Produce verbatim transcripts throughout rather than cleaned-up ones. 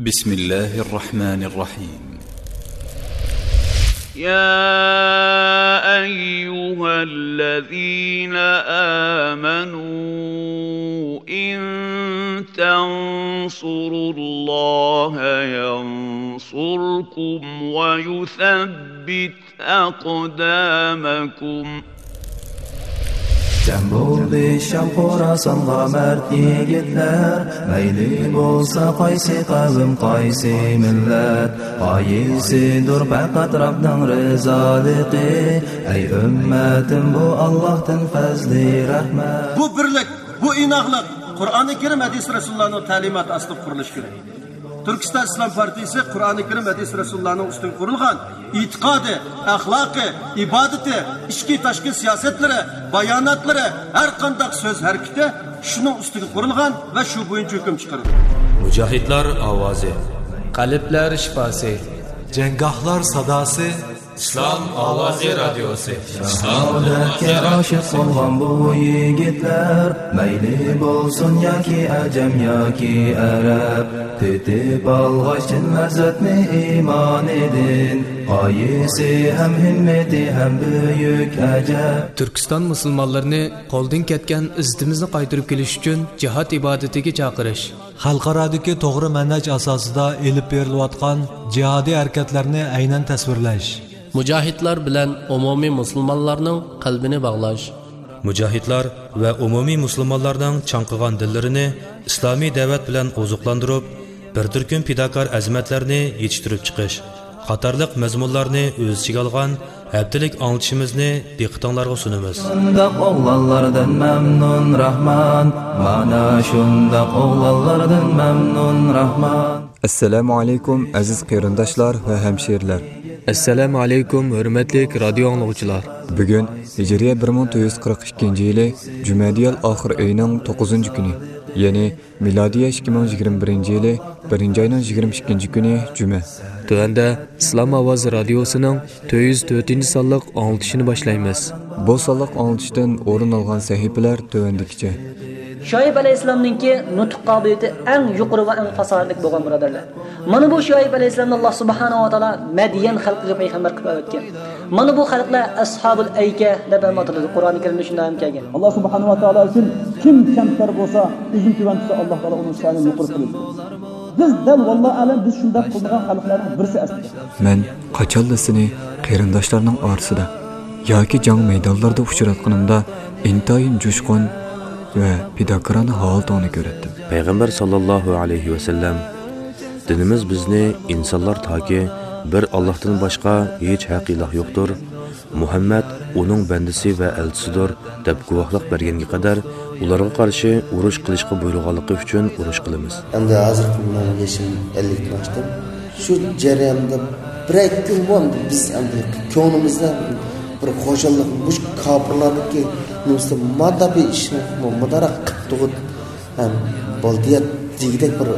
بسم الله الرحمن الرحيم. يا أيها الذين آمنوا إن تنصروا الله ينصركم ويثبت أقدامكم. جەم بولدى شام خوراسانغا مەرد يىگىتلەر، مەيلى بولسا قايسى قەۋم، قايسى مىللەت، غايىسىدۇر پەقەت رەبنىڭ رىزالىقى. ئەي ئۈممەتىم، بۇ ئاللاھتىن پەزلى رەھمەت. بۇ بىرلىك، بۇ ئىناقلىق قۇرئانى كەرىم، ھەدىس رەسۇلۇللانىڭ تەلىماتى ئاستىدا قۇرۇلۇشى كېرەك. تۈركىستان ئىسلام پارتىيىسى قۇرئانى كەرىم، ھەدىس رەسۇلۇللانىڭ ئۈستىگە قۇرۇلغان ئېتىقادى، ئەخلاقى، ئىبادىتى، ئىچكى تاشقى سىياسەتلىرى، باياناتلىرى، ھەر قانداق سۆز ھەرىكىتى شۇنىڭ ئۈستىگە قۇرۇلغان ۋە شۇ بويىچە ھۆكۈم چىقىرىدۇ. مۇجاھىدلار ئاۋازى. قەلبلەر شىپاسى. جەڭگاھلار ساداسى. ئىسلام ئاۋازى رادىيوسى. شاھادەتكە ئاشىق بولغان بۇ يىگىتلەر، مەيلى بولسۇن ياكى ئەجەم ياكى ئەرەب، تېتىپ ئالغاچ چىن لەززەتنى ئىمانىدىن، غايىسى ھەم ھىممىتى ھەم بۈيۈك ئەجەب. تۈركىستان مۇسۇلمانلىرىنى قولدىن كەتكەن ئىززىتىمىزنى قايتۇرۇپ كېلىش ئۈچۈن جىھاد ئىبادىتىگە چاقىرىش. خەلقئارادىكى توغرا مەنھەج ئاساسىدا ئېلىپ بېرىلىۋاتقان جىھادىي ھەرىكەتلەرنى ئەينەن تەسۋىرلەش. مۇجاھىدلار بىلەن ئومۇمىي مۇسۇلمانلارنىڭ قەلبىنى باغلاش. مۇجاھىدلار ۋە ئومۇمىي مۇسۇلمانلارنىڭ چاڭقىغان دىللىرىنى ئىسلامىي دەۋەت بىلەن ئوزۇقلاندۇرۇپ، بىر تۈركۈم پىداكار ئەزىمەتلەرنى يېتىشتۈرۈپ چىقىش قاتارلىق مەزمۇنلارنى ئۆز ئىچىگە ئالغان ھەپتىلىك ئاڭلىتىشىمىزنى دىققىتىڭلارغا سۇنىمىز. شۇنداق ئوغلانلاردىن مەمنۇن راھمان، مانا شۇنداق ئوغلانلاردىن مەمنۇن راھمان. ئەسسالامۇ ئەلەيكۇم، ئەزىز قېرىنداشلار ۋە ھەمشىرىلەر. ئەسسالامۇ ئەلەيكۇم، ھۆرمەتلىك رادىيو ئاڭلىغۇچىلار. بۈگۈن ھىجرىيە بىر مىڭ تۆت يۈز قىرىق ئىككىنچى يىلى جۈمەدىيەل ئاخىر ئېيىنىڭ توققۇزىنچى كۈنى، يەنى مىلادىيە ئىككى مىڭ يىگىرمە بىرىنچى يىلى بىرىنچى ئاينىڭ يىگىرمە ئىككىنچى كۈنى جۈمە. تۆۋەندە ئىسلام ئاۋازى رادىيوسىنىڭ تۆت يۈز تۆتىنچى سانلىق ئاڭلىتىشىنى باشلايمىز. بۇ سانلىق ئاڭلىتىشتىن ئورۇن ئالغان سەھىپىلەر تۆۋەندىكىچە. شۇئەيب ئەلەيھىسسالامنىڭكى نۇتۇق قابىلىيىتى ئەڭ يۇقىرى ۋە ئەڭ پاساھەتلىك بولغان، بۇرادەرلەر. مانا بۇ شۇئەيب ئەلەيھىسسالامنى ئاللا سۇبھانەھۇ ۋە تائالا مەديەن خەلقىگە پەيغەمبەر قىلىپ ئەۋەتكەن. مانا بۇ خەلقلەر ئەسھابۇل ئەيكە دەپ ھەم ئاتىلىدۇ. قۇرئانى كەرىمدە شۇنداق ھەم كەلگەن. ئاللا سۇبھانەھۇ ۋە تائالا ئۈچۈن كىم كەمتەر بولسا، ئۆزىنى تۆۋەن تۇتسا، ئاللا تائالا ئۇنىڭ شانىنى يۇقىرى قىلىدۇ. بىز دەل ۋاللا ئەلەم، بىز شۇنداق قىلمىغان خەلقلەرنىڭ بىرسى ئەسلىدە. مەن قاچانلا سېنى قېرىنداشلارنىڭ ئارىسىدا ياكى جەڭ مەيدانلىرىدا ئۇچراتقىنىمدا ئىنتايىن جۇشقۇن ۋە پىداكارانە ھالىتىڭنى كۆرەتتىم. پەيغەمبەر ساللاللاھۇ ئەلەيھى ۋەسەللەم، دىنىمىز بىزنى ئىنسانلار تاكى بىر ئاللاھتىن باشقا ھېچ ھەق ئىلاھ يوقتۇر، مۇھەممەد ئۇنىڭ بەندىسى ۋە ئەلچىسىدۇر، دەپ گۇۋاھلىق بەرگەنگە قەدەر ئۇلارغا قارشى ئۇرۇش قىلىشقا بۇيرۇغانلىقى ئۈچۈن ئۇرۇش قىلىمىز. ئەمدى ھازىرقى مېنىڭ يېشىم ئەللىكتىن ئاشتىم. شۇ جەرياندا بىرەر كۈن بۇ بىز ئەمدى كۆڭلىمىزدە بىر خۇشاللىق، مۇشۇ كاپىرلارنىڭكى نېمىسىدە مادا بىر ئىشنى مۇدارا قىلىپ تۇغۇت ھەم بالدىيات دېگۈدەك بىر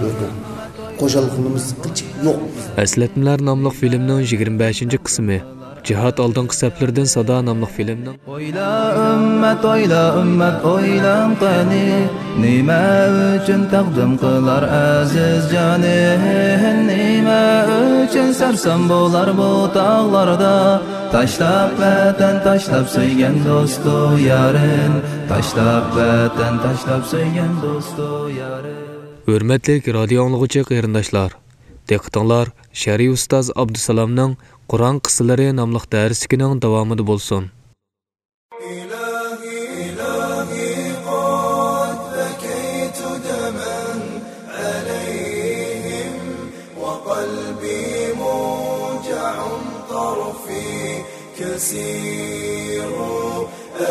خۇشاللىقىمىز قىلچە يوق. ئەسلەتمىلەر ناملىق فىلىمنىڭ يىگىرمە بەشىنچى قىسمى. جىھاد ئالدىنقى سەپلىرىدىن سادا ناملىق فىلىمنىڭ. ئويلا ئۈممەت، ئويلا ئۈممەت، ئويلاڭ قېنى، نېمە ئۈچۈن تەقدىم قىلار ئەزىز جانى؟ نېمە ئۈچۈن سەرسان بولار بۇ تاغلاردا؟ تاشلاپ ۋەتەن، تاشلاپ سۆيگەن دوستۇ يارىن، تاشلاپ ۋەتەن، تاشلاپ سۆيگەن دوستۇ يارىن. ھۆرمەتلىك رادىيو ئاڭلىغۇچى قېرىنداشلار، دىققىتىڭلار شەرئىي ئۇستاز ئابدۇسالامنىڭ قۇرئان قىسسىلىرى ناملىق دەرسلىكىنىڭ داۋامىدا بولسۇن. إلهي، إلهي، قد بكيت دما عليهم، وقلبي موجع، طرفي كسير،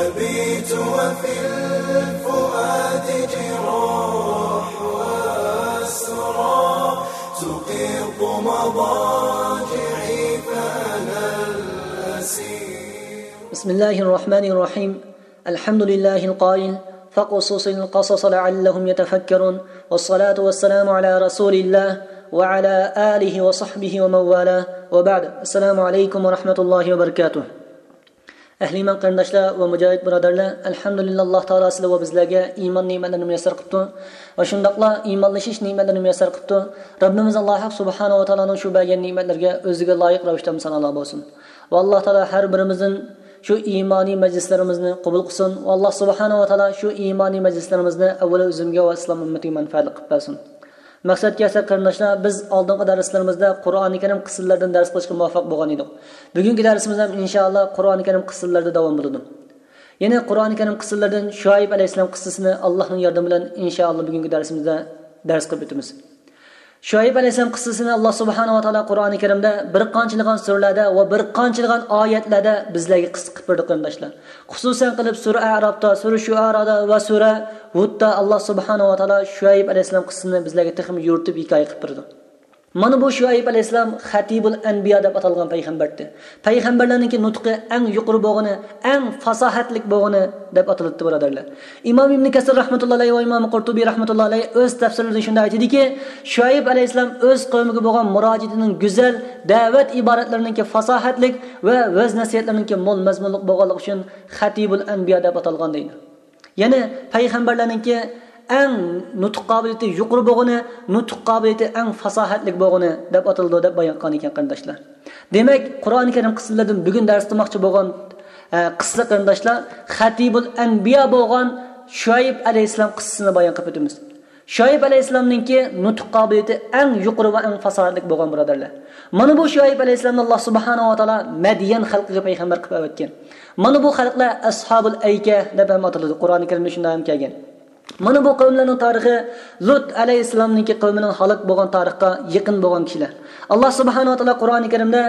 أبيت وفي الفؤاد جراح وأسرى، تقيض مضاجعي فأنا الأسير. بسم الله الرحمن الرحيم. الحمد لله القائل: فاقصص القصص لعلهم يتفكرون. والصلاة والسلام على رسول الله وعلى آله وصحبه ومن والاه. وبعد. السلام عليكم ورحمة الله وبركاته. ئەھلى ئىمان قېرىنداشلار ۋە مۇجاھىد بۇرادەرلەر، ئەلھەمدۇلىللا، ئاللا تائالا سىلەر ۋە بىزلەرگە ئىمان نېمەتلىرىنى مۇيەسسەر قىپتۇ ۋە شۇنداقلا ئىمانلىشىش نېمەتلىرىنى مۇيەسسەر قىپتۇ. رەببىمىز ئاللا ھەق سۇبھانەھۇ ۋە تائالانىڭ شۇ بەرگەن نېمەتلىرىگە ئۆزىگە لايىق رەۋىشتە ھەمدۇ سانالار بولسۇن. ۋە ئاللا تائالا ھەر بىرىمىزدىن شۇ ئىمانىي مەجلىسلىرىمىزنى قوبۇل قىلسۇن. ۋە ئاللا سۇبھانەھۇ ۋە تائالا شۇ ئىمانىي مەجلىسلىرىمىزنى ئەۋۋەل ئۆزۈمگە ۋە ئىسلام ئۈممىتىگە مەنپەئەتلىك قىلىپ بەرسۇن. مەقسەتكە كەلسەك قېرىنداشلار، بىز ئالدىنقى دەرسلىرىمىزدە قۇرئانى كەرىم قىسسىلىرىدىن دەرس قىلىشقا مۇۋەپپەق بولغان ئىدۇق. بۈگۈنكى دەرسىمىزدە ھەم ئىنشائاللا قۇرئانى كەرىم قىسسىلىرىدا داۋام بولىدۇ. يەنە قۇرئانى كەرىم قىسسىلىرىدىن شۇئەيب ئەلەيھىسسالام قىسسىسىنى ئاللانىڭ ياردىمى بىلەن ئىنشائاللا بۈگۈنكى دەرسىمىزدە دەرس قىلىپ ئۆتىمىز. شۇئەيب ئەلەيھىسسالام قىسسىسىنى ئاللا سۇبھانەھۇ ۋە تائالا قۇرئانى كەرىمدە بىر قانچىلىغان سۈرىلەردە ۋە بىر قانچىلىغان ئايەتلەردە بىزلەرگە قىسسە قىلىپ بەردى قېرىنداشلار. خۇسۇسەن قىلىپ سۈرە ئەرافتا، سۈرە شۇئارادا ۋە سۈرە ھۇدتا ئاللا سۇبھانەھۇ ۋە تائالا شۇئەيب ئەلەيھىسسالام قىسسىسىنى بىزلەرگە تېخىمۇ يورۇتۇپ ھېكايە قىلىپ بەردى. مانا بۇ شۇئەيب ئەلەيھىسسالام خەتىبۇل ئەنبىيا دەپ ئاتالغان پەيغەمبەردى. پەيغەمبەرلەرنىڭكى نۇتقى ئەڭ يۇقىرى بولغىنى، ئەڭ پاساھەتلىك بولغىنى دەپ ئاتىلىدۇ، بۇرادەرلەر. ئىمام ئىبن كەسىر رەھمەتۇللا ئەلەيھى ۋە ئىمام قۇرتۇبى رەھمەتۇللا ئەلەيھى ئۆز تەپسىرلىرىدە شۇنداق ئېيتىدۇكى، شۇئەيب ئەلەيھىسسالام ئۆز قەۋمىگە بولغان مۇراجىئىتىنىڭ گۈزەل، دەۋەت ئىبارەتلىرىنىڭكى پاساھەتلىك ۋە ۋەز نەسىھەتلىرىنىڭكى مول مەزمۇنلۇق بولغانلىقى ئۈچۈن خەتىبۇل ئەنبىيا دەپ ئاتالغان دەيدۇ. يەنى پەيغەمبەرلەرنىڭكى ئەڭ نۇتۇق قابىلىيىتى يۇقىرى بولغىنى، نۇتۇق قابىلىيىتى ئەڭ پاساھەتلىك بولغىنى دەپ ئاتىلىدۇ دەپ بايان قىلغان ئىكەن، قېرىنداشلار. دېمەك، قۇرئانى كەرىم قىسسىلىرىدىن بۈگۈن دەرس قىلماقچى بولغان، ئە، قىسسە قېرىنداشلار، خەتىبۇل ئەنبىيا بولغان شۇئەيب ئەلەيھىسسالام قىسسىسىنى بايان قىلىپ ئۆتىمىز. شۇئەيب ئەلەيھىسسالامنىڭكى نۇتۇق قابىلىيىتى ئەڭ يۇقىرى ۋە ئەڭ پاساھەتلىك بولغان، بۇرادەرلەر. مانا بۇ شۇئەيب ئەلەيھىسسالامنى ئاللا سۇبھانەھۇ ۋە تائالا مەديەن خەلقىگە پەيغەمبەر قىلىپ ئەۋەتكەن. مانا بۇ خەلقلەر ئەسھابۇل ئەيكە دەپ ھەم ئاتىلىدۇ. قۇرئانى كەرىمدە شۇنداق ھەم كەلگەن. مانا بۇ قەۋملەرنىڭ تارىخى لۇت ئەلەيھىسسالامنىڭكى قەۋمىنىڭ ھالاك بولغان تارىخقا يېقىن بولغان كىشىلەر. ئاللا سۇبھانەھۇ ۋە تائالا قۇرئانى كەرىمدە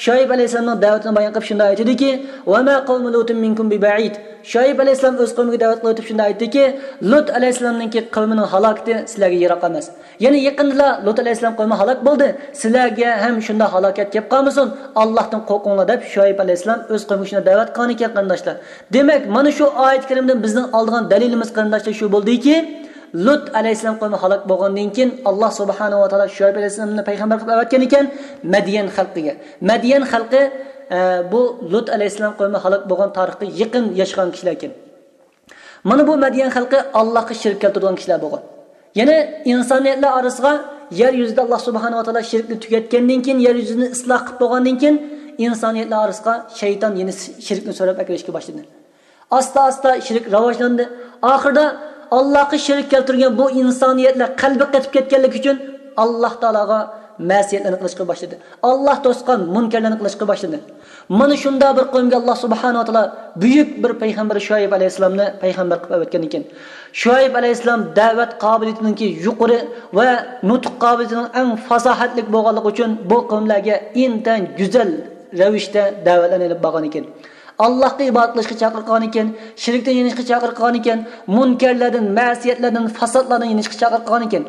شۇئەيب ئەلەيھىسسالامنىڭ دەۋىتىنى بايان قىلىپ شۇنداق ئېيتىدۇكى، «وما قوم لوط منكم ببعيد». شۇئەيب ئەلەيھىسسالام ئۆز قەۋمىگە دەۋەت قىلىۋېتىپ شۇنداق ئېيتتىكى، لۇت ئەلەيھىسسالامنىڭكى قەۋمىنىڭ ھالاكىتى سىلەرگە يىراق ئەمەس. يەنى يېقىندىلا لۇت ئەلەيھىسسالام قەۋمى ھالاك بولدى، سىلەرگە ھەم شۇنداق ھالاكەت كەپ قالمىسۇن، ئاللاھتىن قورقۇڭلار دەپ شۇئەيب ئەلەيھىسسالام ئۆز قەۋمىگە شۇنداق دەۋەت قىلغان ئىكەن، قېرىنداشلار. دېمەك، مانا شۇ ئايەت كەرىمدىن بىزنىڭ ئالىدىغان دەلىلىمىز، قېرىنداشلار، شۇ بولدىكى، لۇت ئەلەيھىسسالام قەۋمى ھالاك بولغاندىن كېيىن، ئاللا سۇبھانەھۇ ۋە تائالا شۇئەيب ئەلەيھىسسالامنى پەيغەمبەر قىلىپ ئەۋەتكەن ئىكەن مەديەن خەلقىگە. مەديەن خەلقى، ئە، بۇ لۇت ئەلەيھىسسالام قەۋمى ھالاك بولغان تارىخقا يېقىن ياشىغان كىشىلەر ئىكەن. مانا بۇ مەديەن خەلقى ئاللاھقا شېرىك كەلتۈرىدىغان كىشىلەر بولغان. يەنى ئىنسانىيەتلەر ئارىسىغا يەر يۈزىدە ئاللا سۇبھانەھۇ ۋە تائالا شېرىكنى تۈگەتكەندىن كېيىن، يەر يۈزىنى ئىسلاھ قىلىپ بولغاندىن كېيىن، ئىنسانىيەتلەر ئارىسىغا شەيتان يەنە شېرىكنى سۆرەپ ئەكىرىشكە باشلىدى. ئاستا-ئاستا شېرىك راۋاجلاندى. ئاخىرىدا ئاللاھقا شېرىك كەلتۈرگەن بۇ ئىنسانىيەتلەر قەلبى قېتىپ كەتكەنلىكى ئۈچۈن ئاللا تائالاغا مەسىيەتلەرنى قىلىشقا باشلىدى. ئاللا توسقان مۇنكەرلەرنى قىلىشقا باشلىدى. مانا شۇنداق بىر قەۋمگە ئاللا سۇبھانەھۇ ۋە تائالا بۈيۈك بىر پەيغەمبەر شۇئەيب ئەلەيھىسسالامنى پەيغەمبەر قىلىپ ئەۋەتكەن ئىكەن. شۇئەيب ئەلەيھىسسالام دەۋەت قابىلىيىتىنىڭكى يۇقىرى ۋە نۇتۇق قابىلىيىتىنىڭ ئەڭ پاساھەتلىك بولغانلىقى ئۈچۈن بۇ قەۋملەرگە ئىنتايىن گۈزەل رەۋىشتە دەۋەتلەرنى ئېلىپ بارغان ئىكەن. ئاللاھقا ئىبادەت قىلىشقا چاقىرغان ئىكەن، شېرىكتىن يېنىشقا چاقىرغان ئىكەن، مۇنكەرلەردىن، مەسىيەتلەردىن، پاساتلاردىن يېنىشقا چاقىرغان ئىكەن.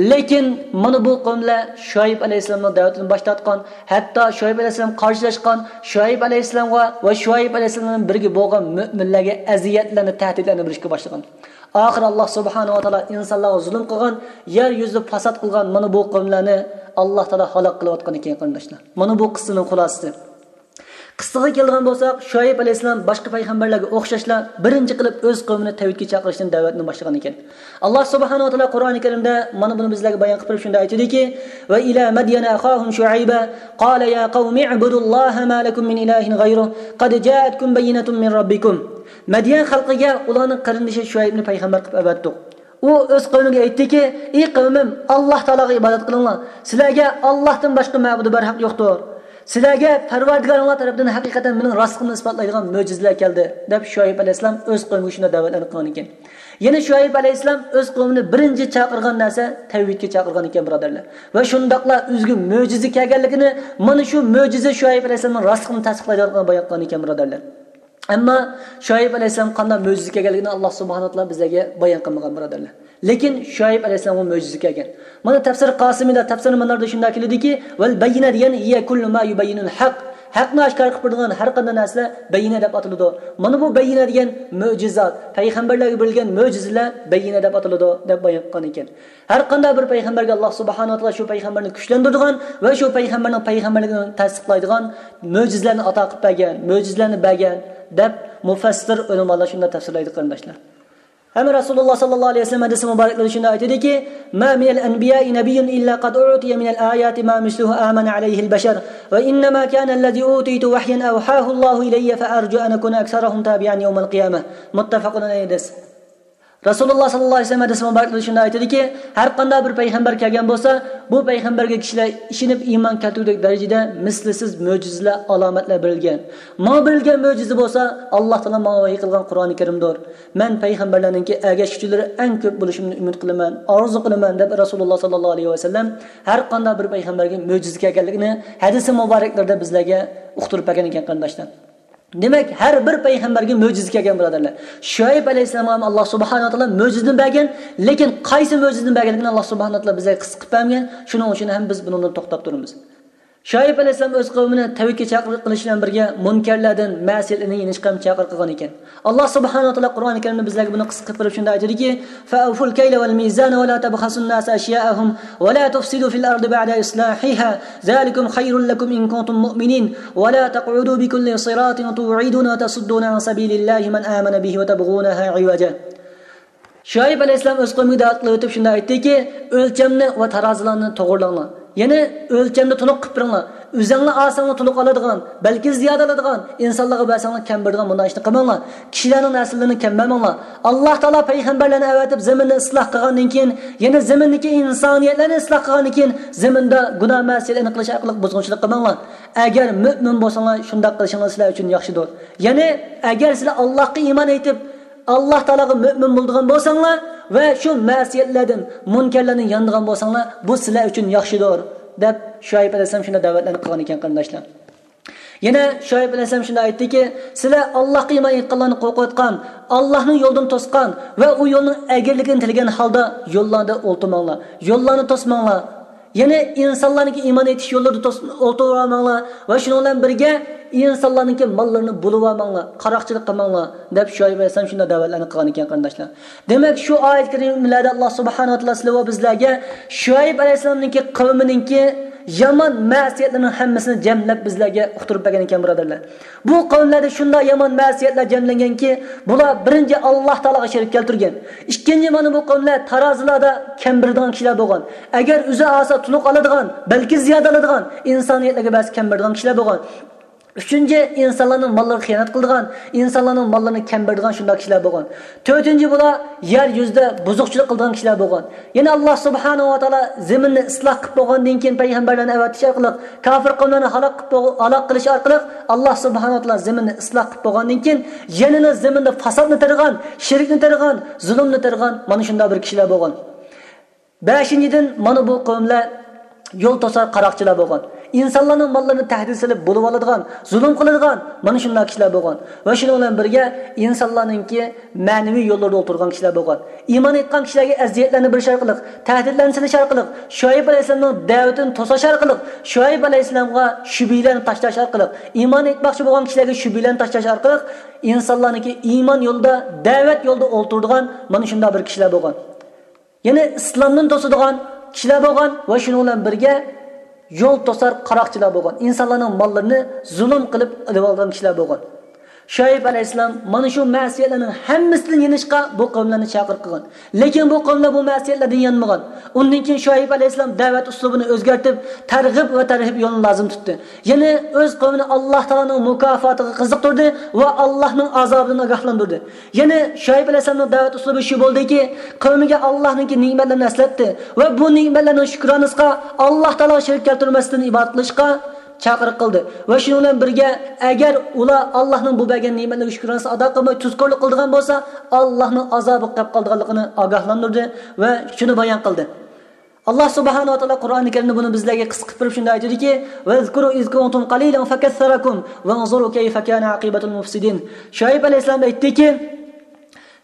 لېكىن مانا بۇ قەۋملەر شۇئەيب ئەلەيھىسسالامنىڭ دەۋىتىنى باش تارتقان، ھەتتا شۇئەيب ئەلەيھىسسالام قارشىلاشقان، شۇئەيب ئەلەيھىسسالامغا ۋە شۇئەيب ئەلەيھىسسالام بىلەن بىرگە بولغان مۆمىنلەرگە ئەزىيەتلەرنى، تەھدىتلەرنى بېرىشكە باشلىغان. ئاخىرى ئاللا سۇبھانەھۇ ۋە تائالا ئىنسانلارغا زۇلۇم قىلغان، يەر يۈزىدە پاسات قىلغان مانا بۇ قەۋملەرنى ئاللا تائالا ھالاك قىلىۋاتقان ئىكەن، قېرىنداشلار. مانا بۇ قىسسىنىڭ خۇلاسىسى. قىسسىغا كەلگەن بولساق، شۇئەيب ئەلەيھىسسالام باشقا پەيغەمبەرلەرگە ئوخشاشلا بىرىنچى قىلىپ ئۆز قەۋمىنى تەۋھىدكە چاقىرىشتىن دەۋەتنى باشلىغان ئىكەن. ئاللا سۇبھانەھۇ ۋە تائالا قۇرئانى كەرىمدە مانا بۇنى بىزلەرگە بايان قىلىپ بېرىپ شۇنداق ئېيتىدۇكى، وإلى مدين أخاهم شعيبا قال يا قوم اعبدوا الله ما لكم من إله غيره قد جاءتكم بينة من ربكم. مەديەن خەلقىگە ئۇلارنىڭ قېرىندىشى شۇئەيبنى پەيغەمبەر قىلىپ ئەۋەتتۇق. ئۇ ئۆز قەۋمىگە ئېيتتىكى، ئى قەۋمىم، ئاللا تائالاغا ئىبادەت قىلىڭلار. سىلەرگە ئاللاھتىن باشقا مەبۇدى بەرھەق يوقتۇر. سىلەرگە پەرۋەردىگارىڭلار تەرىپىدىن ھەقىقەتەن مېنىڭ راستلىقىمنى ئىسپاتلايدىغان مۆجىزىلەر كەلدى، دەپ شۇئەيب ئەلەيھىسسالام ئۆز قەۋمىگە شۇنداق دەۋەتلەرنى قىلغان ئىكەن. يەنە شۇئەيب ئەلەيھىسسالام ئۆز قەۋمىنى بىرىنچى چاقىرغان نەرسە تەۋھىدكە چاقىرغان ئىكەن، بۇرادەرلەر. ۋە شۇنداقلا ئۆزىگە مۆجىزە كەلگەنلىكىنى، مانا شۇ مۆجىزە شۇئەيب ئەلەيھىسسالامنىڭ راستلىقىنى تەستىقلايدىغانلىقىنى بايان قىلغان ئىكەن، بۇرادەرلەر. ئەمما شۇئەيب ئەلەيھىسسالام قانداق مۆجىزە كەلگەنلىكىنى ئاللا سۇبھانەھۇ ۋە تائالا بىزلەرگە بايان قىلمىغان، بۇرادەرلەر. لېكىن شۇئەيب ئەلەيھىسسالامغا مۆجىزە كەلگەن. مانا تەپسىر قاسىمىدا، تەپسىر مۇناردا شۇنداق كېلىدۇكى، ۋەل بەييىنە دېگەن، ھىيە كۇللۇ ما يۇبەييىنۇل ھەق. ھەقنى ئاشكارا قىلىپ بېرىدىغان ھەر قانداق نەرسىلەر بەييىنە دەپ ئاتىلىدۇ. مانا بۇ بەييىنە دېگەن مۆجىزات، پەيغەمبەرلەرگە بېرىلگەن مۆجىزىلەر بەييىنە دەپ ئاتىلىدۇ، دەپ بايان قىلغان ئىكەن. ھەر قانداق بىر پەيغەمبەرگە ئاللا سۇبھانەھۇ ۋە تائالا شۇ پەيغەمبەرنى كۈچلەندۈرىدىغان ۋە شۇ پەيغەمبەرنىڭ پەيغەمبەرلىكىنى تەستىقلايدىغان مۆجىزىلەرنى ئاتا قىلىپ بەرگەن، مۆجىزىلەرنى بەرگەن، دەپ مۇفەسسىر ئۆلىمالار شۇنداق تەپسىرلەيدۇ، قېرىنداشلار. ھەم رەسۇلۇللا ساللاللاھۇ ئەلەيھى ۋەسەللەم ھەدىسى مۇبارەكلىرىدە شۇنداق ئېيتىدىكى، ما من الأنبياء نبي إلا قد أعطي من الآيات ما مثله آمن عليه البشر، وإنما كان الذي أوتيت وحيا أوحاه الله إلي فأرجو أن أكون أكثرهم تابعا يوم القيامة. مۇتتەپەقۇن ئەلەيھى ھەدىس. رەسۇلۇللا ساللاللاھۇ ئەلەيھى ۋەسەللەم ھەدىسى مۇبارەكلىرىدە شۇنداق ئېيتىدىكى، ھەر قانداق بىر پەيغەمبەر كەلگەن بولسا، بۇ پەيغەمبەرگە كىشىلەر ئىشىنىپ ئىمان كەلتۈرگۈدەك دەرىجىدە مىسلىسىز مۆجىزىلەر، ئالامەتلەر بېرىلگەن. ماڭا بېرىلگەن مۆجىزە بولسا، ئاللا تائالا ماڭا ۋەھىي قىلغان قۇرئانى كەرىمدۇر. مەن پەيغەمبەرلەرنىڭكى ئەگەشكۈچىلىرى ئەڭ كۆپ بولۇشىنى ئۈمىد قىلىمەن، ئارزۇ قىلىمەن، دەپ رەسۇلۇللا ساللاللاھۇ ئەلەيھى ۋەسەللەم ھەر قانداق بىر پەيغەمبەرگە مۆجىزە كەلگەنلىكىنى ھەدىسى مۇبارەكلىرىدە بىزلەرگە ئۇقتۇرۇپ بەرگەن ئىكەن، قېرىنداشلار. دېمەك، ھەر بىر پەيغەمبەرگە مۆجىزە كەلگەن، بۇرادەرلەر. شۇئەيب ئەلەيھىسسالامغا ھەم ئاللا سۇبھانەھۇ ۋە تائالا مۆجىزىنى بەرگەن، لېكىن قايسى مۆجىزىنى بەرگەنلىكىنى ئاللا سۇبھانەھۇ ۋە تائالا بىزگە قىسقا قىلىپ بەرمىگەن. شۇنىڭ ئۈچۈن ھەم بىز بۇنىڭدىن توختاپ تۇرىمىز. شۇئەيب ئەلەيھىسسالام ئۆز قەۋمىنى تەۋھىدكە چاقىرىق قىلىش بىلەن بىرگە، مۇنكەرلەردىن، مەسىيەتلەردىن يېنىشقا ھەم چاقىرىق قىلغان ئىكەن. ئاللا سۇبھانەھۇ ۋە تائالا قۇرئانى كەرىمدە بىزلەرگە بۇنى قىسقا قىلىپ بېرىپ شۇنداق ئېيتىدىكى، فأوفوا الكيل والميزان ولا تبخسوا الناس أشياءهم ولا تفسدوا في الأرض بعد إصلاحها ذلكم خير لكم إن كنتم مؤمنين ولا تقعدوا بكل صراط توعدون وتصدون عن سبيل الله من آمن به وتبغونها عوجا. شۇئەيب ئەلەيھىسسالام ئۆز قەۋمىگە دەۋەت قىلىۋېتىپ شۇنداق ئېيتتىكى، ئۆلچەمنى ۋە تارازىلارنى توغرىلاڭلار. يەنى ئۆلچەمنى تولۇق قىلىپ بېرىڭلار. ئۆزەڭلار ئالساڭلار تولۇق ئالىدىغان، بەلكى زىيادە ئالىدىغان، ئىنسانلارغا بەرسەڭلار كەم بېرىدىغان مۇنداق ئىشنى قىلماڭلار. كىشىلەرنىڭ نەرسىلىرىنى كەم بەرمەڭلار. ئاللا تائالا پەيغەمبەرلەرنى ئەۋەتىپ زېمىننى ئىسلاھ قىلغاندىن كېيىن، يەنى زېمىندىكى ئىنسانىيەتلەرنى ئىسلاھ قىلغاندىن كېيىن، زېمىندا گۇناھ مەسىيەتلەرنى قىلىش ئارقىلىق بۇزغۇنچىلىق قىلماڭلار. ئەگەر مۆمىن بولساڭلار، شۇنداق قىلىشىڭلار سىلەر ئۈچۈن ياخشىدۇر. يەنى ئەگەر سىلەر ئاللاھقا ئىمان ئېيتىپ، ئاللا تائالاغا مۆمىن بولىدىغان بولساڭلار ۋە شۇ مەسىيەتلەردىن، مۇنكەرلەردىن يانىدىغان بولساڭلار، بۇ سىلەر ئۈچۈن ياخشىدۇر، دەپ شۇئەيب ئەلەيھىسسالام شۇنداق دەۋەتلەرنى قىلغان ئىكەن، قېرىنداشلار. يەنە شۇئەيب ئەلەيھىسسالام شۇنداق ئېيتتىكى، سىلەر ئاللاھقا ئىمان ئېيتقانلارنى قورقۇۋاتقان، ئاللاھنىڭ يولىدىن توسقان ۋە ئۇ يولنىڭ ئەگرىلىكىنى تىلىگەن ھالدا يوللاردا ئولتۇرماڭلار، يوللارنى توسماڭلار. يەنى ئىنسانلارنىڭكى ئىمان ئېيتىش يوللىرىدا توس-، ئولتۇرۇۋالماڭلار ۋە شۇنىڭ بىلەن بىرگە ئىنسانلارنىڭكى ماللىرىنى بۇلىۋالماڭلار، قاراقچىلىق قىلماڭلار، دەپ شۇئەيب ئەلەيھىسسالام شۇنداق دەۋەتلەرنى قىلغان ئىكەن، قېرىنداشلار. دېمەك، شۇ ئايەت كەرىمىلەردە ئاللا سۇبھانەھۇ ۋە تائالا سىلەر ۋە بىزلەرگە شۇئەيب ئەلەيھىسسالامنىڭكى قەۋمىنىڭكى يامان مەسىيەتلىرىنىڭ ھەممىسىنى جەملەپ بىزلەرگە ئۇقتۇرۇپ بەرگەن ئىكەن، بۇرادەرلەر. بۇ قەۋملەردە شۇنداق يامان مەسىيەتلەر جەملەنگەنكى، بۇلار بىرىنچى، ئاللا تائالاغا شېرىك كەلتۈرگەن. ئىككىنچى، مانا بۇ قەۋملەر تارازىلاردا كەم بېرىدىغان كىشىلەر بولغان. ئەگەر ئۆزى ئالسا تولۇق ئالىدىغان، بەلكى زىيادە ئالىدىغان، ئىنسانىيەتلەرگە بەرسە كەم بېرىدىغان كىشىلەر بولغان. ئۈچىنچى، ئىنسانلارنىڭ ماللىرىغا خىيانەت قىلىدىغان، ئىنسانلارنىڭ ماللىرىنى كەم بېرىدىغان شۇنداق كىشىلەر بولغان. تۆتىنچى، بۇلار يەر يۈزىدە بۇزۇقچىلىق قىلىدىغان كىشىلەر بولغان. يەنە ئاللا سۇبھانەھۇ ۋە تائالا زېمىننى ئىسلاھ قىلىپ بولغاندىن كېيىن، پەيغەمبەرلەرنى ئەۋەتىش ئارقىلىق، كاپىر قەۋملەرنى ھالاك قىلىپ بول-، ھالاك قىلىش ئارقىلىق، ئاللا سۇبھانەھۇ ۋە تائالا زېمىننى ئىسلاھ قىلىپ بولغاندىن كېيىن، يەنىلا زېمىندا فاسادنى تېرىغان، شىركنى تېرىغان، زۇلۇمنى تېرىغان، مانا شۇنداق بىر كىشىلەر بولغان. بەشىنچىدىن، مانا بۇ قەۋملەر يول توسار قاراقچىلار بولغان. ئىنسانلارنىڭ ماللىرىنى تەھدىت سېلىپ بۇلىۋالىدىغان، زۇلۇم قىلىدىغان، مانا شۇنداق كىشىلەر بولغان. ۋە شۇنىڭ بىلەن بىرگە، ئىنسانلارنىڭكى مەنىۋى يوللىرىدا ئولتۇرغان كىشىلەر بولغان. ئىمان ئېيتقان كىشىلەرگە ئەزىيەتلەرنى بېرىش ئارقىلىق، تەھدىتلەرنى سېلىش ئارقىلىق، شۇئەيب ئەلەيھىسسالامنىڭ دەۋىتىنى توساش ئارقىلىق، شۇئەيب ئەلەيھىسسالامغا شۈبھىلەرنى تاشلاش ئارقىلىق، ئىمان ئېيتماقچى بولغان كىشىلەرگە شۈبھىلەرنى تاشلاش ئارقىلىق، ئىنسانلارنىڭكى ئىمان يولىدا، دەۋەت يولىدا ئولتۇرىدىغان مانا شۇنداق بىر كىشىلەر بولغان. يەنى ئىسلامدىن توسىدىغان كىشىلەر بولغان ۋە شۇنىڭ بىلەن بىرگە يول توسار قاراقچىلار بولغان، ئىنسانلارنىڭ ماللىرىنى زۇلۇم قىلىپ ئېلىۋالغان كىشىلەر بولغان. شۇئەيب ئەلەيھىسسالام مانا شۇ مەسىيەتلەرنىڭ ھەممىسىدىن يېنىشقا بۇ قەۋملەرنى چاقىرىق قىلغان. لېكىن بۇ قەۋملەر بۇ مەسىيەتلەردىن يانمىغان. ئۇندىن كېيىن شۇئەيب ئەلەيھىسسالام دەۋەت ئۇسلۇبىنى ئۆزگەرتىپ، تەرغىب ۋە تەرھىب يولىنى لازىم تۇتتى. يەنى ئۆز قەۋمىنى ئاللا تائالانىڭ مۇكاپاتىغا قىزىقتۇردى ۋە ئاللانىڭ ئازابىدىن ئاگاھلاندۇردى. يەنى شۇئەيب ئەلەيھىسسالامنىڭ دەۋەت ئۇسلۇبى شۇ بولدىكى، قەۋمىگە ئاللانىڭكى نېمەتلىرىنى ئەسلەتتى ۋە بۇ نېمەتلەرنىڭ شۈكرانىسىغا ئاللا تائالاغا شېرىك كەلتۈرمەستىن ئىبادەت قىلىشقا چاقىرىق قىلدى. ۋە شۇنىڭ بىلەن بىرگە، ئەگەر ئۇلار ئاللانىڭ بۇ بەرگەن نېمەتلىرىگە شۈكرانىسىنى ئادا قىلماي، تۇزكورلۇق قىلىدىغان بولسا، ئاللانىڭ ئازابىغا قېلىپ قالىدىغانلىقىنى ئاگاھلاندۇردى ۋە شۇنى بايان قىلدى. ئاللا سۇبھانەھۇ ۋە تائالا قۇرئانى كەرىمدە بۇنى بىزلەرگە قىسقا قىلىپ بېرىپ شۇنداق ئېيتىدىكى، واذكروا إذ كنتم قليلا فكثركم وانظروا كيف كان عاقبة المفسدين. شۇئەيب ئەلەيھىسسالام ئېيتتىكى،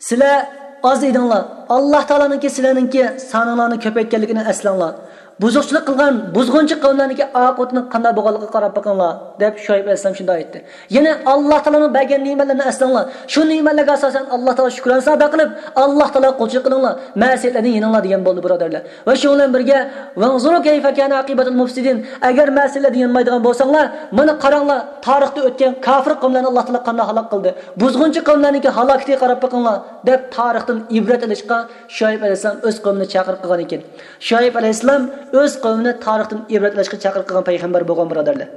سىلەر ئاز ئىدىڭلار، ئاللا تائالانىڭكى سىلەرنىڭكى سانىڭلارنى كۆپەيتكەنلىكىنى ئەسلەڭلار. بۇزۇقچىلىق قىلغان بۇزغۇنچى قەۋملەرنىڭكى ئاقىۋىتىنىڭ قانداق بولغانلىقىغا قاراپ بېقىڭلار، دەپ شۇئەيب ئەلەيھىسسالام شۇنداق ئېيتتى. يەنى ئاللاھ تائالانىڭ بەرگەن نېمەتلىرىنى ئەسلەڭلار. شۇ نېمەتلەرگە ئاساسەن ئاللاھ تائالاغا شۈكرانە سادا قىلىپ، ئاللاھ تائالاغا قۇلچىلىق قىلىڭلار، مەسىيەتلەردىن يېنىڭلار دېگەن بولدى، بۇرادەرلەر. ۋە شۇنىڭ بىلەن بىرگە، «ۋەنزۇرۇ كەيفە كانە ئاقىبەتۇل مۇفسىدىن»، ئەگەر مەسىيەتلەردىن يانمايدىغان بولساڭلار، مانا قاراڭلار، تارىختا ئۆتكەن كاپىر قەۋملەرنى ئاللاھ تائالا قانداق ھالاك قىلدى، بۇزغۇنچى قەۋملەرنىڭكى ھالاكىتىگە قاراپ بېقىڭلار، دەپ تارىختىن ئىبرەت ئېلىشقا شۇئەيب ئەلەيھىسسالام ئۆز قەۋمىنى چاقىرىق قىلغان ئىكەن. شۇئەيب ئەلەيھىسسالام ئۆز قەۋمىنى تارىختىن ئىبرەت ئېلىشقا چاقىرىق قىلغان پەيغەمبەر بولغان، بۇرادەرلەر.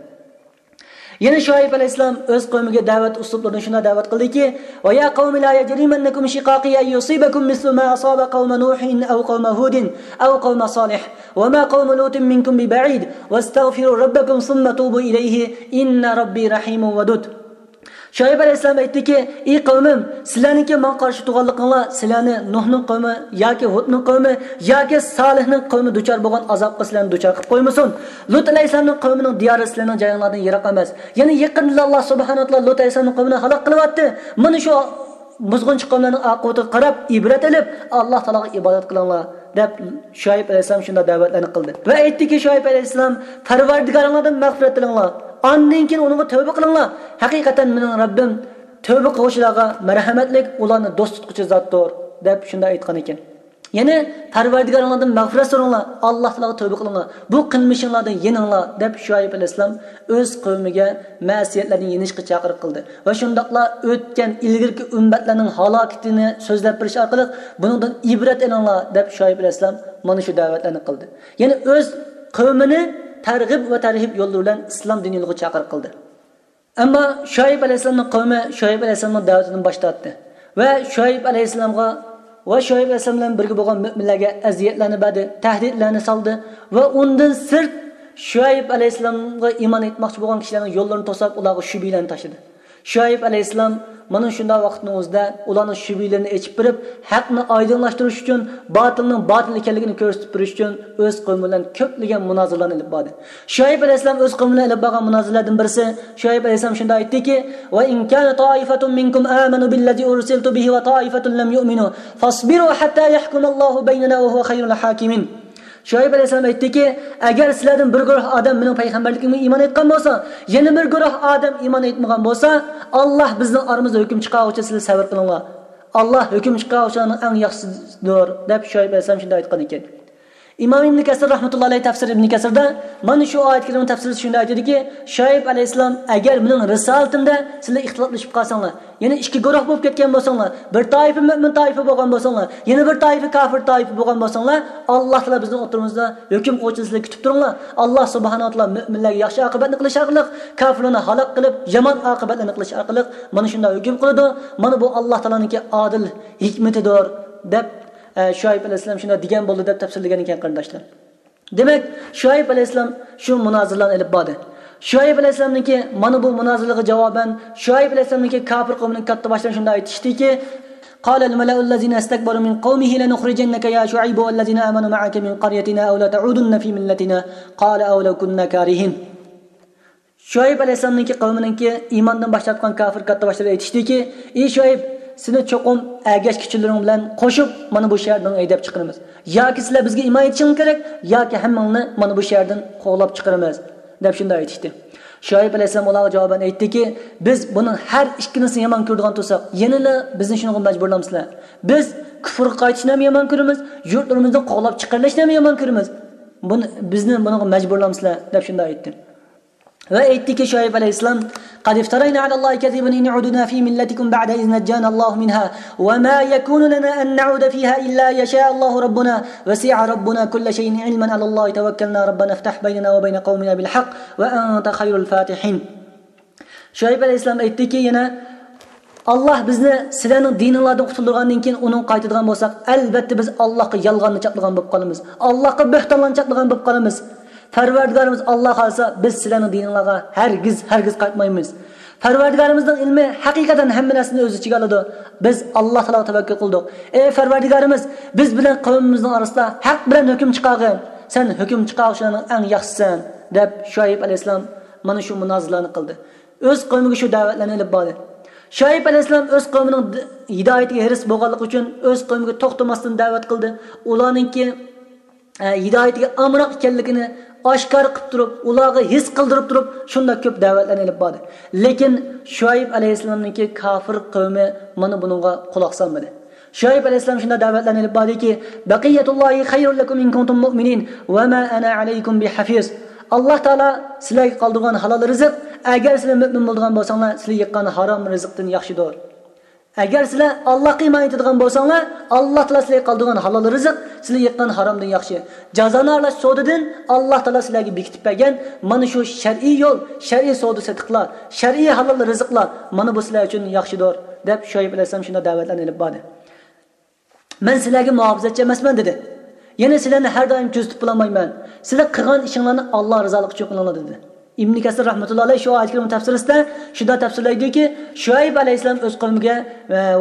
يەنە شۇئەيب ئەلەيھىسسالام ئۆز قەۋمىگە دەۋەت ئۇسلۇبلىرىدا شۇنداق دەۋەت قىلدىكى، «ويا قوم لا يجرمنكم شقاقي أن يصيبكم مثل ما أصاب قوم نوح أو قوم هود أو قوم صالح وما قوم لوط منكم ببعيد واستغفروا ربكم ثم توبوا إليه إن ربي رحيم ودود». شۇئەيب ئەلەيھىسسالام ئېيتتىكى، «ئى قەۋمىم، سىلەرنىڭكى ماڭا قارشى تۇرغانلىقىڭلار سىلەرنى نۇھنىڭ قەۋمى ياكى ھۇدنىڭ قەۋمى ياكى سالىھنىڭ قەۋمى دۇچار بولغان ئازابقا سىلەرنى دۇچار قىلىپ قويمىسۇن. لۇت ئەلەيھىسسالامنىڭ قەۋمىنىڭ دىيارى سىلەرنىڭ جايىڭلاردىن يىراق ئەمەس. يەنى يېقىندىلا ئاللاھ سۇبھانەھۇ ۋە تائالا لۇت ئەلەيھىسسالامنىڭ قەۋمىنى ھالاك قىلىۋەتتى. مانا شۇ بۇزغۇنچى قەۋملەرنىڭ ئاقىۋىتىگە قاراپ ئىبرەت ئېلىپ، ئاللاھ تائالاغا ئىبادەت قىلىڭلار» دەپ شۇئەيب ئەلەيھىسسالام شۇنداق دەۋەتلەرنى قىلدى. ۋە ئېيتتىكى شۇئەيب ئەلەيھىسسالام، «پەرۋەردىگارىڭلاردىن مەغپىرەت تىلەڭلار. ئاندىن كېيىن ئۇنىڭغا تەۋبە قىلىڭلار. ھەقىقەتەن مېنىڭ رەببىم تەۋبە قىلغۇچىلارغا مەرھەمەتلىك، ئۇلارنى دوست تۇتقۇچى زاتتۇر» دەپ شۇنداق ئېيتقان ئىكەن. يەنى پەرۋەردىگارىڭلاردىن مەغپىرەت سورىڭلار، ئاللاھ تائالاغا تەۋبە قىلىڭلار، بۇ قىلمىشىڭلاردىن يېنىڭلار دەپ شۇئەيب ئەلەيھىسسالام ئۆز قەۋمىگە مەسىيەتلەردىن يېنىشقا چاقىرىق قىلدى. ۋە شۇنداقلا ئۆتكەن ئىلگىرىكى ئۈممەتلەرنىڭ ھالاكىتىنى سۆزلەپ بېرىش ئارقىلىق، بۇنىڭدىن ئىبرەت ئېلىڭلار دەپ شۇئەيب ئەلەيھىسسالام مانا شۇ دەۋەتلەرنى قىلدى. يەنى ئۆز قەۋمىنى تەرغىب ۋە تەرھىب يوللىرى بىلەن ئىسلام دىنى يولىغا چاقىرىق قىلدى. ئەمما شۇئەيب ئەلەيھىسسالامنىڭ قەۋمى شۇئەيب ئەلەيھىسسالامنىڭ دەۋىتىدىن باش تارتتى ۋە شۇئەيب ئەلەيھىسسالامغا ۋە شۇئەيب ئەلەيھىسسالام بىلەن بىرگە بولغان مۆمىنلەرگە ئەزىيەتلەرنى بەردى، تەھدىتلەرنى سالدى ۋە ئۇندىن سىرت شۇئەيب ئەلەيھىسسالامغا ئىمان ئېيتماقچى بولغان كىشىلەرنىڭ يوللىرىنى توساپ، ئۇلارغا شۈبھىلەرنى تاشلىدى. شۇئەيب ئەلەيھىسسالام مانا شۇنداق ۋاقىتنىڭ ئۆزىدە ئۇلارنىڭ شۈبھىلىرىنى ئېچىپ بېرىپ، ھەقنى ئايدىڭلاشتۇرۇش ئۈچۈن، باتىلنىڭ باتىل ئىكەنلىكىنى كۆرسىتىپ بېرىش ئۈچۈن ئۆز قەۋمى بىلەن كۆپلىگەن مۇنازىرىلەرنى ئېلىپ باردى. شۇئەيب ئەلەيھىسسالام ئۆز قەۋمى بىلەن ئېلىپ بارغان مۇنازىرىلەردىن بىرسى، شۇئەيب ئەلەيھىسسالام شۇنداق ئېيتتىكى، «وإن كان طائفة منكم آمنوا بالذي أرسلت به وطائفة لم يؤمنوا فاصبروا حتى يحكم الله بيننا وهو خير الحاكمين». شۇئەيب ئەلەيھىسسالام ئېيتتىكى، «ئەگەر سىلەردىن بىر گۇرۇھ ئادەم مېنىڭ پەيغەمبەرلىكىمگە ئىمان ئېيتقان بولسا، يەنە بىر گۇرۇھ ئادەم ئىمان ئېيتمىغان بولسا، ئاللاھ بىزنىڭ ئارىمىزدا ھۆكۈم چىقارغۇچە سىلەر سەۋر قىلىڭلار. ئاللاھ ھۆكۈم چىقارغۇچىلارنىڭ ئەڭ ياخشىسىدۇر» دەپ شۇئەيب ئەلەيھىسسالام شۇنداق ئېيتقان ئىكەن. ئىمام ئىبن كەسىر رەھمەتۇللاھى ئەلەيھى تەپسىر ئىبن كەسىردا مانا شۇ ئايەت كەرىمە تەپسىرىدە شۇنداق ئېيتىدۇكى، شۇئەيب ئەلەيھىسسالام ئەگەر مېنىڭ رىسالىتىمدە سىلەر ئىختىلاپلىشىپ قالساڭلار، يەنى ئىككى گۇرۇھ بولۇپ كەتكەن بولساڭلار، بىر تائىپە مۆمىن تائىپە بولغان بولساڭلار، يەنە بىر تائىپە كاپىر تائىپە بولغان بولساڭلار، ئاللاھ تائالا بىزنىڭ ئوتتۇرىمىزدا ھۆكۈم قىلغۇچىنى سىلەر كۈتۈپ تۇرۇڭلار. ئاللاھ سۇبھانەھۇ ۋە تائالا مۆمىنلەرگە ياخشى ئاقىۋەتنى قىلىش ئارقىلىق، كاپىرلارنى ھالاك قىلىپ، يامان ئاقىۋەتلەرنى قىلىش ئارقىلىق مانا شۇنداق ھۆكۈم قىلىدۇ. مانا بۇ ئاللاھ تائالانىڭكى ئادىل ھېكمىتىدۇر، دەپ، ئە، شۇئەيب ئەلەيھىسسالام شۇنداق دېگەن بولدى، دەپ تەپسىرلىگەن ئىكەن، قېرىنداشلار. دېمەك، شۇئەيب ئەلەيھىسسالام شۇ مۇنازىرىلەرنى ئېلىپ باردى. شۇئەيب ئەلەيھىسسالامنىڭكى مانا بۇ مۇنازىرىلىرىغا جاۋابەن، شۇئەيب ئەلەيھىسسالامنىڭكى كاپىر قەۋمىنىڭ كاتتا باشلىرى شۇنداق ئېيتىشتىكى، قال الملأ الذين استكبروا من قومه لنخرجنك يا شعيب والذين آمنوا معك من قريتنا أو لتعودن في ملتنا قال أولو كنا كارهين. شۇئەيب ئەلەيھىسسالامنىڭكى قەۋمىنىڭكى ئىماندىن باش تارتقان كاپىر كاتتا باشلىرى ئېيتىشتىكى، ئى شۇئەيب، سېنى چوقۇم ئەگەشكۈچىلىرىڭ بىلەن قوشۇپ مانا بۇ شەھەردىن ھەيدەپ چىقىرىمىز. ياكى سىلەر بىزگە ئىمان ئېيتىشىڭلار كېرەك، ياكى ھەممىڭلارنى مانا بۇ شەھەردىن قوغلاپ چىقىرىمىز، دەپ شۇنداق ئېيتىشتى. شۇئەيب ئەلەيھىسسالام ئۇلارغا جاۋابەن ئېيتتىكى، بىز بۇنىڭ ھەر ئىككىلىسىنى يامان كۆرىدىغان تۇرساق، يەنىلا بىزنى شۇنىڭغا مەجبۇرلامسىلەر؟ بىز كۇفرغا قايتىشنى ھەم يامان كۆرىمىز، يۇرتلىرىمىزدىن قوغلاپ چىقىرىلىشنى ھەم يامان كۆرىمىز. بۇنى، بىزنى بۇنىڭغا مەجبۇرلامسىلەر؟ دەپ شۇنداق ئېيتتى. ۋە ئېيتتىكى شۇئەيب ئەلەيھىسسالام، قد افترينا على الله كذبا إن عدنا في ملتكم بعد إذ نجانا الله منها وما يكون لنا أن نعود فيها إلا أن يشاء الله ربنا وسع ربنا كل شيء علما على الله توكلنا ربنا افتح بيننا وبين قومنا بالحق وأنت خير الفاتحين. شۇئەيب ئەلەيھىسسالام ئېيتتىكى يەنە، ئاللاھ بىزنى سىلەرنىڭ دىنىڭلاردىن قۇتۇلدۇرغاندىن كېيىن ئۇنىڭغا قايتىدىغان بولساق، ئەلۋەتتە بىز ئاللاھقا يالغاننى چاپلىغان بولۇپ قالىمىز. ئاللاھقا بۆھتانلارنى چاپلىغان بولۇپ قالىمىز. پەرۋەردىگارىمىز ئاللاھ خالىسا، بىز سىلەرنىڭ دىنىڭلارغا ھەرگىز، ھەرگىز قايتمايمىز. پەرۋەردىگارىمىزنىڭ ئىلمى ھەقىقەتەن ھەممە نەرسىنى ئۆز ئىچىگە ئالىدۇ. بىز ئاللاھ تائالاغا تەۋەككۈل قىلدۇق. ئەي پەرۋەردىگارىمىز، بىز بىلەن قەۋمىمىزنىڭ ئارىسىدا ھەق بىلەن ھۆكۈم چىقارغىن. سەن ھۆكۈم چىقارغۇچىلارنىڭ ئەڭ ياخشىسىسەن، دەپ شۇئەيب ئەلەيھىسسالام مانا شۇ مۇنازىرىلەرنى قىلدى. ئۆز قەۋمىگە شۇ دەۋەتلەرنى ئېلىپ باردى. شۇئەيب ئەلەيھىسسالام ئۆز قەۋمىنىڭ د-، ھىدايىتىگە ھېرىس بولغانلىقى ئۈچۈن ئۆز قەۋمىگە توختىماستىن دەۋەت قىلدى. ئۇلارنىڭكى ئە، ھىدايىتىگە ئامراق ئىكەنلىكىنى ئاشكارا قىلىپ تۇرۇپ، ئۇلارغا ھېس قىلدۇرۇپ تۇرۇپ، شۇنداق كۆپ دەۋەتلەرنى ئېلىپ باردى. لېكىن شۇئەيب ئەلەيھىسسالامنىڭكى كاپىر قەۋمى مانا بۇنىڭغا قۇلاق سالمىدى. شۇئەيب ئەلەيھىسسالام شۇنداق دەۋەتلەرنى ئېلىپ باردىكى، بەقىيەتۇللاھى خەيرۇن لەكۇم ئىن كۇنتۇم مۇئمىنىن ۋە ما ئانا ئەلەيكۇم بىھەفىز. ئاللاھ تائالا سىلەرگە قالدۇرغان ھالال رىزىق، ئەگەر سىلەر مۆمىن بولىدىغان بولساڭلار، سىلەرگە يېققان ھارام رىزىقتىن ياخشىدۇر. ئەگەر سىلەر ئاللاھقا ئىمان ئېيتىدىغان بولساڭلار، ئاللاھ تائالا سىلەرگە قالدۇرغان ھالال رىزىق سىلەرگە يېققان ھارامدىن ياخشى. جازانى ئارىلاش سودىدىن ئاللاھ تائالا سىلەرگە بېكىتىپ بەرگەن مانا شۇ شەرئىي يول، شەرئىي سودا سېتىقلار، شەرئىي ھالال رىزىقلار، مانا بۇ سىلەر ئۈچۈن ياخشىدۇر، دەپ شۇئەيب ئەلەيھىسسالام شۇنداق دەۋەتلەرنى ئېلىپ باردى. مەن سىلەرگە مۇھاپىزەتچى ئەمەسمەن، دېدى. يەنە سىلەرنى ھەر دائىم كۆزىتىپ بولالمايمەن. سىلەر قىلغان ئىشىڭلارنى ئاللاھ رىزالىقى ئۈچۈن قىلىڭلار، دېدى. ئىبنى كەسىر رەھمەتۇللاھى ئەلەيھى شۇ ئايەت كەرىمە تەپسىرىسىدە شۇنداق تەپسىرلەيدۇكى، شۇئەيب ئەلەيھىسسالام ئۆز قەۋمىگە،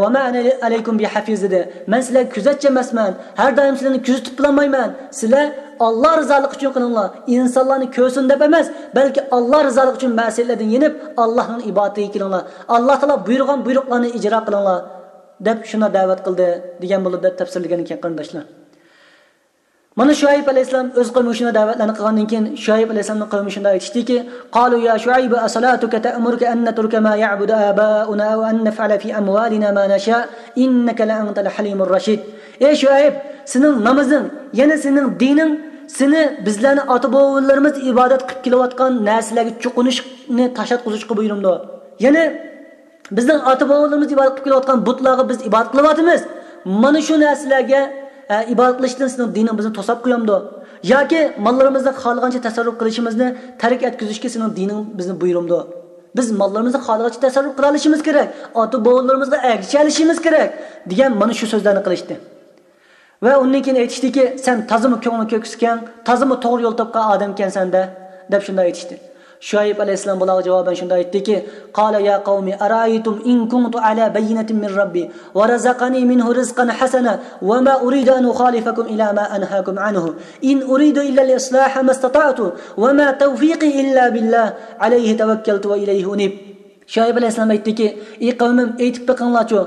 ۋە ما ئانا ئەلەيكۇم بىھەفىز، دېدى. مەن سىلەرگە كۆزەتچى ئەمەسمەن، ھەر دائىم سىلەرنى كۆزىتىپ بولالمايمەن. سىلەر ئاللاھ رىزالىقى ئۈچۈن قىلىڭلار. ئىنسانلارنى كۆرسۇن دەپ ئەمەس، بەلكى ئاللاھ رىزالىقى ئۈچۈن مەسىيەتلەردىن يېنىپ، ئاللاھنىڭ ئىبادىتىگە كېلىڭلار. ئاللاھ تائالا بۇيرۇغان بۇيرۇقلارنى ئىجرا قىلىڭلار، دەپ شۇنداق دەۋەت قىلدى، دېگەن بولىدۇ، دەپ تەپسىرلىگەن ئىكەن، قېرىنداشلار. مانا شۇئەيب ئەلەيھىسسالام ئۆز قەۋمىگە شۇنداق دەۋەتلەرنى قىلغاندىن كېيىن، شۇئەيب ئەلەيھىسسالامنىڭ قەۋمى شۇنداق ئېيتىشتىكى، قالوا يا شعيب أصلاتك تأمرك أن نترك ما يعبد آباؤنا أو أن نفعل في أموالنا ما نشاء إنك لأنت الحليم الرشيد. ئەي شۇئەيب، سېنىڭ نامىزىڭ، يەنى سېنىڭ دىنىڭ سېنى بىزلەرنى ئاتا-بوۋىلىرىمىز ئىبادەت قىلىپ كېلىۋاتقان نەرسىلەرگە چوقۇنۇشنى تاشلاتقۇزۇشقا بۇيرۇمدۇ؟ يەنى بىزنىڭ ئاتا-بوۋىلىرىمىز ئىبادەت قىلىپ كېلىۋاتقان بۇتلارغا بىز ئىبادەت قىلىۋاتىمىز. مانا شۇ نەرسىلەرگە، ئە، ئىبادەت قىلىشتىن سېنىڭ دىنىڭ بىزنى توساپ قويامدۇ؟ ياكى ماللىرىمىزنى خالىغانچە تەسەررۇپ قىلىشىمىزنى تەرك ئەتكۈزۈشكە سېنىڭ دىنىڭ بىزنى بۇيرۇمدۇ؟ بىز ماللىرىمىزنى خالىغانچە تەسەررۇپ قىلالىشىمىز كېرەك، ئاتا-بوۋىلىرىمىزغا ئەگىشەلىشىمىز كېرەك، دېگەن مانا شۇ سۆزلەرنى قىلىشتى. ۋە ئۇندىن كېيىن ئېيتىشتىكى، سەن تازىمۇ كۆڭلى كۆكسىكەن، تازىمۇ توغرا يول تاپقان ئادەمكەنسەن-دە، دەپ شۇنداق ئېيتىشتى. شۇئەيب ئەلەيھىسسالام بۇلارغا جاۋابەن شۇنداق ئېيتتىكى، قال يا قوم أرأيتم إن كنت على بينة من ربي ورزقني منه رزقا حسنا وما أريد أن أخالفكم إلى ما أنهاكم عنه إن أريد إلا الإصلاح ما استطعت وما توفيقي إلا بالله عليه توكلت وإليه أنيب. شۇئەيب ئەلەيھىسسالام ئېيتتىكى، ئى قەۋمىم، ئېيتىپ بېقىڭلارچۇ،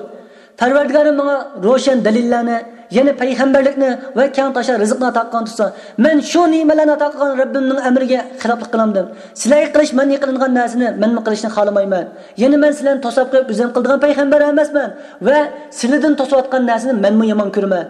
پەرۋەردىگارىم ماڭا روشەن دەلىللەرنى، يەنى پەيغەمبەرلىكنى ۋە كەڭ تاشا رىزىقنى ئاتا قىلغان تۇرسا، مەن شۇ نېمىلەرنى ئاتا قىلغان رەببىمنىڭ ئەمرىگە خىلاپلىق قىلامدىم؟ سىلەرگە قىلىش مەنئى قىلىنغان نەرسىنى مەنمۇ قىلىشنى خالىمايمەن. يەنى مەن سىلەرنى توساپ قويۇپ ئۆزۈم قىلىدىغان پەيغەمبەر ئەمەسمەن ۋە سىلىدىن توسۇۋاتقان نەرسىنى مەنمۇ يامان كۆرىمەن.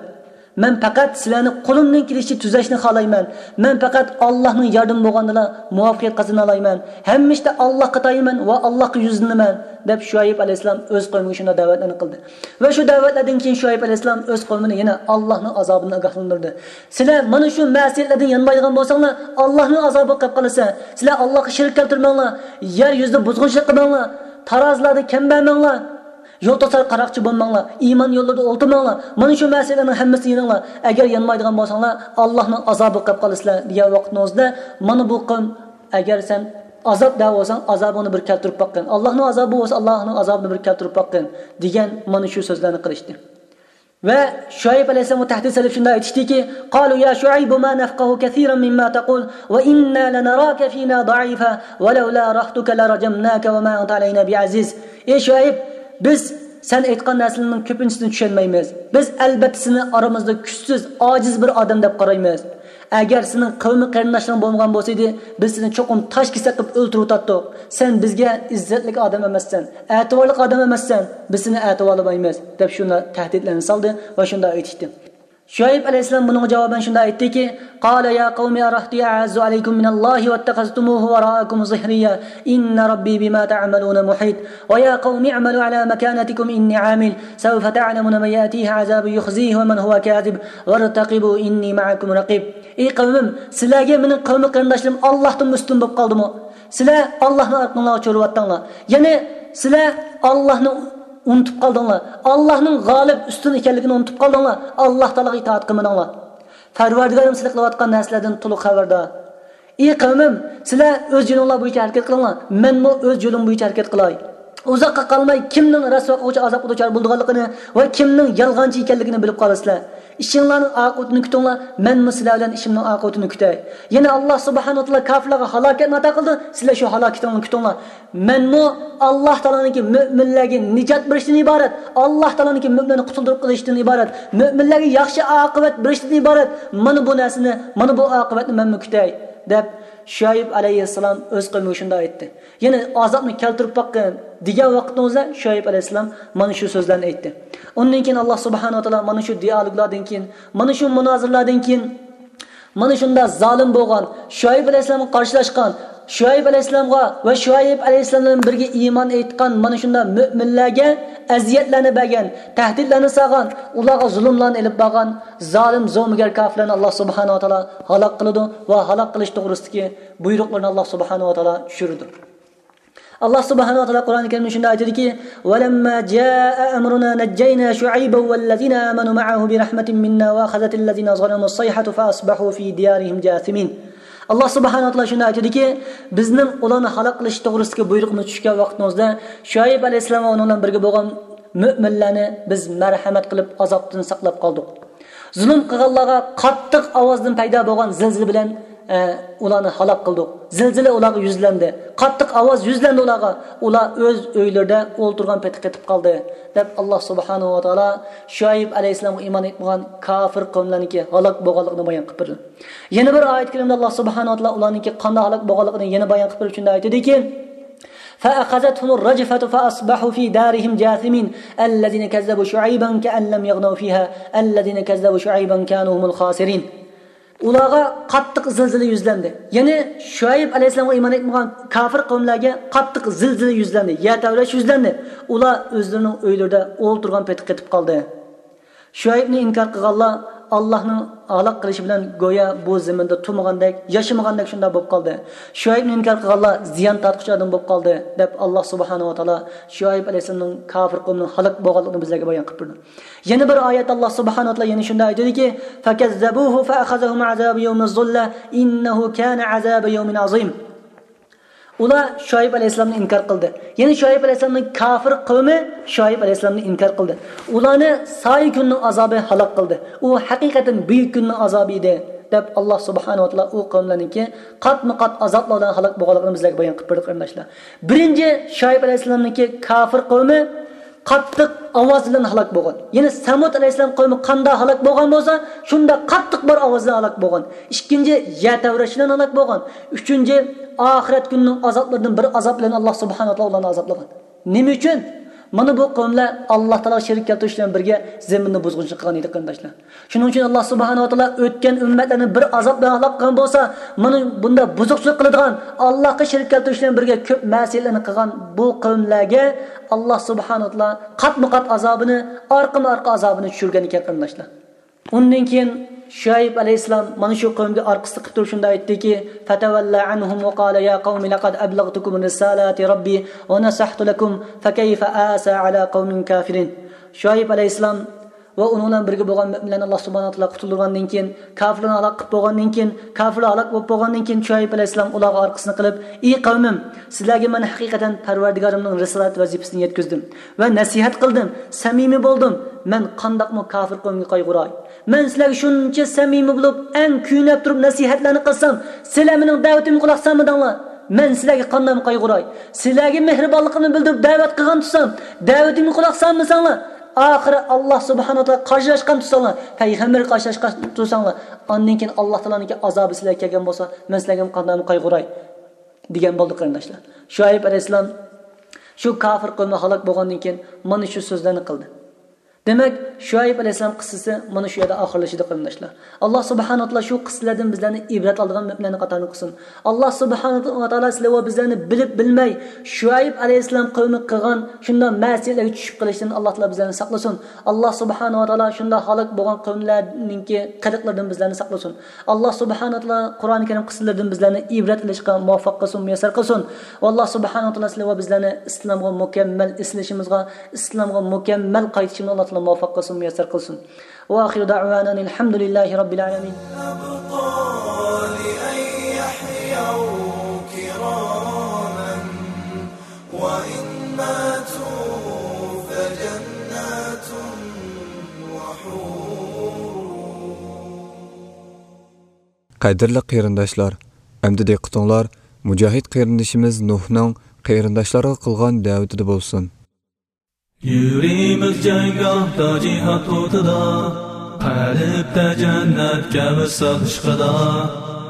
مەن پەقەت سىلەرنى قولۇمدىن كېلىشىچە تۈزەشنى خالايمەن. مەن پەقەت ئاللاھنىڭ ياردىمى بولغاندىلا مۇۋەپپەقىيەت قازىنالايمەن. ھەممە ئىشتا ئاللاھقا تايىنىمەن ۋە ئاللاھقا يۈزلىنىمەن، دەپ شۇئەيب ئەلەيھىسسالام ئۆز قەۋمىگە شۇنداق دەۋەتلەرنى قىلدى. ۋە شۇ دەۋەتلەردىن كېيىن شۇئەيب ئەلەيھىسسالام ئۆز قەۋمىنى يەنە ئاللاھنىڭ ئازابىدىن ئاگاھلاندۇردى. سىلەر مانا شۇ مەسىيەتلەردىن يانمايدىغان بولساڭلار، ئاللاھنىڭ ئازابىغا قېلىپ قالىسەن. سىلەر ئاللاھقا شېرىك كەلتۈرمەڭلار، يەر يۈزىدە بۇزغۇنچىلىق قىلماڭلار، تارازىلاردا كەم بەرمەڭلار. يول توسار قاراقچى بولماڭلار، ئىمان يوللىرىدا ئولتۇرماڭلار، مانا شۇ مەسىلىلەرنىڭ ھەممىسىنى يېنىڭلار. ئەگەر يانمايدىغان بولساڭلار، ئاللاھنىڭ ئازابىغا قېلىپ قالىسىلەر، دېگەن ۋاقىتنىڭ ئۆزىدە، مانا بۇ قەۋم، ئەگەر سەن ئازاب دەۋاتساڭ، ئازابىڭنى بىر كەلتۈرۈپ باققىن. ئاللاھنىڭ ئازابى بولسا، ئاللاھنىڭ ئازابىنى بىر كەلتۈرۈپ باققىن، دېگەن مانا شۇ سۆزلەرنى قىلىشتى. ۋە شۇئەيب ئەلەيھىسسالامغا تەھدىت سېلىپ شۇنداق ئېيتىشتىكى، قالوا يا شعيب ما نفقه كثيرا مما تقول وإنا لنراك فينا ضعيفا ولولا رهطك لرجمناك وما أنت علينا بعزيز. ئەي شۇئەيب، بىز سەن ئېيتقان نەرسىلەرنىڭ كۆپىنچىسىنى چۈشەنمەيمىز. بىز ئەلبەتتە سېنى ئارىمىزدا كۈچسىز، ئاجىز بىر ئادەم دەپ قارايمىز. ئەگەر سېنىڭ قەۋمى قېرىنداشلىرىڭ بولمىغان بولسىدى، بىز سېنى چوقۇم تاش كېسەك قىلىپ ئۆلتۈرۈۋېتەتتۇق. سەن بىزگە ئىززەتلىك ئادەم ئەمەسسەن، ئەتىۋارلىق ئادەم ئەمەسسەن، بىز سېنى ئەتىۋارلىمايمىز، دەپ شۇنداق تەھدىتلەرنى سالدى ۋە شۇنداق ئېيتىشتى. شۇئەيب ئەلەيھىسسالام بۇنىڭغا جاۋابەن شۇنداق ئېيتتىكى، قال يا قوم أرهطي أعز عليكم من الله واتخذتموه وراءكم ظهريا إن ربي بما تعملون محيط ويا قوم اعملوا على مكانتكم إني عامل سوف تعلمون من يأتيه عذاب يخزيه ومن هو كاذب وارتقبوا إني معكم رقيب. ئەي قەۋمىم، سىلەرگە مېنىڭ قەۋمى قېرىنداشلىرىم ئاللاھتىن ئۈستۈن بولۇپ قالدىمۇ؟ سىلەر ئاللاھنى ئارقىڭلارغا چۆرۈۋەتتىڭلار. يەنى سىلەر ئاللاھنى ئۇنتۇپ قالدىڭلار. ئاللاھنىڭ غالىب، ئۈستۈن ئىكەنلىكىنى ئۇنتۇپ قالدىڭلار. ئاللاھ تائالاغا ئىتائەت قىلمىدىڭلار. پەرۋەردىگارىم سىلەر قىلىۋاتقان نەرسىلەردىن تولۇق خەۋەردار. ئى قەۋمىم، سىلەر ئۆز يولۇڭلار بويىچە ھەرىكەت قىلىڭلار، مەنمۇ ئۆز يولۇم بويىچە ھەرىكەت قىلاي. ئۇزاققا قالماي كىمنىڭ رەسۋا قىلغۇچى ئازابقا دۇچار بولىدىغانلىقىنى ۋە كىمنىڭ يالغانچى ئىكەنلىكىنى بىلىپ قالىسىلەر. ئىشىڭلارنىڭ ئاقىۋىتىنى كۈتۈڭلار، مەنمۇ سىلەر بىلەن ئىشىمنىڭ ئاقىۋىتىنى كۈتەي. يەنە ئاللاھ سۇبھانەھۇ ۋە تائالا كاپىرلارغا ھالاكەتنى ئاتا قىلدى، سىلەر شۇ ھالاكىتىڭلارنى كۈتۈڭلار. مەنمۇ ئاللاھ تائالانىڭكى مۆمىنلەرگە نىجات بېرىشتىن ئىبارەت، ئاللاھ تائالانىڭكى مۆمىنلەرنى قۇتۇلدۇرۇپ قېلىشتىن ئىبارەت، مۆمىنلەرگە ياخشى ئاقىۋەت بېرىشتىن ئىبارەت، مانا بۇ نەرسىنى، مانا بۇ ئاقىۋەتنى مەنمۇ كۈتەي، دەپ شۇئەيب ئەلەيھىسسالام ئۆز قەۋمىگە شۇنداق ئېيتتى. يەنە ئازابنى كەلتۈرۈپ باققىن دېگەن ۋاقتىڭىزدا شۇئەيب ئەلەيھىسسالام مانا شۇ سۆزلەرنى ئېيتتى. ئۇندىن كېيىن ئاللاھ سۇبھانەھۇ ۋە تائالا مانا شۇ دىئالوگلاردىن كېيىن، مانا شۇ مۇنازىرىلاردىن كېيىن، مانا شۇنداق زالىم بولغان شۇئەيب ئەلەيھىسسالامغا قارشىلاشقان، شۇئەيب ئەلەيھىسسالامغا ۋە شۇئەيب ئەلەيھىسسالام بىلەن بىرگە ئىمان ئېيتقان مانا شۇنداق مۆمىنلەرگە ئەزىيەتلەرنى بەرگەن، تەھدىتلەرنى سالغان، ئۇلارغا زۇلۇملارنى ئېلىپ بارغان زالىم، زومىگەر كاپىرلارنى ئاللاھ سۇبھانەھۇ ۋە تائالا ھالاك قىلىدۇ ۋە ھالاك قىلىش توغرىسىدىكى بۇيرۇقلىرىنى ئاللاھ سۇبھانەھۇ ۋە تائالا چۈشۈرىدۇ. ئاللاھ سۇبھانەھۇ ۋە تائالا قۇرئانى كەرىمدە شۇنداق ئېيتىدۇكى، ولما جاء أمرنا نجينا شعيبا والذين آمنوا معه برحمة منا وأخذت الذين ظلموا الصيحة فأصبحوا في ديارهم جاثمين. ئاللاھ سۇبھانەھۇ ۋە تائالا شۇنداق ئېيتىدۇكى، بىزنىڭ ئۇلارنى ھالاك قىلىش توغرىسىدىكى بۇيرۇقىمىز چۈشكەن ۋاقتىمىزدا شۇئەيب ئەلەيھىسسالام ۋە ئۇنىڭ بىلەن بىرگە بولغان مۆمىنلەرنى بىز مەرھەمەت قىلىپ ئازابتىن ساقلاپ قالدۇق. زۇلۇم قىلغانلارغا قاتتىق ئاۋازدىن پەيدا بولغان زىلزىلە بىلەن، ئە، ئۇلارنى ھالاك قىلدۇق. زىلزىلە ئۇلارغا يۈزلەندى. قاتتىق ئاۋاز يۈزلەندى ئۇلارغا. ئۇلار ئۆز ئۆيلىرىدە ئولتۇرغان پېتى قېتىپ قالدى، دەپ ئاللاھ سۇبھانەھۇ ۋە تائالا شۇئەيب ئەلەيھىسسالامغا ئىمان ئېيتمىغان كاپىر قەۋملەرنىڭكى ھالاك بولغانلىقىنى بايان قىلىپ بېرىدۇ. يەنە بىر ئايەت كەرىمدە ئاللاھ سۇبھانەھۇ ۋە تائالا ئۇلارنىڭكى قانداق ھالاك بولغانلىقىنى يەنە بايان قىلىپ بېرىپ شۇنداق ئېيتىدۇكى، فأخذتهم الرجفة فأصبحوا في دارهم جاثمين الذين كذبوا شعيبا كأن لم يغنوا فيها الذين كذبوا شعيبا كانوا هم الخاسرين. ئۇلارغا قاتتىق زىلزىلە يۈزلەندى. يەنى شۇئەيب ئەلەيھىسسالامغا ئىمان ئېيتمىغان كاپىر قەۋملەرگە قاتتىق زىلزىلە يۈزلەندى، يەر تەۋرەش يۈزلەندى. ئۇلار ئۆزلىرىنىڭ ئۆيلىرىدە ئولتۇرغان پېتى قېتىپ قالدى. شۇئەيبنى ئىنكار قىلغانلار ئاللاھنىڭ ھالاك قىلىشى بىلەن گويا بۇ زېمىندا تۇرمىغاندەك، ياشىمىغاندەك شۇنداق بولۇپ قالدى. شۇئەيبنى ئىنكار قىلغانلار زىيان تارتقۇچى ئادەم بولۇپ قالدى، دەپ ئاللاھ سۇبھانەھۇ ۋە تائالا شۇئەيب ئەلەيھىسسالامنىڭ كاپىر قەۋمىنىڭ ھالاك بولغانلىقىنى بىزلەرگە بايان قىلىپ بېرىدۇ. يەنە بىر ئايەتتە ئاللاھ سۇبھانەھۇ ۋە تائالا يەنە شۇنداق ئېيتىدۇكى، فكذبوه فأخذهم عذاب يوم الظلة إنه كان عذاب يوم عظيم. ئۇلار شۇئەيب ئەلەيھىسسالامنى ئىنكار قىلدى. يەنى شۇئەيب ئەلەيھىسسالامنىڭ كاپىر قەۋمى شۇئەيب ئەلەيھىسسالامنى ئىنكار قىلدى. ئۇلارنى سايە كۈننىڭ ئازابى ھالاك قىلدى. ئۇ ھەقىقەتەن بۈيۈك كۈننىڭ ئازابى ئىدى، دەپ ئاللاھ سۇبھانەھۇ ۋە تائالا ئۇ قەۋملەرنىڭكى قاتمۇ قات ئازابلار بىلەن ھالاك بولغانلىقىنى بىزلەرگە بايان قىلىپ بەردى، قېرىنداشلار. بىرىنچى، شۇئەيب ئەلەيھىسسالامنىڭكى كاپىر قەۋمى قاتتىق ئاۋاز بىلەن ھالاك بولغان. يەنى سەمۇد ئەلەيھىسسالام قەۋمى قانداق ھالاك بولغان بولسا، شۇنداق قاتتىق بىر ئاۋاز بىلەن ھالاك بولغان. ئىككىنچى، يەر تەۋرەش بىلەن ھالاك بولغان. ئۈچىنچى، ئاخىرەت كۈنىنىڭ ئازابلىرىدىن بىر ئازاب بىلەن ئاللاھ سۇبھانەھۇ ۋە تائالا ئۇلارنى ئازابلىغان. نېمە ئۈچۈن؟ مانا بۇ قەۋملەر ئاللاھ تائالاغا شېرىك كەلتۈرۈش بىلەن بىرگە زېمىننى بۇزغۇنچىلىق قىلغان ئىدى، قېرىنداشلار. شۇنىڭ ئۈچۈن ئاللاھ سۇبھانەھۇ ۋە تائالا ئۆتكەن ئۈممەتلەرنى بىر ئازاب بىلەن ھالاك قىلغان بولسا، مانا بۇنداق بۇزۇقچىلىق قىلىدىغان، ئاللاھقا شېرىك كەلتۈرۈش بىلەن بىرگە كۆپ مەسىيەتلەرنى قىلغان بۇ قەۋملەرگە ئاللاھ سۇبھانەھۇ ۋە تائالا قاتمۇ قات ئازابىنى، ئارقىمۇ ئارقا ئازابىنى چۈشۈرگەن ئىكەن، قېرىنداشلار. ئۇندىن كېيىن شۇئەيب ئەلەيھىسسالام مانا شۇ قەۋمگە ئارقىسىنى قىپ تۇرۇپ شۇنداق ئېيتتىكى، فتولى عنهم وقال يا قوم لقد أبلغتكم رسالات ربي ونصحت لكم فكيف آسى على قوم كافرين. شۇئەيب ئەلەيھىسسالام ۋە ئۇنىڭ بىلەن بىرگە بولغان مۆمىنلەرنى ئاللاھ سۇبھانەھۇ ۋە تائالا قۇتۇلدۇرغاندىن كېيىن، كاپىرلارنى ھالاك قىلىپ بولغاندىن كېيىن، كاپىرلار ھالاك بولۇپ بولغاندىن كېيىن، شۇئەيب ئەلەيھىسسالام ئۇلارغا ئارقىسىنى قىلىپ، ئى قەۋمىم، سىلەرگە مەن ھەقىقەتەن پەرۋەردىگارىمنىڭ رىسالەت ۋەزىپىسىنى يەتكۈزدۈم ۋە نەسىھەت قىلدىم، سەمىمىي بولدۇم. مەن قانداقمۇ كاپىر قەۋمگە قايغۇراي؟ مەن سىلەرگە شۇنچە سەمىمىي بولۇپ، ئەڭ كۆيۈنۈپ تۇرۇپ نەسىھەتلەرنى قىلسام، سىلەر مېنىڭ دەۋىتىمگە قۇلاق سالمىدىڭلار. مەن سىلەرگە قانداقمۇ قايغۇراي؟ سىلەرگە مېھرىبانلىقىمنى بىلدۈرۈپ دەۋەت قىلغان تۇرسام، دەۋىتىمگە قۇلاق سالمىساڭلار، ئاخىرى ئاللاھ سۇبھانەھۇ ۋە تائالا قارشىلاشقان تۇرساڭلار، پەيغەمبەرگە قارشىلاشقان تۇرساڭلار، ئاندىن كېيىن ئاللاھ تائالانىڭكى ئازابى سىلەرگە كەلگەن بولسا، مەن سىلەرگە قانداقمۇ قايغۇراي؟ دېگەن بولدى، قېرىنداشلار. شۇئەيب ئەلەيھىسسالام شۇ كاپىر قەۋمى ھالاك بولغاندىن كېيىن مانا شۇ سۆزلەرنى قىلدى. دېمەك، شۇئەيب ئەلەيھىسسالام قىسسىسى مانا شۇ يەردە ئاخىرلىشىدۇ، قېرىنداشلار. ئاللاھ سۇبھانەھۇ ۋە تائالا شۇ قىسسىلەردىن بىزلەرنى ئىبرەت ئالىدىغان مۆمىنلەرنىڭ قاتارىدا قىلسۇن. ئاللاھ سۇبھانەھۇ ۋە تائالا سىلەر ۋە بىزلەرنى بىلىپ بىلمەي شۇئەيب ئەلەيھىسسالام قەۋمى قىلغان شۇنداق مەسىيەتلەرگە چۈشۈپ قېلىشتىن ئاللاھ تائالا بىزلەرنى ساقلىسۇن. ئاللاھ سۇبھانەھۇ ۋە تائالا شۇنداق ھالاك بولغان قەۋملەرنىڭكى قىلىقلىرىدىن بىزلەرنى ساقلىسۇن. ئاللاھ سۇبھانەھۇ ۋە تائالا قۇرئانى كەرىم قىسسىلىرىدىن بىزلەرنى ئىبرەت ئېلىشقا مۇۋەپپەق قىلسۇن، مۇيەسسەر قىلسۇن. ۋە ئاللاھ سۇبھانەھۇ ۋە تائالا سىلەر ۋە بىزلەرنى ئىسلامغا مۇكەممەل ئېسىلىشىمىزغا، ئىسلامغا مۇكەممەل قايتىشىمىزنى ئاللاھ تائالا مۇۋەپپەق قىلسۇن، مۇيەسسەر قىلسۇن. وآخر دعوانا أن الحمد لله رب العالمين. قەدىرلىك قېرىنداشلار، ئەمدى دىققىتىڭلار مۇجاھىد قېرىندىشىمىز نۇھنىڭ قېرىنداشلارغا قىلغان دەۋىتىدە بولسۇن. يۈرىمىز جەڭگاھتا جىھاد ئوتىدا، قەلبتە جەننەتكە ۋىسال ئىشقىدا.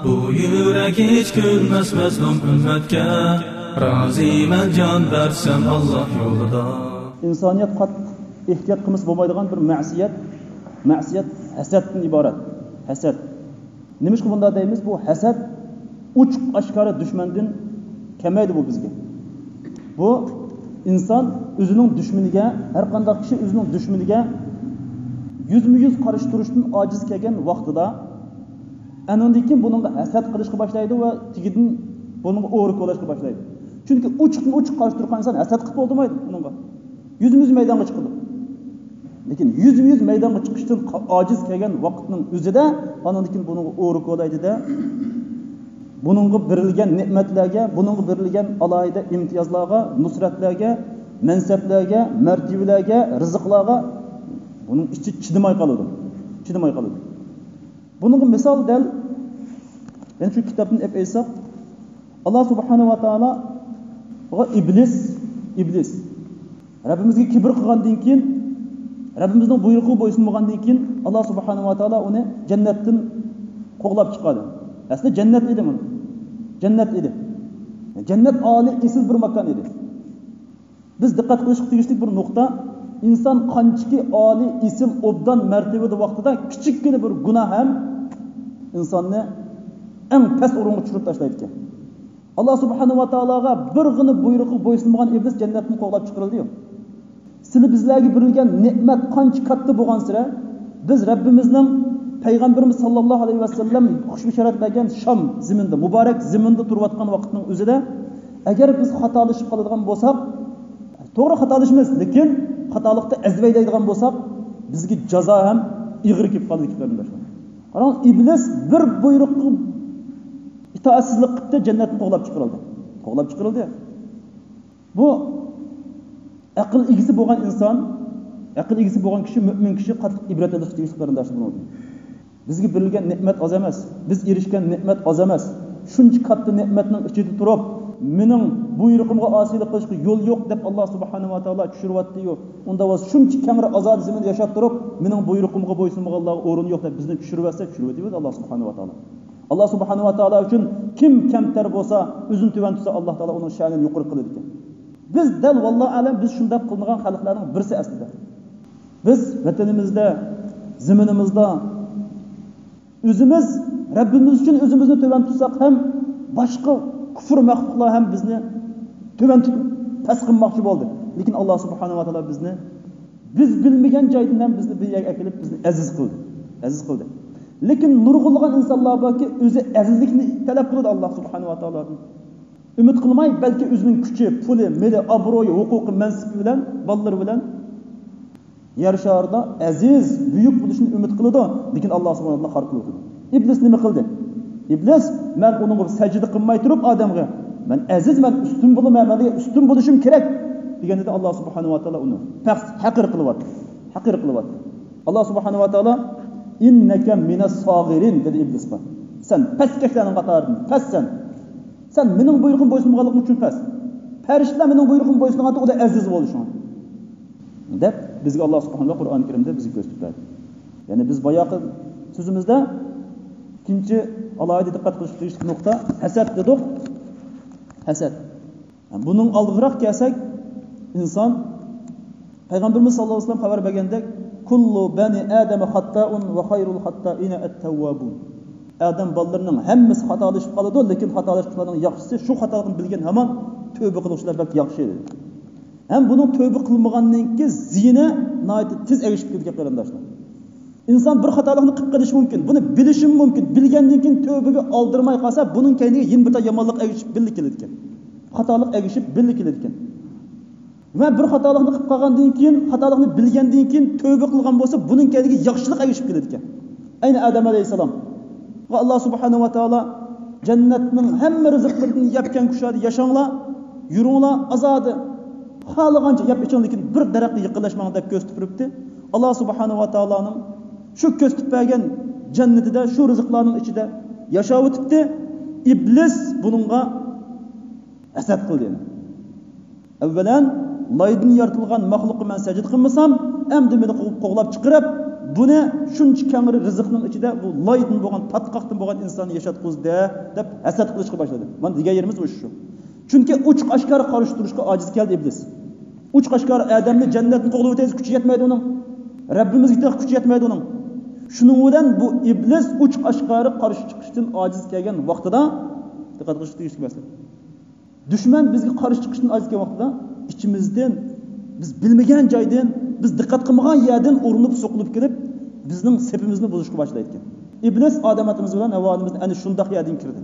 بۇ يۈرەك ھېچ كۈلمەس مەزلۇم ئۈممەتكە، رازىمەن جان بەرسەم ئاللا يولىدا. ئىنسانىيەت قاتتىق ئېھتىيات قىلمىسا بولمايدىغان بىر مەسىيەت، مەسىيەت ھەسەتتىن ئىبارەت. ھەسەت. نېمىشقا بۇنداق دەيمىز؟ بۇ ھەسەت ئوچۇق ئاشكارا دۈشمەندىن كەلمەيدۇ بۇ بىزگە. بۇ ئىنسان ئۆزىنىڭ دۈشمىنىگە، ھەر قانداق كىشى ئۆزىنىڭ دۈشمىنىگە يۈزمۇ يۈز قارشى تۇرۇشتىن ئاجىز كەلگەن ۋاقتىدا، ئەنىڭدىن كېيىن بۇنىڭغا ھەسەت قىلىشقا باشلايدۇ ۋە تېگىدىن بۇنىڭغا ئورا كولايشقا باشلايدۇ. چۈنكى ئوچۇقمۇ ئوچۇق قارشى تۇرغان ئىنسان ھەسەت قىلىپ بولدۇرمايدۇ بۇنىڭغا. يۈزمۇ يۈز مەيدانغا چىقىدۇ. لېكىن يۈزمۇ يۈز مەيدانغا چىقىشتىن قا-، ئاجىز كەلگەن ۋاقىتنىڭ ئۆزىدە، ئانىڭدىن كېيىن بۇنىڭغا ئورا كولايدۇ-دە، بۇنىڭغا بېرىلگەن نېمەتلەرگە، بۇنىڭغا بېرىلگەن ئالاھىدە ئىمتىيازلارغا، نۇسرەتلەرگە، مەنسەپلەرگە، مەرتىۋىلەرگە، رىزىقلارغا بۇنىڭ ئىچى چىدىماي قالىدۇ. چىدىماي قالىدۇ. بۇنىڭغا مىسال دەل، يەنە شۇ كىتابتىن ئېلىپ ئېيتساق، ئاللا سۇبھانەھۇ ۋە تائالاغا ئىبلىس، ئىبلىس رەببىمىزگە كىبىر قىلغاندىن كېيىن، رەببىمىزنىڭ بۇيرۇقىغا بويسۇنمىغاندىن كېيىن، ئاللا سۇبھانەھۇ ۋە تائالا ئۇنى جەننەتتىن قوغلاپ چىقاردى. ئەسلى جەننەت ئىدى مانا. جەننەت ئىدى. جەننەت ئالىي، ئېسىل بىر ماكان ئىدى. بىز دىققەت قىلىشقا تېگىشلىك بىر نۇقتا، ئىنسان قانچىكى ئالىي، ئېسىل، ئوبدان مەرتىۋىدە ۋاقتىدا كىچىككىنە بىر گۇناھ ھەم ئىنساننى ئەڭ پەس ئورۇنغا چۈشۈرۈپ تاشلايدىكەن. ئاللا سۇبھانەھۇ ۋە تائالاغا بىرغىنە بۇيرۇقىغا بويسۇنمىغان ئىبلىس جەننەتتىن قوغلاپ چىقىرىلدى. سىلى بىزلەرگە بېرىلگەن نېمەت قانچە كاتتا بولغانسېرى، بىز رەببىمىزنىڭ، پەيغەمبىرىمىز ساللاللاھۇ ئەلەيھى ۋەسەللەم خۇش بېشارەت بەرگەن شام زېمىنىدا، مۇبارەك زېمىندا تۇرۇۋاتقان ۋاقىتنىڭ ئۆزىدە، ئەگەر بىز خاتالىشىپ قالىدىغان بولساق، توغرا خاتالىشىمىز، لېكىن خاتالىقتا ئەزىۋەيلەيدىغان بولساق، بىزگە جازا ھەم ئېغىر كېلىپ قالىدىكەن، قېرىنداشلار. قاراڭ، ئىبلىس بىر بۇيرۇققا ئىتائەتسىزلىك قىپتۇ، جەننەتتىن قوغلاپ چىقىرىلدى. قوغلاپ چىقىرىلدى. بۇ ئەقىل ئىگىسى بولغان ئىنسان، ئەقىل ئىگىسى بولغان كىشى، مۆمىن كىشى قاتتىق ئىبرەت ئېلىشقا تېگىشلىك، قېرىنداشلار، بۇنىڭدىن. بىزگە بېرىلگەن نېمەت ئاز ئەمەس. بىز ئېرىشكەن نېمەت ئاز ئەمەس. شۇنچە كاتتا نېمەتنىڭ ئىچىدە تۇرۇپ، مېنىڭ بۇيرۇقۇمغا ئاسىيلىق قىلىشقا يول يوق دەپ، ئاللا سۇبھانەھۇ ۋە تائالا چۈشۈرۈۋەتتى-يۇ. ئۇندا بولسا شۇنچە كەڭرى ئازادە زېمىندا ياشاپ تۇرۇپ، مېنىڭ بۇيرۇقۇمغا بويسۇنمىغانلارغا ئورۇن يوق دەپ بىزنى چۈشۈرۈۋەتسە، چۈشۈرۈۋېتىۋېرىدۇ ئاللا سۇبھانەھۇ ۋە تائالا. ئاللا سۇبھانەھۇ ۋە تائالا ئۈچۈن كىم كەمتەر بولسا، ئۆزىنى تۆۋەن تۇتسا، ئاللا تائالا ئۇنىڭ شەنىنى يۇقىرى قىلىدىكەن. بىز دەل، ۋاللاھۇ ئەلەم، بىز شۇنداق قىلمىغان خەلقلەرنىڭ بىرسى ئەسلىدە. بىز ۋەتىنىمىزدە، زېمىنىمىزدا ئۆزىمىز رەببىمىز ئۈچۈن ئۆزىمىزنى تۆۋەن تۇتساق ھەم، باشقا كۇفر مەخلۇقلار ھەم بىزنى تۆۋەن تۇتۇپ پەس قىلماقچى بولدى. لېكىن ئاللا سۇبھانەھۇ ۋە تائالا بىزنى بىز بىلمىگەن جايدىن ھەم بىزنى بىر يەرگە ئەكېلىپ، بىزنى ئەزىز قىلدى. ئەزىز قىلدى. لېكىن نۇرغۇنلىغان ئىنسانلار باركى، ئۆزى ئەزىزلىكنى تەلەپ قىلىدۇ ئاللا سۇبھانەھۇ ۋە تائالادىن. ئۈمىد قىلماي، بەلكى ئۆزىنىڭ كۈچى، پۇلى، مېلى، ئابرۇيى، ھوقۇقى، مەنسىپى بىلەن، بالىلىرى بىلەن يەر شارىدا ئەزىز، بۈيۈك بولۇشىنى ئۈمىد قىلىدۇ، لېكىن ئاللا سۇبھانەھۇ ۋە تائالا خار قىلىۋېتىدۇ. ئىبلىس نېمە قىلدى؟ ئىبلىس، مەن ئۇنىڭغا سەجدە قىلماي تۇرۇپ ئادەمگە، مەن ئەزىز، مەن ئۈستۈن بولىمەن، مەن ئۈستۈن بولۇشۇم كېرەك، دېگەندە ئاللا سۇبھانەھۇ ۋە تائالا ئۇنى پەخ-، ھەقىر قىلىۋەتتى. ھەقىر قىلىۋەتتى. ئاللا سۇبھانەھۇ ۋە تائالا، «ئىننەكە مىنەس ساغىرىن» دېدى ئىبلىسقا. سەن پەسكەشلەرنىڭ قاتارىدىن، پەسسەن. سەن مېنىڭ بۇيرۇقۇمغا بويسۇنمىغانلىقىڭ ئۈچۈن پەس. پەرىشتىلەر مېنىڭ بۇيرۇقۇمغا بويسۇنغاندا، ئۇلار ئەزىز بولدى شۇڭا. دەپ، بىزگە ئاللا سۇبھانەھۇ ۋە تائالا قۇرئان كەرىمدە بىزگە كۆرسىتىپ بەردى. يەنى بىز باياقى سۆزىمىزدە ئىككىنچى ئالاھىدە دىققەت قىلىشقا تېگىشلىك نۇقتا ھەسەت دېدۇق. ھەسەت. بۇنىڭ ئالدىغىراق كەلسەك، ئىنسان، پەيغەمبىرىمىز ساللاللاھۇ ئەلەيھى ۋەسەللەم خەۋەر بەرگەندەك، «كۇللۇ بەنى ئادەمە خەتتائۇن ۋە خەيرۇل خەتتائىنە ئەت-تەۋۋابۇن.» ئادەم بالىلىرىنىڭ ھەممىسى خاتالىشىپ قالىدۇ، لېكىن خاتالىشقۇچىلارنىڭ ياخشىسى، شۇ خاتالىقنى بىلگەن ھامان تۆبە قىلغۇچىلار بەك ياخشى، دېدى. ھەم بۇنىڭ تۆبە قىلمىغاندىن كېيىن زىيىنى ناھايىتى تېز ئەگىشىپ كېتىدىكەن، قېرىنداشلار. ئىنسان بىر خاتالىقنى قىلىپ قېلىشى مۇمكىن، بۇنى بىلىشىمۇ مۇمكىن، بىلگەندىن كېيىن تۆبىگە ئالدىرىماي قالسا، بۇنىڭ كەينىگە يەنە بىر تال يامانلىق ئەگىشىپ بىللە كېلىدىكەن. خاتالىق ئەگىشىپ بىللە كېلىدىكەن. ۋە بىر خاتالىقنى قىلىپ قالغاندىن كېيىن، خاتالىقنى بىلگەندىن كېيىن تۆبە قىلغان بولسا، بۇنىڭ كەينىگە ياخشىلىق ئەگىشىپ كېلىدىكەن. ئەينى ئادەم ئەلەيھىسسالامغا ئاللا سۇبھانەھۇ ۋە تائالا، «جەننەتنىڭ ھەممە رىزىقلىرىدىن يەپ كەڭ كۇشادە ياشاڭلار، يۈرۈڭلار ئازادە، خالىغانچە يەپ ئىچىڭ، لېكىن بىر دەرەخكە يېقىنلاشماڭ» دەپ كۆرسىتىپ بېرىپتۇ. ئاللا سۇبھانەھۇ ۋە تائالانىڭ شۇ كۆرسىتىپ بەرگەن جەننىتىدە، شۇ رىزىقلارنىڭ ئىچىدە ياشاۋېتىپتى. ئىبلىس بۇنىڭغا ھەسەت قىلدى. ئەۋۋەلەن، لايدىن يارىتىلغان مەخلۇققا مەن سەجدە قىلمىسام، ئەمدى مېنى قوغلاپ چىقىرىپ، بۇنى شۇنچە كەڭرى رىزىقنىڭ ئىچىدە بۇ لايدىن بولغان، پاتقاقتىن بولغان ئىنساننى ياشاتقۇزدى، دەپ ھەسەت قىلىشقا باشلىدى. مانا دېگەن يېرىمىز مۇشۇ. چۈنكى ئوچۇق ئاشكارا قارشى تۇرۇشقا ئاجىز كەلدى ئىبلىس. ئوچۇق ئاشكارا ئادەمنى جەننەتتىن قوغلىۋېتەيلى، كۈچى يەتمەيدۇ ئۇنىڭ. رەببىمىزگە تېخى كۈچى يەتمەيدۇ ئۇنىڭ. شۇنىڭ بىلەن بۇ ئىبلىس ئوچۇق ئاشكارا قارشى چىقىشتىن ئاجىز كەلگەن ۋاقتىدا، دىققەت قىلىشقا تېگىشلىك مەسىلە. دۈشمەن بىزگە قارشى چىقىشتىن ئاجىز كەلگەن ۋاقتىدا ئىچىمىزدىن، بىز بىلمىگەن جايدىن، بىز دىققەت قىلمىغان يەردىن ئۇرۇنۇپ سوقۇلۇپ كېلىپ، بىزنىڭ سېپىمىزنى بۇزۇشقا باشلايدىكەن. ئىبلىس ئادەم ئاتىمىز بىلەن ھەۋۋا ئانىمىزنى ئەنە شۇنداق يەردىن كىردى.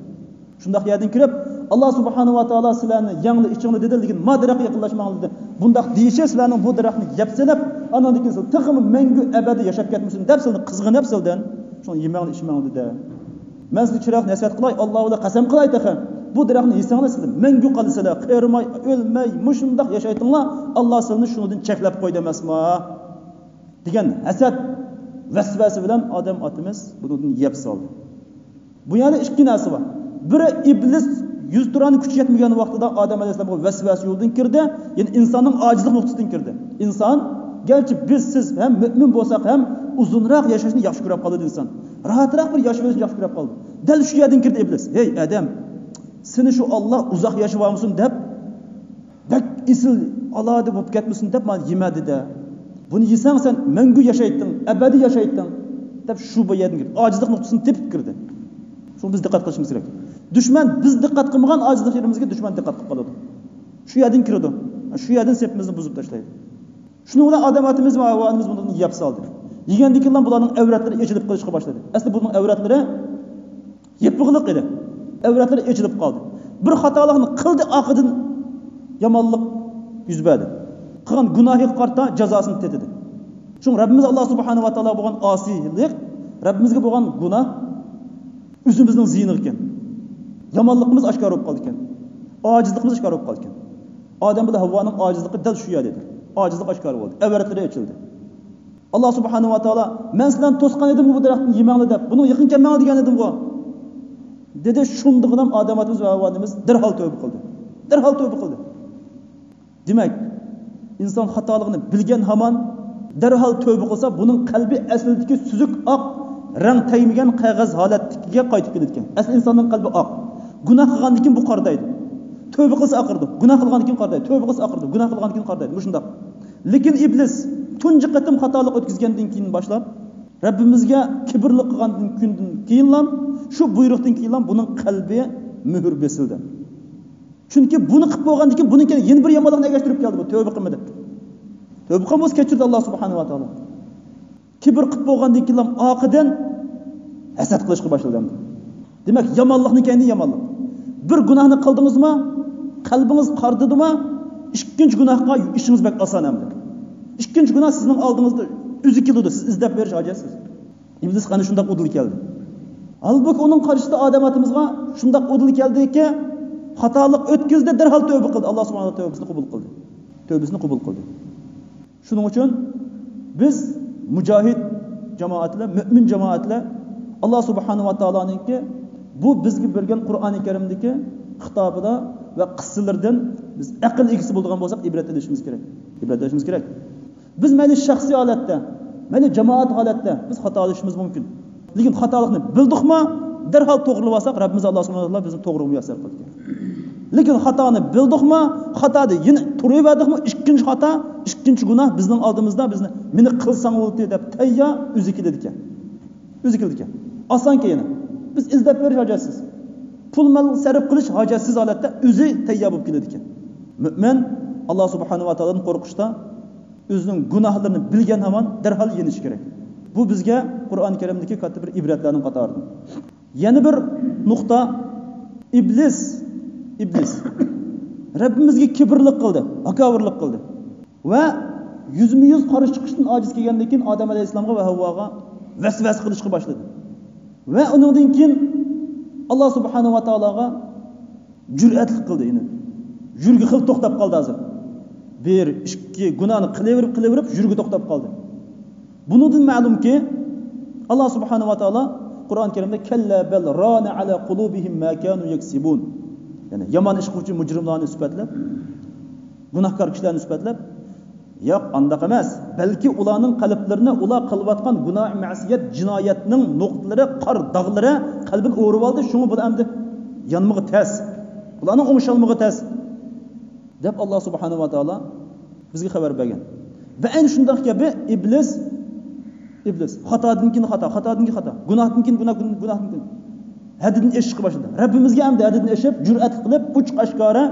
شۇنداق يەردىن كىرىپ، ئاللا سۇبھانەھۇ ۋە تائالا سىلەرنى يەڭدى، ئىچىڭلار دېدى، لېكىن ما دەرەخكە يېقىنلاشماڭلار دېدى. بۇنداق دېيىشى سىلەرنىڭ بۇ دەرەخنى يەپ سېلىپ، ئاندىن كېيىن سىلەر تېخىمۇ مەڭگۈ ئەبەدىي ياشاپ كەتمىسۇن دەپ سىلەرنى قىزغىنىپ سىلەردىن شۇنى يېمەڭلار، ئىچمەڭلار دېدى. مەن سىلەرگە چىرايلىق نەسىھەت قىلاي، ئاللا بىلەن قەسەم قىلاي تېخى. بۇ دەرەخنى يېسەڭلار سىلەر مەڭگۈ قالىسىلەر، قېرىماي، ئۆلمەي، مۇشۇنداق ياشايتىڭلار، ئاللا سىلەرنى شۇنىڭدىن چەكلەپ قويدى ئەمەسما؟ دېگەن ھەسەت، ۋەسۋەسە بىلەن ئادەم ئاتىمىز بۇنىڭدىن يەپ سالدى. بۇ يەردە ئىككى نەرسە بار. بىرى، ئىبلىس يۈز تۇرانە كۈچى يەتمىگەن ۋاقتىدا ئادەم ئەلەيھىسسالامغا ۋەسۋەسە يولىدىن كىردى، يەنى ئىنساننىڭ ئاجىزلىق نۇقتىسىدىن كىردى. ئىنسان، گەرچە بىز، سىز ھەم مۆمىن بولساق ھەم، ئۇزۇنراق ياشاشنى ياخشى كۆرۈپ قالىدۇ ئىنسان. راھەتراق بىر ياشىۋېلىشنى ياخشى كۆرۈپ قالىدۇ. دەل شۇ يەردىن كىردى ئىبلىس. ھەي ئادەم، سېنى شۇ ئاللا ئۇزاق ياشىۋالمىسۇن دەپ، بەك ئېسىل ئالاھىدە بولۇپ كەتمىسۇن دەپ مانا يېمە دېدى. بۇنى يېسەڭ سەن مەڭگۈ ياشايتتىڭ، ئەبەدىي ياشايتتىڭ دەپ شۇ بۇ يەردىن كىردى. ئاجىزلىق نۇقتىسىنى تېپىپ كىردى. شۇڭا بىز دىققەت قىلىشىمىز كېرەك. دۈشمەن بىز دىققەت قىلمىغان ئاجىزلىق يېرىمىزگە دۈشمەن دىققەت قىلىپ قالىدۇ. شۇ يەردىن كىرىدۇ. شۇ يەردىن سېپىمىزنى بۇزۇپ تاشلايدۇ. شۇنىڭ بىلەن ئادەم ئاتىمىز ۋە ھاۋا ئانىمىز بۇنى يەپ سالدى. يېگەندىن كېيىن بۇلارنىڭ ئەۋرەتلىرى ئېچىلىپ قېلىشقا باشلىدى. ئەسلى بۇنىڭ ئەۋرەتلىرى يېپىقلىق ئىدى. ئەۋرەتلىرى ئېچىلىپ قالدى. بىر خاتالىقنى قىلدى، ئارقىدىن يامانلىق يۈز بەردى. قىلغان گۇناھىغا قارىتا جازاسىنى تېتىدى. شۇڭا رەببىمىز ئاللا سۇبھانەھۇ ۋە تائالا بولغان ئاسىيلىق، رەببىمىزگە بولغان گۇناھ ئۆزىمىزنىڭ زىيىنىغا ئىكەن. يامانلىقىمىز ئاشكارا بولۇپ قالىدىكەن. ئاجىزلىقىمىز ئاشكارا بولۇپ قالىدىكەن. ئادەم بىلەن ھەۋۋانىڭ ئاجىزلىقى دەل شۇ يەردە ئىدى. ئاجىزلىق ئاشكارا بولدى. ئەۋرەتلىرى ئېچىلدى. ئاللا سۇبھانەھۇ ۋە تائالا، مەن سىلەرنى توسقان ئىدىمغۇ بۇ دەرەختىن يېمەڭلار دەپ، بۇنىڭغا يېقىن كەلمەڭلار دېگەن ئىدىمغۇ، دېدى. شۇندىغىنام ئادەم ئاتىمىز ۋە ھاۋا ئانىمىز دەرھال تۆۋبە قىلدى. دەرھال تۆۋبە قىلدى. دېمەك، ئىنسان خاتالىقىنى بىلگەن ھامان دەرھال تۆۋبە قىلسا، بۇنىڭ قەلبى ئەسلىدىكى سۈزۈك ئاق رەڭ تەگمىگەن قەغەز ھالەتتىكىگە قايتىپ كېلىدىكەن. ئەسلى ئىنساننىڭ قەلبى ئاق. گۇناھ قىلغاندىن كېيىن بۇ قارىدايدۇ. تۆۋبە قىلسا ئاقىرىدۇ. گۇناھ قىلغاندىن كېيىن قارىدايدۇ. تۆۋبە قىلسا ئاقىرىدۇ. گۇناھ قىلغاندىن كېيىن قارىدايدۇ. مۇشۇنداق. لېكىن ئىبلىس تۇنجى قېتىم خاتالىق ئۆتكۈزگەندىن كېيىن باشلاپ، رەببىمىزگە كىبىرلىق قىلغاندىن كۈندىن كېيىنلا، شۇ بۇيرۇقتىن كېيىنلا بۇنىڭ قەلبى مۆھۈر بېسىلدى. چۈنكى بۇنى قىلىپ بولغاندىن كېيىن بۇنىڭ كەينى يەنە بىر يامانلىقنى ئەگەشتۈرۈپ كەلدى بۇ، تۆۋبە قىلمىدى. تۆۋبە قىلمىسا كەچۈردى ئاللا سۇبھانەھۇ ۋە تائالا. كىبىر قىلىپ بولغاندىن كېيىنلا ئارقىدىن ھەسەت قىلىشقا باشلىدى ئەمدى. دېمەك، يامانلىقنىڭ كەينىدىن يامانلىق. بىر گۇناھنى قىلدىڭىزمۇ، قەلبىڭىز قارىدىدىمۇ، ئىككىنچى گۇناھقا ئىشىڭىز بەك ئاسان ئەمدى. ئىككىنچى گۇناھ سىزنىڭ ئالدىڭىزدا ئۆزى كېلىدۇ، سىز ئىزدەپ بېرىش ھاجەتسىز. ئىبلىس ئەنە شۇنداق ئۇدۇل كەلدى. ھالبۇكى، ئۇنىڭ قارشىسىدا ئادەم ئاتىمىزغا شۇنداق ئۇدۇل كەلدىكى، خاتالىق ئۆتكۈزدى، دەرھال تۆۋبە قىلدى. ئاللا سۇبھانەھۇ تائالا تۆۋبىسىنى قوبۇل قىلدى. تۆۋبىسىنى قوبۇل قىلدى. شۇنىڭ ئۈچۈن بىز مۇجاھىد جامائەتلەر، مۆمىن جامائەتلەر، ئاللا سۇبھانەھۇ ۋە تائالانىڭكى بۇ بىزگە بەرگەن قۇرئانى كەرىمدىكى خىتابىدا ۋە قىسسىلىرىدىن بىز ئەقىل ئىگىسى بولىدىغان بولساق، ئىبرەت ئېلىشىمىز كېرەك. ئىبرەت ئېلىشىمىز كېرەك. بىز مەيلى شەخسىي ھالەتتە، مەيلى جامائەت ھالەتتە بىز خاتالىشىشىمىز مۇمكىن. لېكىن خاتالىقنى بىلدۇقما، دەرھال توغرىلىۋالساق، رەببىمىز ئاللا سۇبھانەھۇ ۋە تائالا بىزنى توغرا مۇيەسسەر قىلىدىكەن. لېكىن خاتانى بىلدۇقما، خاتادا يەنە تۇرۇۋەردۇقمۇ، ئىككىنچى خاتا، ئىككىنچى گۇناھ بىزنىڭ ئالدىمىزدا، بىزنى، مېنى قىلساڭ بولدى دەپ تەييار ئۆزى كېلىدىكەن. ئۆزى كېلىدىكەن. ئاسانكەن يەنە. بىز ئىزدەپ بېرىش ھاجەتسىز. پۇل مال سەرپ قىلىش ھاجەتسىز ھالەتتە ئۆزى تەييار بولۇپ كېلىدىكەن. مۆمىن ئاللا سۇبھانەھۇ ۋە تائالادىن قورقۇشتا ئۆزىنىڭ گۇناھلىرىنى بىلگەن ھامان دەرھال يېنىشى كېرەك. بۇ بىزگە قۇرئانى كەرىمدىكى كاتتا بىر ئىبرەتلەرنىڭ قاتارىدىن. يەنە بىر نۇقتا، ئىبلىس، ئىبلىس رەببىمىزگە كىبىرلىق قىلدى، ھاكاۋۇرلۇق قىلدى. ۋە يۈزمۇ يۈز قارشى چىقىشتىن ئاجىز كەلگەندىن كېيىن ئادەم ئەلەيھىسسالامغا ۋە ھەۋۋاغا ۋەسۋەسە قىلىشقا باشلىدى. ۋە ئۇنىڭدىن كېيىن ئاللا سۇبھانەھۇ ۋە تائالاغا جۈرئەتلىك قىلدى. يەنى يۈرگە خېلى توختاپ قالدى ھازىر. بىر، ئىككى گۇناھنى قىلىۋېرىپ، قىلىۋېرىپ يۈرگە توختاپ قالدى. بۇنىڭدىن مەلۇمكى، ئاللا سۇبھانەھۇ ۋە تائالا قۇرئان كەرىمدە كەللا بەل رانە ئەلا قۇلۇبىھىم ما كانۇ يەكسىبۇن. يەنى يامان ئىش قىلغۇچى مۇجرىملارنى سۈپەتلەپ، گۇناھكار كىشىلەرنى سۈپەتلەپ، ياق، ئانداق ئەمەس. بەلكى ئۇلارنىڭ قەلبلىرىنى ئۇلار قىلىۋاتقان گۇناھ، مەسىيەت، جىنايەتنىڭ نۇقتىلىرى، قار داغلىرى قەلبىنى ئورۇۋالدى، شۇڭا بۇلار ئەمدى يانمىغى تەس. بۇلارنىڭ ئوڭشالمىغى تەس. دەپ ئاللا سۇبھانەھۇ ۋە تائالا بىزگە خەۋەر بەرگەن. ۋە ئەنە شۇنداق گەپى ئىبلىس، ئىبلىس خاتادىن كېيىن خاتا، خاتادىن كېيىن خاتا، گۇناھتىن كېيىن گۇناھ، گۇناھتىن كېيىن ھەددىدىن ئېشىشقا باشلىدى. رەببىمىزگە ئەمدى ھەددىدىن ئېشىپ، جۈرئەت قىلىپ، ئوچۇق ئاشكارا،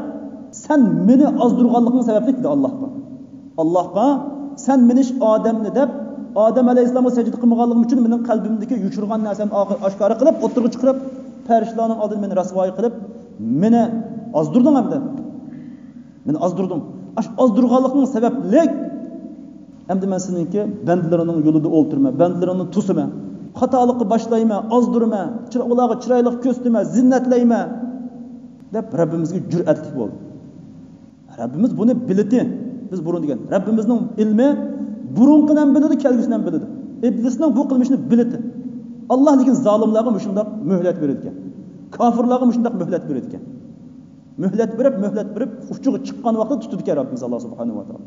سەن مېنى ئازدۇرغانلىقىڭ سەۋەبلىك دېدى ئاللاھقا. ئاللاھقا، سەن مېنى ئادەمنى دەپ، ئادەم ئەلەيھىسسالامغا سەجدە قىلمىغانلىقىم ئۈچۈن مېنىڭ قەلبىمدىكى يوشۇرغان نەرسەمنى ئاشكارا قىلىپ، ئوتتۇرىغا چىقىرىپ، پەرىشتىلەرنىڭ ئالدىدا مېنى رەسۋايى قىلىپ، مېنى ئازدۇردۇڭ ئەمدى. مېنى ئازدۇردۇڭ. ئاشۇ ئازدۇرغانلىقىڭ سەۋەبلىك ئەمدى مەن سېنىڭكى بەندىلىرىڭنىڭ يولىدا ئولتۇرىمەن، بەندىلىرىڭنى توسىمەن، خاتالىققا باشلايمەن، ئازدۇرىمەن، چىرا-، ئۇلارغا چىرايلىق كۆرسىتىمەن، زىننەتلەيمەن دەپ رەببىمىزگە جۈرئەتلىك بولدى. رەببىمىز بۇنى بىلىتى، بىز بۇرۇن دېگەن رەببىمىزنىڭ ئىلمى بۇرۇنقىنى ھەم بىلىدۇ، كەلگۈسىنى ھەم بىلىدۇ. ئىبلىسنىڭ بۇ قىلمىشىنى بىلىتى. ئاللا لېكىن زالىملارغا مۇشۇنداق مۆھلەت بېرىدىكەن. كافىرلارغا مۇشۇنداق مۆھلەت بېرىدىكەن. مۆھلەت بېرىپ، مۆھلەت بېرىپ، ئۇچىغا چىققان ۋاقتىدا تۇتىدىكەن رەببىمىز ئاللا سۇبھانەھۇ ۋە تائالا.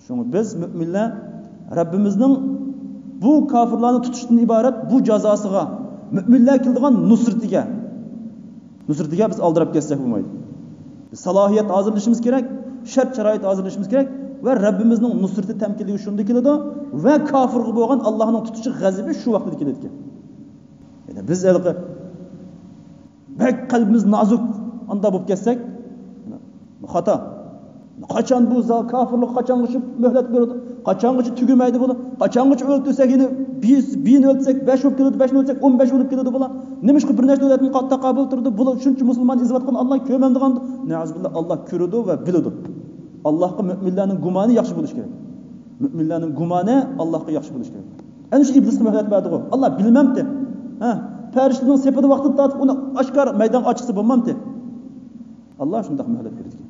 شۇڭا بىز مۆمىنلەر رەببىمىزنىڭ بۇ كافىرلارنى تۇتۇشتىن ئىبارەت بۇ جازاسىغا، مۆمىنلەر كېلىدىغان نۇسرىتىگە، نۇسرىتىگە بىز ئالدىراپ كەتسەك بولمايدۇ. بىز سالاھىيەت ھازىرلىشىمىز كېرەك، شەرت-شارائىت ھازىرلىشىمىز كېرەك ۋە رەببىمىزنىڭ نۇسرىتى تەمكىنلىكى شۇندا كېلىدۇ ۋە كافىرغا بولغان ئاللانىڭ تۇتۇشى، غەزىپى شۇ ۋاقتىدا كېلىدىكەن. يەنى بىز ھېلىقى بەك قەلبىمىز نازۇك، ئانداق بولۇپ كەتسەك، خاتا. قاچان بۇ زا-، كافىرلىق قاچانغىچە مۆھلەت بېرىدۇ؟ قاچانغىچە تۈگىمەيدۇ بۇلار؟ قاچانغىچە ئۆلتۈرسەك، يەنە بىز، بىيىنى ئۆلتۈرسەك، بەش بولۇپ كېلىدۇ، بەشنى ئۆلتۈرسەك، ئون بەش بولۇپ كېلىدۇ بۇلار. نېمىشقا بىر نەچچە دۆلەتنى قا-، تاقابىل تۇرىدۇ؟ بۇلار شۇنچە مۇسۇلمان ئېزىۋاتقان ئاللا كۆرمەمدىغاندۇ؟ نەئۇزۇبىللا، ئاللا كۆرىدۇ ۋە بىلىدۇ. ئاللاغا مۆمىنلەرنىڭ گۇمانى ياخشى بولۇشى كېرەك. مۆمىنلەرنىڭ گۇمانى ئاللاغا ياخشى بولۇشى كېرەك. ئەنە شۇ ئىبلىسقا مۆھلەت بەردىغۇ. ئاللا بىلمەمتى؟ ھە؟ پەرىشتىنىڭ سېپىدە ۋاقتىدا تارتىپ ئۇنى ئاشكارا مەيدانغا ئاچقۇسى بولمامتى؟ ئاللا شۇنداق مۆھلەت بېرىدىكەن.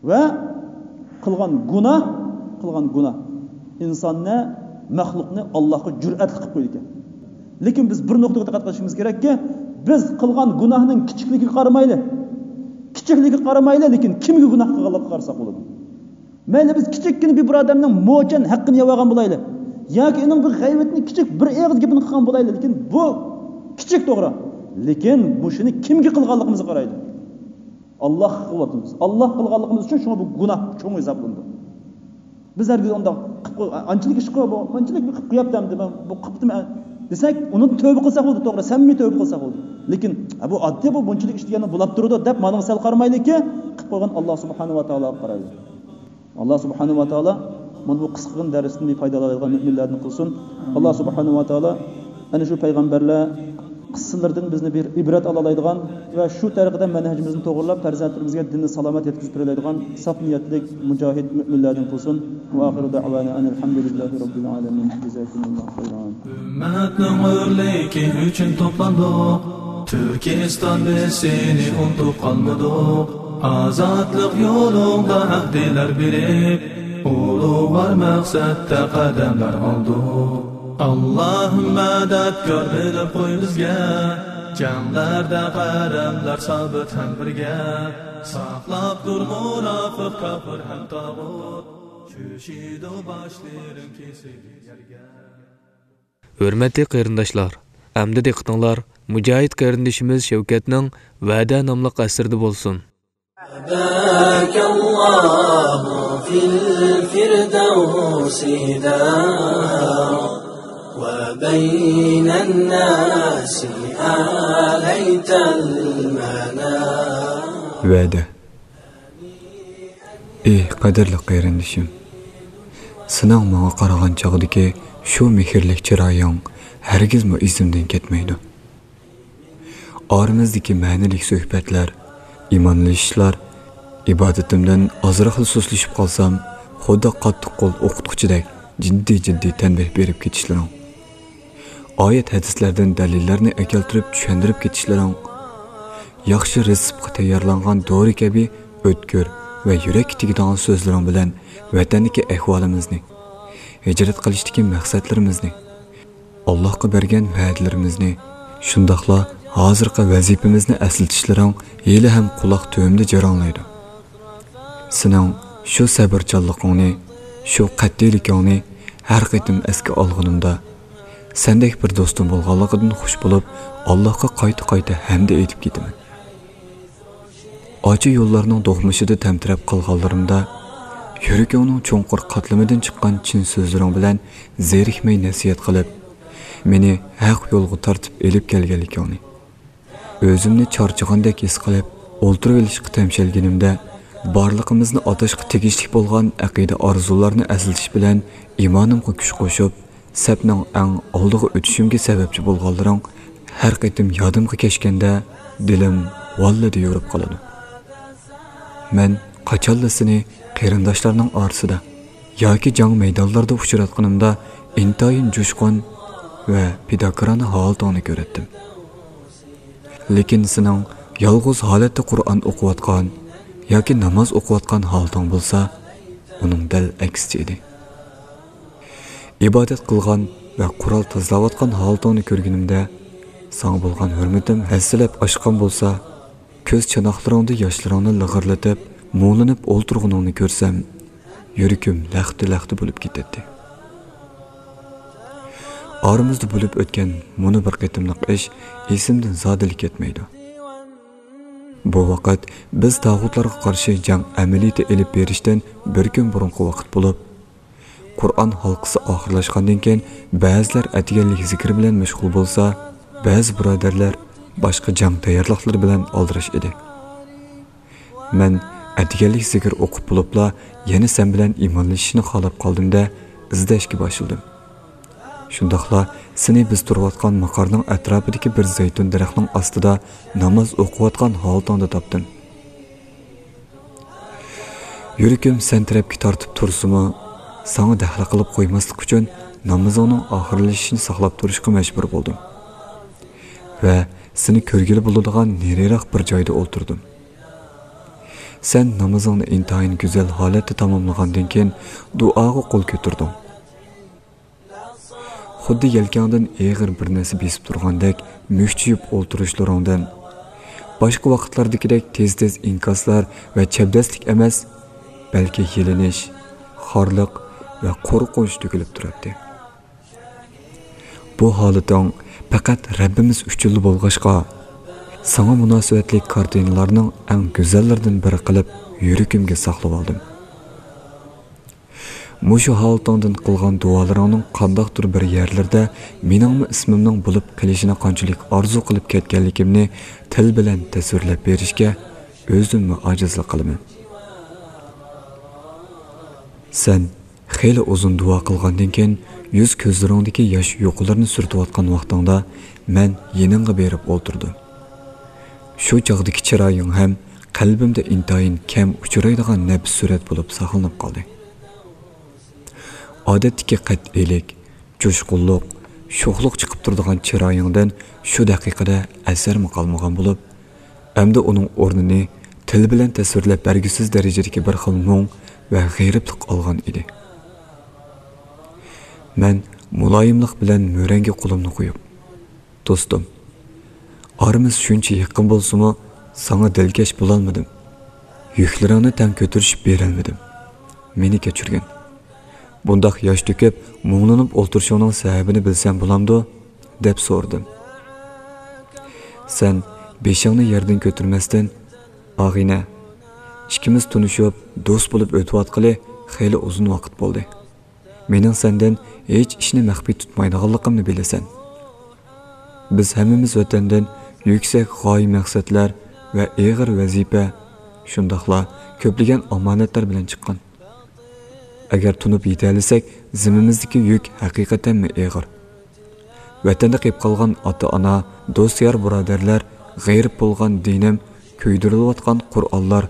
ۋە قىلغان گۇناھ، قىلغان گۇناھ ئىنساننى، مەخلۇقنى ئاللاغا جۈرئەتلىك قىلىپ قويىدىكەن. لېكىن بىز بىر نۇقتىغا دىققەت قىلىشىمىز كېرەككى، بىز قىلغان گۇناھنىڭ كىچىكلىكىگە قارىمايلى، كىچىكلىكىگە قارىمايلى، لېكىن كىمگە گۇناھ قىلغانلىقىغا قارىساق بولىدۇ. مەيلى بىز كىچىككىنە بىر ئادەمنىڭ موچەن ھەققىنى يەۋالغان بولايلى، ياكى ئۇنىڭ بىر غەيۋىتىنى، كىچىك بىر ئېغىز گېپىنى قىلغان بولايلى، لېكىن بۇ كىچىك، توغرا. لېكىن مۇشۇنى كىمگە قىلغانلىقىمىزغا قارايلى. ئاللاغا قىلىۋاتىمىز. ئاللاغا قىلغانلىقىمىز ئۈچۈن شۇڭا بۇ گۇناھ چوڭ ھېسابلىنىدۇ. بىز ھەرگىز ئۇنداق قىلىپ قوي-، ئانچىلىك ئىش قىلىپ، بۇ مانچىلىك قىلىپ قويۇپتۇ ئەمدى، مەن بۇ قىپتىمەن دېسەك، ئۇنى تۆۋبە قىلساق بولدى، توغرا، سەمىمىي تۆۋبە قىلساق بولدى. لېكىن، ھە، بۇ ئاددىي، بۇ بۇنچىلىك ئىش دېگەننى بولاپ تۇرىدۇ دەپ، مانىڭغا سەل قارىمايلىكى، قىلىپ قويغان ئاللا سۇبھانەھۇ ۋە تائالاغا قارايلى. ئاللا سۇبھانەھۇ ۋە تائالا مانا بۇ قىسقىغىنە دەرستىن بىر پايدىلالايدىغان مۆمىنلەردىن قىلسۇن. ئاللا سۇبھانەھۇ ۋە تائالا ئەنە شۇ پەيغەمبەرلەر قىسسىلىرىدىن بىزنى بىر ئىبرەت ئالالايدىغان ۋە شۇ تەرىقىدە مەنھەجىمىزنى توغرىلاپ، پەرزەنتلىرىمىزگە دىننى سالامەت يەتكۈزۈپ بېرەلەيدىغان ساپ نىيەتلىك مۇجاھىد مۆمىنلەردىن قىلسۇن. ۋە ئاخىرۇ دەئۋانا ئەنىل ھەمدۇلىللاھى رەببىل ئالەمىن. جازاكۇمۇللاھۇ خەيران. ئۈممەتنىڭ ئۆرلۈكى ئۈچۈن توپلاندۇق. تۈركىستان، بىز سېنى ئۇنتۇپ قالمىدۇق. ئازادلىق يولۇڭدا ھەق دىلەر بېرىپ، ئۇلۇغۋار مەقسەتتە قەدەملەر ئالدۇق. ئاللاھىم مەدەت كۆرۈنۈپ قوي بىزگە، جەڭلەردە قەدەملەر سابىت ھەم بىرگە. ساقلاپ تۇر مۇناپىق، كاپىر ھەم تاغۇت، چۈشىدۇ باشلىرىڭ كېسىلىپ يەرگە. ھۆرمەتلىك قېرىنداشلار، ئەمدى دىققىتىڭلار مۇجاھىد قېرىندىشىمىز شەۋكەتنىڭ ۋەدە ناملىق ئەسىرىدە بولسۇن. أباك الله في الفردوس دار، وبين الناس آليت المنار. ۋەدە. ئېھ، قەدىرلىك قېرىندىشىم! سېنىڭ ماڭا قارىغان چاغدىكى شۇ مېھىرلىك چىرايىڭ ھەرگىزمۇ ئېسىمدىن كەتمەيدۇ. ئارىمىزدىكى مەنىلىك سۆھبەتلەر، ئىمانلىشىشلار، ئىبادىتىمدىن ئازراقلا سۇسلىشىپ قالسام، خۇددى قاتتىق قول ئوقۇتقۇچىدەك جىددىي-جىددىي تەنبىھ بېرىپ كېتىشلىرىڭ، ئايەت ھەدىسلەردىن دەلىللەرنى ئەكەلتۈرۈپ چۈشەندۈرۈپ كېتىشلىرىڭ، ياخشى رېتسېپقا تەييارلانغان دورا كەبى ئۆتكۈر ۋە يۈرەككە تېگىدىغان سۆزلىرىڭ بىلەن ۋەتەندىكى ئەھۋالىمىزنى، ھىجرەت قىلىشتىكى مەقسەتلىرىمىزنى، ئاللاھقا بەرگەن ۋەدىلىرىمىزنى، شۇنداقلا ھازىرقى ۋەزىپىمىزنى ئەسلىتىشلىرىڭ ھېلىھەم قۇلاق تۈۋىمدە جاراڭلايدۇ. سېنىڭ شۇ سەۋرچانلىقىڭنى، شۇ قەتئىيلىكىڭنى ھەر قېتىم ئەسكە ئالغىنىمدا، سەندەك بىر دوستۇم بولغانلىقىدىن خۇش بولۇپ، ئاللاھقا قايتا-قايتا ھەمدە ئېيتىپ كېتىمەن. ئاچا يوللارنىڭ دوقمۇشىدا تەمتىرەپ قالغانلىرىمدا، يۈرىكىڭنىڭ چوڭقۇر قاتلىمىدىن چىققان چىن سۆزلىرىڭ بىلەن زېرىكمەي نەسىھەت قىلىپ، مېنى ھەق يولغا تارتىپ ئېلىپ كەلگەنلىكىڭنى، ئۆزۈمنى چارچىغاندەك ھېس قىلىپ، ئولتۇرۇۋېلىشقا تەمشەلگىنىمدە، بارلىقىمىزنى ئاتاشقا تېگىشلىك بولغان ئەقىدە ئارزۇلارنى ئەسلىتىش بىلەن ئىمانىمغا كۈچ قوشۇپ، سەپنىڭ ئەڭ ئالدىغا ئۆتۈشۈمگە سەۋەبچى بولغانلىرىڭ ھەر قېتىم يادىمغا كەچكەندە، دىلىم ۋاللىدە يورۇپ قالىدۇ. مەن قاچانلا سېنى قېرىنداشلارنىڭ ئارىسىدا ياكى جەڭ مەيدانلىرىدا ئۇچراتقىنىمدا، ئىنتايىن جۇشقۇن ۋە پىداكارانە ھالىتىڭنى كۆرەتتىم. لېكىن سېنىڭ يالغۇز ھالەتتە قۇرئان ئوقۇۋاتقان ياكى ناماز ئوقۇۋاتقان ھالىتىڭ بولسا، ئۇنىڭ دەل ئەكسىچە ئىدى. ئىبادەت قىلغان ۋە قورال تازىلاۋاتقان ھالىتىڭنى كۆرگىنىمدە، ساڭا بولغان ھۆرمىتىم ھەسسىلەپ ئاشقان بولسا، كۆز چاناقلىرىڭدا ياشلىرىڭنى لىغىرلىتىپ، مۇڭلىنىپ ئولتۇرغىنىڭنى كۆرسەم، يۈرىكىم لەختە-لەختە بولۇپ كېتەتتى. ئارىمىزدا بولۇپ ئۆتكەن مۇنۇ بىر قېتىملىق ئىش ئېسىمدىن زادىلا كەتمەيدۇ. بۇ ۋاقىت بىز تاغۇتلارغا قارشى جەڭ ئەمەلىيىتى ئېلىپ بېرىشتىن بىر كۈن بۇرۇنقى ۋاقىت بولۇپ، قۇرئان ھالقىسى ئاخىرلاشقاندىن كېيىن، بەزىلەر ئەتىگەنلىك زىكىر بىلەن مەشغۇل بولسا، بەزى بۇرادەرلەر باشقا جەڭ تەييارلىقلىرى بىلەن ئالدىراش ئىدى. مەن ئەتىگەنلىك زىكىر ئوقۇپ بولۇپلا، يەنە سەن بىلەن ئىمانلىشىشنى خالاپ قالدىم-دە، ئىزدەشكە باشلىدىم. شۇنداقلا سېنى بىز تۇرۇۋاتقان ماقارنىڭ ئەتراپىدىكى بىر زەيتۇن دەرەخنىڭ ئاستىدا ناماز ئوقۇۋاتقان ھالىتىڭدە تاپتىم. يۈرىكىم سەن تەرەپكە تارتىپ تۇرسىمۇ، ساڭا دەخلى قىلىپ قويماسلىق ئۈچۈن نامىزىڭنىڭ ئاخىرلىشىشىنى ساقلاپ تۇرۇشقا مەجبۇر بولدۇم ۋە سېنى كۆرگىلى بولىدىغان نېرىراق بىر جايدا ئولتۇردۇم. سەن نامىزىڭنى ئىنتايىن گۈزەل ھالەتتە تاماملىغاندىن كېيىن، دۇئاغا قول كۆتۈردۈڭ. خۇددى يەلكەڭدىن ئېغىر بىر نەرسە بېسىپ تۇرغاندەك مۈكچىيىپ ئولتۇرۇشلىرىڭدىن، باشقا ۋاقىتلاردىكىدەك تېز-تېز ئىنكاسلار ۋە چەبدەسلىك ئەمەس، بەلكى يېلىنىش، خارلىق ۋە قورقۇنچ تۆكۈلۈپ تۇراتتى. بۇ ھالىتىڭ پەقەت رەببىمىز ئۈچۈنلا بولغاچقا، ساڭا مۇناسىۋەتلىك كارتىنىلارنىڭ ئەڭ گۈزەللىرىدىن بىرى قىلىپ يۈرىكىمگە ساقلىۋالدىم. مۇشۇ ھالىتىڭدىن قىلغان دۇئالىرىڭنىڭ قانداقتۇر بىر يەرلىرىدە مېنىڭمۇ ئىسمىمنىڭ بولۇپ قېلىشىنى قانچىلىك ئارزۇ قىلىپ كەتكەنلىكىمنى تىل بىلەن تەسۋىرلەپ بېرىشكە ئۆزۈممۇ ئاجىزلىق قىلىمەن. سەن خېلى ئۇزۇن دۇئا قىلغاندىن كېيىن، يۈز كۆزلىرىڭدىكى ياش يۇقىلىرىنى سۈرتۈۋاتقان ۋاقتىڭدا مەن يېنىڭغا بېرىپ ئولتۇردۇم. شۇ چاغدىكى چىرايىڭ ھەم قەلبىمدە ئىنتايىن كەم ئۇچرايدىغان نەپىس سۈرەت بولۇپ ساقلىنىپ قالدى. ئادەتتىكى قەتئىيلىك، جۇشقۇنلۇق، شوخلۇق چىقىپ تۇرىدىغان چىرايىڭدىن شۇ دەقىقىدە ئەسەرمۇ قالمىغان بولۇپ، ئەمدى ئۇنىڭ ئورنىنى تىل بىلەن تەسۋىرلەپ بەرگۈسىز دەرىجىدىكى بىر خىل مۇڭ ۋە غېرىبلىق ئالغان ئىدى. مەن مۇلايىملىق بىلەن مۈرەڭگە قولۇمنى قويۇپ، دوستۇم، ئارىمىز شۇنچە يېقىن بولسىمۇ، ساڭا دىلكەش بولالمىدىم. يۈكلىرىڭنى تەڭ كۆتۈرۈشۈپ بېرەلمىدىم. مېنى كەچۈرگىن. بۇنداق ياش تۆكۈپ، مۇڭلىنىپ ئولتۇرۇشۇڭنىڭ سەۋەبىنى بىلسەم بولامدۇ؟ دەپ سورىدىم. سەن بېشىڭنى يەردىن كۆتۈرمەستىن، ئاغىنە، ئىككىمىز تونۇشۇپ، دوست بولۇپ ئۆتۈۋاتقىلى خېلى ئۇزۇن ۋاقىت بولدى. مېنىڭ سەندىن ھېچ ئىشنى مەخپىي تۇتمايدىغانلىقىمنى بىلىسەن. بىز ھەممىمىز ۋەتەندىن يۈكسەك غايە مەقسەتلەر ۋە ئېغىر ۋەزىپە، شۇنداقلا كۆپلىگەن ئامانەتلەر بىلەن چىققان. ئەگەر تونۇپ يېتەلىسەك، زىممىمىزدىكى يۈك ھەقىقەتەنمۇ ئېغىر. ۋەتەندە قېلىپ قالغان ئاتا-ئانا، دوست-يار بۇرادەرلەر، غېرىب بولغان دىنىم، كۆيدۈرۈلۈۋاتقان قۇرئانلار،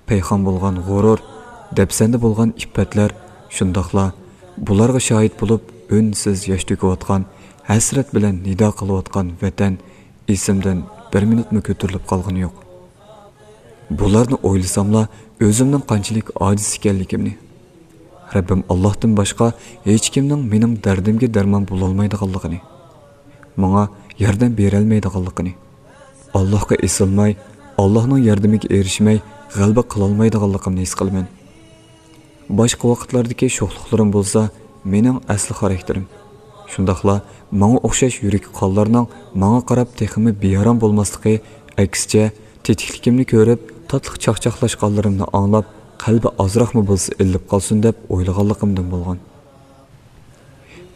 پەيخان بولغان غۇرۇر، دەپسەندە بولغان ئىپپەتلەر، شۇنداقلا بۇلارغا شاھىت بولۇپ ئۈنسىز ياش تۆكۈۋاتقان، ھەسرەت بىلەن نىدا قىلىۋاتقان ۋەتەن ئېسىمدىن بىر مىنۇتمۇ كۆتۈرۈلۈپ قالغىنى يوق. بۇلارنى ئويلىساملا ئۆزۈمنىڭ قانچىلىك ئاجىز ئىكەنلىكىمنى، رەببىم ئاللاھتىن باشقا ھېچكىمنىڭ مېنىڭ دەردىمگە دەرمان بولالمايدىغانلىقىنى، ماڭا ياردەم بېرەلمەيدىغانلىقىنى، ئاللاھقا ئېسىلماي، ئاللاھنىڭ ياردىمىگە ئېرىشمەي، غەلىبە قىلالمايدىغانلىقىمنى ھېس قىلىمەن. باشقا ۋاقىتلاردىكى شوخلۇقلىرىم بولسا مېنىڭ ئەسلى خاراكتېرىم. شۇنداقلا ماڭا ئوخشاش يۈرىكى قانلارنىڭ ماڭا قاراپ تېخىمۇ بىئارام بولماسلىقى، ئەكسىچە، تېتىكلىكىمنى كۆرۈپ، تاتلىق چاقچاقلاشقانلىرىمنى ئاڭلاپ، قەلبى ئازراقمۇ بولسا ئىللىپ قالسۇن دەپ ئويلىغانلىقىمدىن بولغان.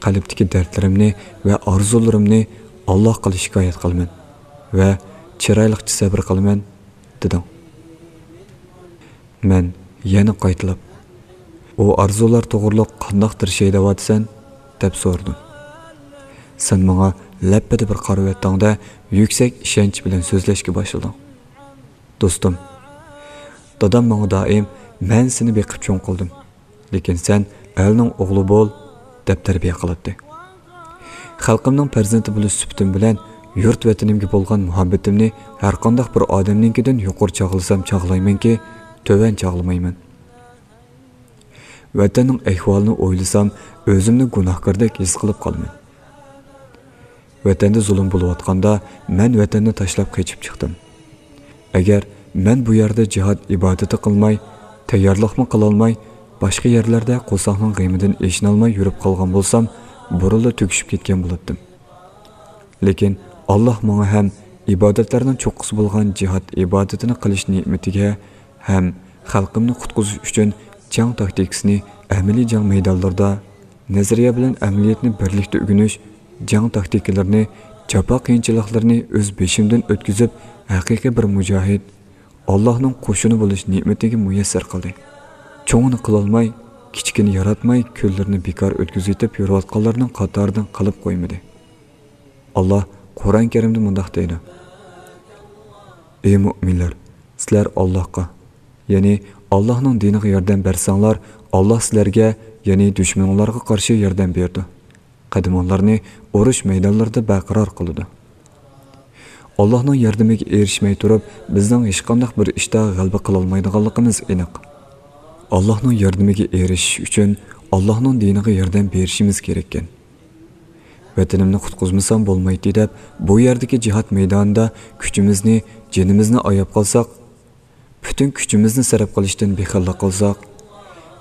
قەلبتىكى دەردلىرىمنى ۋە ئارزۇلىرىمنى ئاللاھقىلا شىكايەت قىلىمەن ۋە چىرايلىقچە سەۋر قىلىمەن، دېدىڭ. مەن يەنە قايتىلاپ، ئۇ ئارزۇلار توغرۇلۇق قانداق تىرىشاي دەۋاتىسەن؟ دەپ سورىدىم. سەن ماڭا لەپپىدە بىر قارىۋەتتىڭ-دە، يۈكسەك ئىشەنچ بىلەن سۆزلەشكە باشلىدىڭ. دوستۇم، دادام ماڭا دائىم، «مەن سېنى بېقىپ چوڭ قىلدىم، لېكىن سەن ئەلنىڭ ئوغلى بول» دەپ تەربىيە قىلاتتى. خەلقىمنىڭ پەرزەنتى بولۇش سۈپىتىم بىلەن يۇرت ۋەتىنىمگە بولغان مۇھەببىتىمنى ھەرقانداق بىر ئادەمنىڭكىدىن يۇقىرى چاغلىسام چاغلايمەنكى، تۆۋەن چاغلىمايمەن. ۋەتەننىڭ ئەھۋالىنى ئويلىسام، ئۆزۈمنى گۇناھكاردەك ھېس قىلىپ قالىمەن. ۋەتەندە زۇلۇم بولۇۋاتقاندا، مەن ۋەتەننى تاشلاپ قېچىپ چىقتىم. ئەگەر مەن بۇ يەردە جىھاد ئىبادىتى قىلماي، تەييارلىقمۇ قىلالماي، باشقا يەرلەردە قورساقنىڭ غېمىدىن ئېچىنالماي يۈرۈپ قالغان بولسام، بۇرۇنلا تۈگىشىپ كەتكەن بولاتتىم. لېكىن ئاللاھ ماڭا ھەم ئىبادەتلەرنىڭ چوققىسى بولغان جىھاد ئىبادىتىنى قىلىش نېمىتىگە ھەم خەلقىمنى قۇتقۇزۇش ئۈچۈن جەڭ تاكتىكىسىنى ئەمەلىي جەڭ مەيدانلىرىدا نەزەرىيە بىلەن ئەمەلىيەتنى بىرلىكتە ئۆگىنىش، جەڭ تاكتىكىلىرىنى، جاپا قىيىنچىلىقلىرىنى ئۆز بېشىمدىن ئۆتكۈزۈپ، ھەقىقىي بىر مۇجاھىد، ئاللاھنىڭ قوشۇنى بولۇش نېمىتىگە مۇيەسسەر قىلدى. چوڭىنى قىلالماي، كىچىكىنى ياراتماي، كۈنلىرىنى بىكار ئۆتكۈزۈۋېتىپ يۈرۈۋاتقانلارنىڭ قاتارىدىن قىلىپ قويمىدى. ئاللاھ قۇرئان كەرىمدە مۇنداق دەيدۇ: «ئەي مۆمىنلەر، سىلەر ئاللاھقا، يەنى ئاللاھنىڭ دىنىغا ياردەم بەرسەڭلار، ئاللاھ سىلەرگە، يەنى دۈشمىنىڭلارغا قارشى ياردەم بېرىدۇ. قەدىمىڭلارنى ئۇرۇش مەيدانلىرىدا بەرقارار قىلىدۇ.» ئاللاھنىڭ ياردىمىگە ئېرىشمەي تۇرۇپ، بىزنىڭ ھېچقانداق بىر ئىشتا غەلىبە قىلالمايدىغانلىقىمىز ئېنىق. ئاللاھنىڭ ياردىمىگە ئېرىشىش ئۈچۈن ئاللاھنىڭ دىنىغا ياردەم بېرىشىمىز كېرەككەن. «ۋەتىنىمنى قۇتقۇزمىسام بولمايتتى» دەپ، بۇ يەردىكى جىھاد مەيدانىدا كۈچىمىزنى، جېنىمىزنى ئاياپ قالساق، پۈتۈن كۈچىمىزنى سەرپ قىلىشتىن بېخىللىق قىلساق،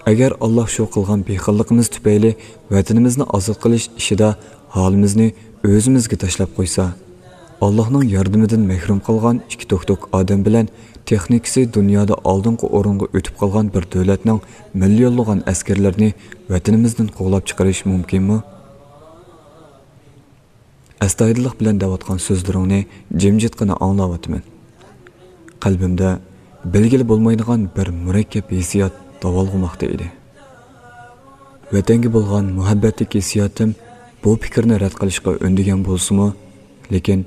ئەگەر ئاللاھ شۇ قىلغان بېخىللىقىمىز تۈپەيلى ۋەتىنىمىزنى ئازاد قىلىش ئىشىدا ھالىمىزنى ئۆزىمىزگە تاشلاپ قويسا، ئاللاھنىڭ ياردىمىدىن مەھرۇم قالغان ئىككى توكتوك ئادەم بىلەن تېخنىكىسى دۇنيادا ئالدىنقى ئورۇنغا ئۆتۈپ قالغان بىر دۆلەتنىڭ مىليونلىغان ئەسكەرلىرىنى ۋەتىنىمىزدىن قوغلاپ چىقىرىش مۇمكىنمۇ؟ ئەستايىدىللىق بىلەن دەۋاتقان سۆزلىرىڭنى جىمجىتقىنا ئاڭلاۋاتىمەن. قەلبىمدە بىلگىلى بولمايدىغان بىر مۇرەككەپ ھېسسىيات داۋالغۇماقتا ئىدى. ۋەتەنگە بولغان مۇھەببەتلىك ھېسسىياتىم بۇ پىكىرنى رەت قىلىشقا ئۈندىگەن بولسىمۇ، لېكىن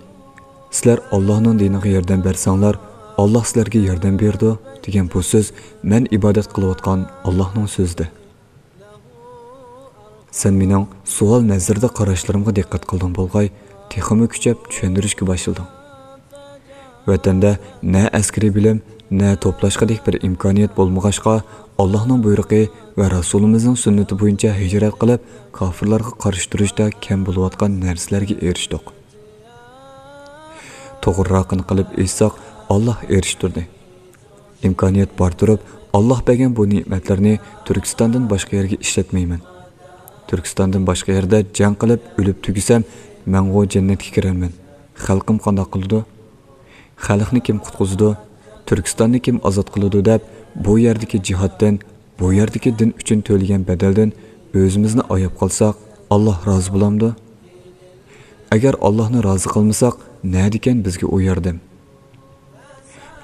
«سىلەر ئاللاھنىڭ دىنىغا ياردەم بەرسەڭلار، ئاللاھ سىلەرگە ياردەم بېرىدۇ» دېگەن بۇ سۆز مەن ئىبادەت قىلىۋاتقان ئاللاھنىڭ سۆزىدى. سەن مېنىڭ سوئال نەزىرىدە قاراشلىرىمغا دىققەت قىلدىڭ بولغاي، تېخىمۇ كۈچەپ چۈشەندۈرۈشكە باشلىدىڭ. ۋەتەندە نە ئەسكىرىي بىلىم، نە توپلاشقۇدەك بىر ئىمكانىيەت بولمىغاچقا، ئاللاھنىڭ بۇيرۇقى ۋە رەسۇلىمىزنىڭ سۈننىتى بويىچە ھىجرەت قىلىپ، كاپىرلارغا قارشى تۇرۇشتا كەم بولۇۋاتقان نەرسىلەرگە ئېرىشتۇق. توغرىراقىنى قىلىپ ئېيتساق، ئاللاھ ئېرىشتۈردى. ئىمكانىيەت بار تۇرۇپ، ئاللاھ بەرگەن بۇ نېمەتلەرنى تۈركىستاندىن باشقا يەرگە ئىشلەتمەيمەن. تۈركىستاندىن باشقا يەردە جەڭ قىلىپ ئۆلۈپ تۈگىسەم، مەنغۇ جەننەتكە كىرەرمەن. خەلقىم قانداق قىلىدۇ؟ خەلقنى كىم قۇتقۇزىدۇ؟ تۈركىستاننى كىم ئازاد قىلىدۇ دەپ، بۇ يەردىكى جىھادتىن، بۇ يەردىكى دىن ئۈچۈن تۆلىگەن بەدەلدىن ئۆزىمىزنى ئاياپ قالساق، ئاللاھ رازى بولامدۇ؟ ئەگەر ئاللاھنى رازى قىلمىساق، نەدىكەن بىزگە ئۇ ياردەم؟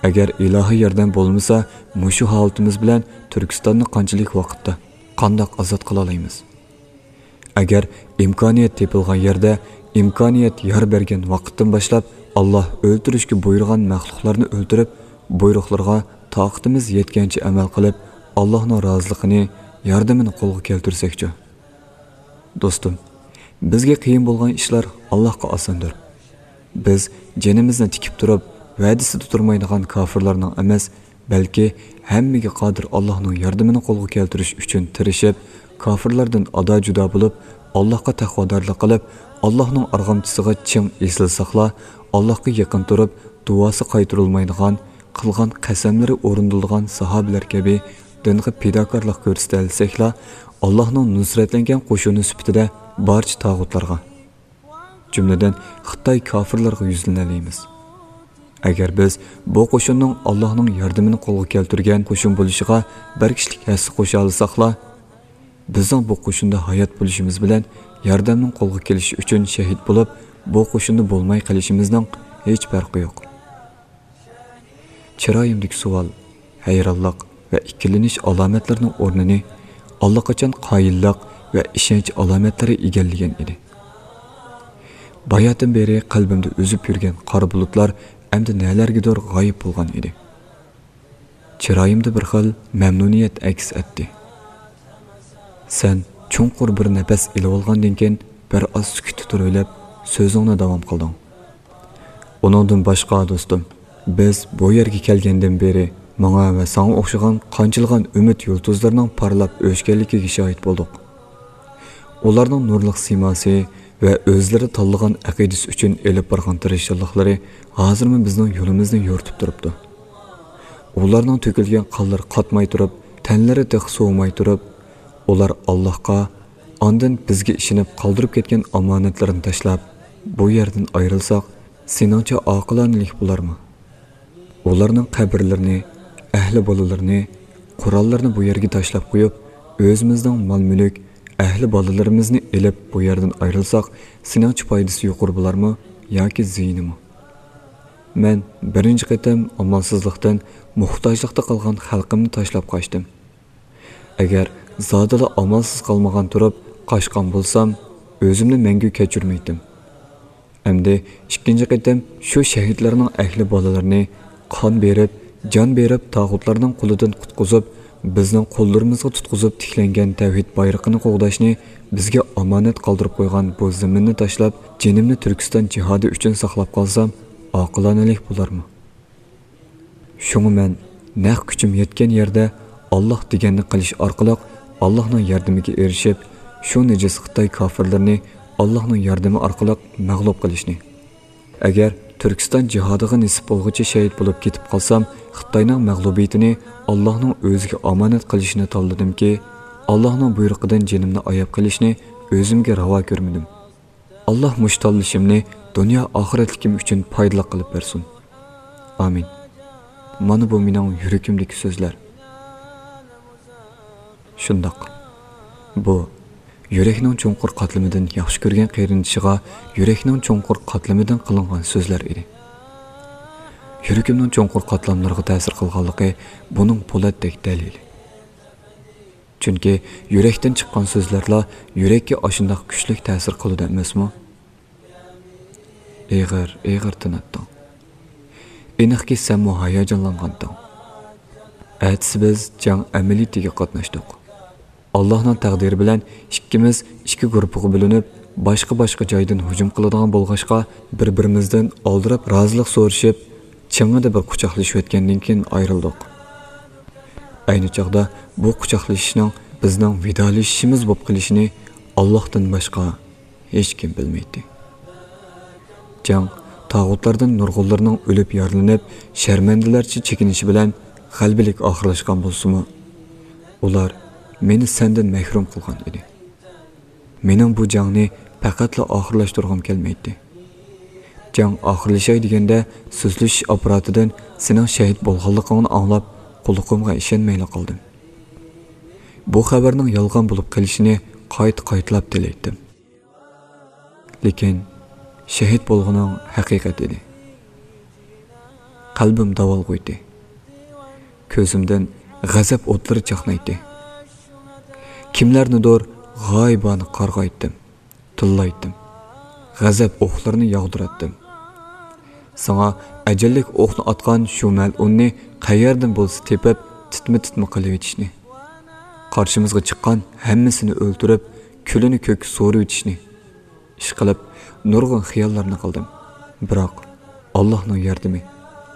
ئەگەر ئىلاھىي ياردەم بولمىسا، مۇشۇ ھالىتىمىز بىلەن تۈركىستاننى قانچىلىك ۋاقىتتا، قانداق ئازاد قىلالايمىز؟ ئەگەر ئىمكانىيەت تېپىلغان يەردە، ئىمكانىيەت يار بەرگەن ۋاقىتتىن باشلاپ، ئاللاھ ئۆلتۈرۈشكە بۇيرۇغان مەخلۇقلارنى ئۆلتۈرۈپ، بۇيرۇقلىرىغا تاقىتىمىز يەتكەنچە ئەمەل قىلىپ، ئاللاھنىڭ رازىلىقىنى، ياردىمىنى قولغا كەلتۈرسەكچۇ؟ دوستۇم، بىزگە قىيىن بولغان ئىشلار ئاللاھقا ئاساندۇر. بىز جېنىمىزنى تىكىپ تۇرۇپ، ۋەدىسىدە تۇرمايدىغان كاپىرلارنىڭ ئەمەس، بەلكى ھەممىگە قادىر ئاللاھنىڭ ياردىمىنى قولغا كەلتۈرۈش ئۈچۈن تىرىشىپ، كاپىرلاردىن ئادا-جۇدا بولۇپ، ئاللاھقا تەقۋادارلىق قىلىپ، ئاللاھنىڭ ئارغامچىسىغا چىڭ ئېسىلساقلا، ئاللاھقا يېقىن تۇرۇپ، دۇئاسى قايتۇرۇلمايدىغان، قىلغان قەسەملىرى ئورۇندىلىدىغان ساھابىلەر كەبى دىنغا پىداكارلىق كۆرسىتەلىسەكلا، ئاللاھنىڭ نۇسرەتلەنگەن قوشۇنى سۈپىتىدە بارچە تاغۇتلارغا، جۈملىدىن خىتاي كاپىرلىرىغا يۈزلىنەلەيمىز. ئەگەر بىز بۇ قوشۇننىڭ ئاللاھنىڭ ياردىمىنى قولغا كەلتۈرگەن قوشۇن بولۇشىغا بىر كىشىلىك ھەسسە قوشالىساقلا، بىزنىڭ بۇ قوشۇندا ھايات بولۇشىمىز بىلەن ياردەمنىڭ قولغا كېلىشى ئۈچۈن شەھىت بولۇپ، بۇ قوشۇندا بولماي قېلىشىمىزنىڭ ھېچ پەرقى يوق. چىرايىمدىكى سوئال، ھەيرانلىق ۋە ئىككىلىنىش ئالامەتلىرىنىڭ ئورنىنى ئاللىقاچان قايىللىق ۋە ئىشەنچ ئالامەتلىرى ئىگىلىگەن ئىدى. باياتىن بېرى قەلبىمدە ئۈزۈپ يۈرگەن قارا بۇلۇتلار ئەمدى نەلەرگىدۇر غايىب بولغان ئىدى. چىرايىمدا بىر خىل مەمنۇنىيەت ئەكس ئەتتى. سەن چوڭقۇر بىر نەپەس ئېلىۋالغاندىن كېيىن، بىر ئاز سۈكۈتتە تۇرۇۋېلىپ، سۆزۈڭنى داۋام قىلدىڭ. ئۇنىڭدىن باشقا، دوستۇم، بىز بۇ يەرگە كەلگەندىن بېرى ماڭا ۋە ساڭا ئوخشىغان قانچىلىغان ئۈمىد يۇلتۇزلىرىنىڭ پارلاپ ئۆچكەنلىكىگە شاھىت بولدۇق. ئۇلارنىڭ نۇرلۇق سىيماسى ۋە ئۆزلىرى تاللىغان ئەقىدىسى ئۈچۈن ئېلىپ بارغان تىرىشچانلىقلىرى ھازىرمۇ بىزنىڭ يولىمىزنى يورۇتۇپ تۇرۇپتۇ. ئۇلارنىڭ تۆكۈلگەن قانلىرى قاتماي تۇرۇپ، تەنلىرى تېخى سوۋۇماي تۇرۇپ، ئۇلار ئاللاھقا، ئاندىن بىزگە ئىشىنىپ قالدۇرۇپ كەتكەن ئامانەتلىرىنى تاشلاپ، بۇ يەردىن ئايرىلساق، سېنىڭچە ئاقىلانىلىك بولارمۇ؟ ئۇلارنىڭ قەبرىلىرىنى، ئەھلى بالىلىرىنى، قوراللىرىنى بۇ يەرگە تاشلاپ قويۇپ، ئۆزىمىزنىڭ مال-مۈلۈك، ئەھلى بالىلىرىمىزنى ئېلىپ، بۇ يەردىن ئايرىلساق، سېنىڭچە پايدىسى يۇقىرى بولارمۇ ياكى زىيىنىمۇ؟ مەن بىرىنچى قېتىم ئامالسىزلىقتىن موھتاجلىقتا قالغان خەلقىمنى تاشلاپ قاچتىم. ئەگەر زادىلا ئامالسىز قالمىغان تۇرۇپ قاچقان بولسام، ئۆزۈمنى مەڭگۈ كەچۈرمەيتتىم. ئەمدى ئىككىنچى قېتىم شۇ شەھىدلەرنىڭ ئەھلى بالىلىرىنى قان بېرىپ، جان بېرىپ، تاغۇتلارنىڭ قولىدىن قۇتقۇزۇپ، بىزنىڭ قوللىرىمىزغا تۇتقۇزۇپ تىكلەنگەن تەۋھىد بايرىقىنى قوغداشنى بىزگە ئامانەت قالدۇرۇپ قويغان بۇ زېمىننى تاشلاپ، جېنىمنى تۈركىستان جىھادى ئۈچۈن ساقلاپ قالسام، ئاقىلانىلىك بولارمۇ؟ شۇڭا مەن نەق كۈچۈم يەتكەن يەردە ئاللاھ دېگەننى قىلىش ئارقىلىق ئاللاھنىڭ ياردىمىگە ئېرىشىپ، شۇ نىجىس خىتاي كاپىرلىرىنى ئاللاھنىڭ ياردىمى ئارقىلىق مەغلۇپ قىلىشنى، ئەگەر تۈركىستان جىھادىغا نېسىپ بولغۇچە شەھىت بولۇپ كېتىپ قالسام، خىتاينىڭ مەغلۇبىيىتىنى ئاللاھنىڭ ئۆزىگە ئامانەت قىلىشنى تاللىدىمكى، ئاللاھنىڭ بۇيرۇقىدىن جېنىمنى ئاياپ قېلىشنى ئۆزۈمگە راۋا كۆرمىدىم. ئاللاھ مۇشۇ تاللىشىمنى دۇنيا ئاخىرەتلىكىم ئۈچۈن پايدىلىق قىلىپ بەرسۇن. ئامىن. مانا بۇ مېنىڭ يۈرىكىمدىكى سۆزلەر. شۇنداق. بۇ يۈرەكنىڭ چوڭقۇر قاتلىمىدىن ياخشى كۆرگەن قېرىندىشىغا يۈرەكنىڭ چوڭقۇر قاتلىمىدىن قىلىنغان سۆزلەر ئىدى. يۈرىكىمنىڭ چوڭقۇر قاتلاملىرىغا تەسىر قىلغانلىقى بۇنىڭ پولاتتەك دەلىلى. چۈنكى يۈرەكتىن چىققان سۆزلەرلا يۈرەككە ئاشۇنداق كۈچلۈك تەسىر قىلىدۇ ئەمەسمۇ؟ ئېغىر، ئېغىر تىناتتىڭ. ئېنىقكى، سەنمۇ ھاياجانلانغانتىڭ. ئەتىسى بىز جەڭ ئەمەلىيىتىگە قاتناشتۇق. ئاللاھنىڭ تەقدىرى بىلەن ئىككىمىز ئىككى گۇرۇپپىغا بۆلۈنۈپ، باشقا-باشقا جايدىن ھۇجۇم قىلىدىغان بولغاچقا، بىر-بىرىمىزدىن ئالدىراپ رازىلىق سورىشىپ، چىڭىدە بىر قۇچاقلىشىۋەتكەندىن كېيىن ئايرىلدۇق. ئەينى چاغدا بۇ قۇچاقلىشىشنىڭ بىزنىڭ ۋىدالىشىشىمىز بولۇپ قېلىشىنى ئاللاھتىن باشقا ھېچكىم بىلمەيتتى. جەڭ تاغۇتلاردىن نۇرغۇنلىرىنىڭ ئۆلۈپ يارىلىنىپ، شەرمەندىلەرچە چېكىنىشى بىلەن غەلىبىلىك ئاخىرلاشقان بولسىمۇ، ئۇلار مېنى سەندىن مەھرۇم قىلغان ئىدى. مېنىڭ بۇ جەڭنى پەقەتلا ئاخىرلاشتۇرغۇم كەلمەيتتى. جەڭ ئاخىرلىشاي دېگەندە، سۆزلىشىش ئاپپاراتىدىن سېنىڭ شەھىت بولغانلىقىڭنى ئاڭلاپ، قۇلىقىمغا ئىشەنمەيلا قالدىم. بۇ خەۋەرنىڭ يالغان بولۇپ قېلىشىنى قايتا-قايتىلاپ تىلەيتتىم. لېكىن شەھىت بولغىنىڭ ھەقىقەت ئىدى. قەلبىم داۋالغۇيتتى. كۆزۈمدىن غەزەپ ئوتلىرى چاقنايتتى. كىملەرنىدۇر غايىبانە قارغايتتىم، تىللايتتىم. غەزەپ ئوقلىرىنى ياغدۇراتتىم. ساڭا ئەجەللىك ئوقنى ئاتقان شۇ مەلئۇننى قەيەردىن بولسا تېپىپ، تىتما-تىتما قىلىۋېتىشنى، قارشىمىزغا چىققان ھەممىسىنى ئۆلتۈرۈپ، كۈلىنى كۆككە سورۇۋېتىشنى، ئىشقىلىپ، نۇرغۇن خىياللارنى قىلدىم. بىراق، ئاللاھنىڭ ياردىمى،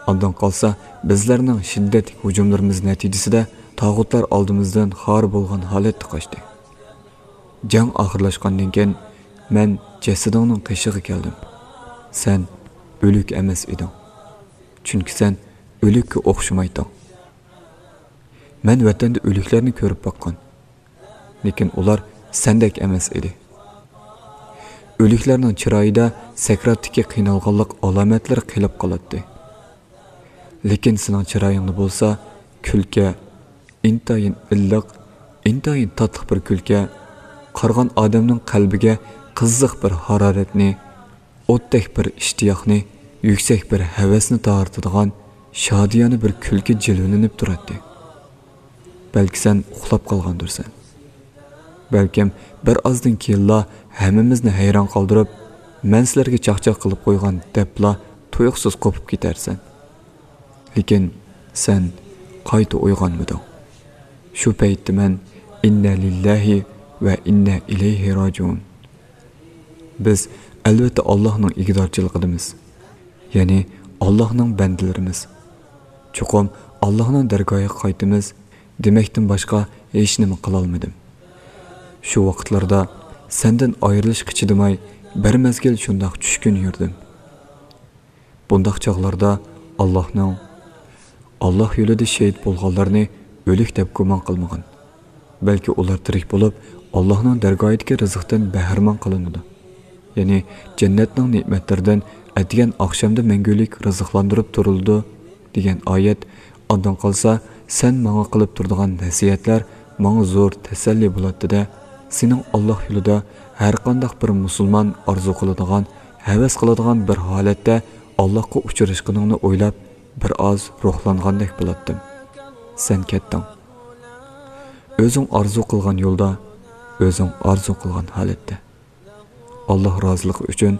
ئاندىن قالسا، بىزلەرنىڭ شىددەتلىك ھۇجۇملىرىمىز نەتىجىسىدە تاغۇتلار ئالدىمىزدىن خار بولغان ھالەتتە قاچتى. جەڭ ئاخىرلاشقاندىن كېيىن، مەن جەسىتىڭنىڭ قېشىغا كەلدىم. سەن ئۆلۈك ئەمەس ئىدىڭ. چۈنكى سەن ئۆلۈككە ئوخشىمايتتىڭ. مەن ۋەتەندە ئۆلۈكلەرنى كۆرۈپ باققان. لېكىن ئۇلار سەندەك ئەمەس ئىدى. ئۆلۈكلەرنىڭ چىرايىدا سەكراتتىكى قىينالغانلىق ئالامەتلىرى قېلىپ قالاتتى. لېكىن سېنىڭ چىرايىڭدا بولسا كۈلكە، ئىنتايىن ئىللىق، ئىنتايىن تاتلىق بىر كۈلكە، قارىغان ئادەمنىڭ قەلبىگە قىزىق بىر ھارارەتنى، ئوتتەك بىر ئىشتىياقنى، يۈكسەك بىر ھەۋەسنى تارتىدىغان شادىيانە بىر كۈلكە جىلۋىلىنىپ تۇراتتى. بەلكى سەن ئۇخلاپ قالغاندۇرسەن. بەلكىم بىر ئازدىن كېيىنلا ھەممىمىزنى ھەيران قالدۇرۇپ، مەن سىلەرگە چاقچاق قىلىپ قويغان دەپلا تۇيۇقسىز قوپۇپ كېتەرسەن. لېكىن سەن قايتا ئويغانمىدىڭ. شۇ پەيتتە مەن ئىننا لىللاھى ۋە ئىننا ئىلەيھى راجىئۇن. بىز ئەلۋەتتە ئاللاھنىڭ ئىگىدارچىلىقىدىمىز. يەنى ئاللاھنىڭ بەندىلىرىمىز. چوقۇم ئاللاھنىڭ دەرگاھىغا قايتىمىز دېمەكتىن باشقا ھېچنېمە قىلالمىدىم. شۇ ۋاقىتلاردا سەندىن ئايرىلىشقا چىدىماي، بىر مەزگىل شۇنداق چۈشكۈن يۈردۈم. بۇنداق چاغلاردا ئاللاھنىڭ، ئاللاھ يولىدا شېھىت بولغانلارنى ئۆلۈك دەپ گۇمان قىلمىغىن. بەلكى ئۇلار تىرىك بولۇپ، ئاللاھنىڭ دەرگاھىدىكى رىزىقتىن بەھرىمەن قىلىنىدۇ. يەنى جەننەتنىڭ نېمەتلىرىدىن ئەتىگەن ئاخشامدا مەڭگۈلۈك رىزىقلاندۇرۇپ تۇرۇلىدۇ، دېگەن ئايەت ئاندىن قالسا سەن ماڭا قىلىپ تۇرىدىغان نەسىھەتلەر ماڭا زور تەسەللى بولاتتى-دە، سېنىڭ ئاللاھ يولىدا ھەرقانداق بىر مۇسۇلمان ئارزۇ قىلىدىغان، ھەۋەس قىلىدىغان بىر ھالەتتە ئاللاھقا ئۇچراشقىنىڭنى ئويلاپ، بىر ئاز روھلانغاندەك بولاتتىم. سەن كەتتىڭ. ئۆزۈڭ ئارزۇ قىلغان يولدا، ئۆزۈڭ ئارزۇ قىلغان ھالەتتە. ئاللاھ رازىلىقى ئۈچۈن،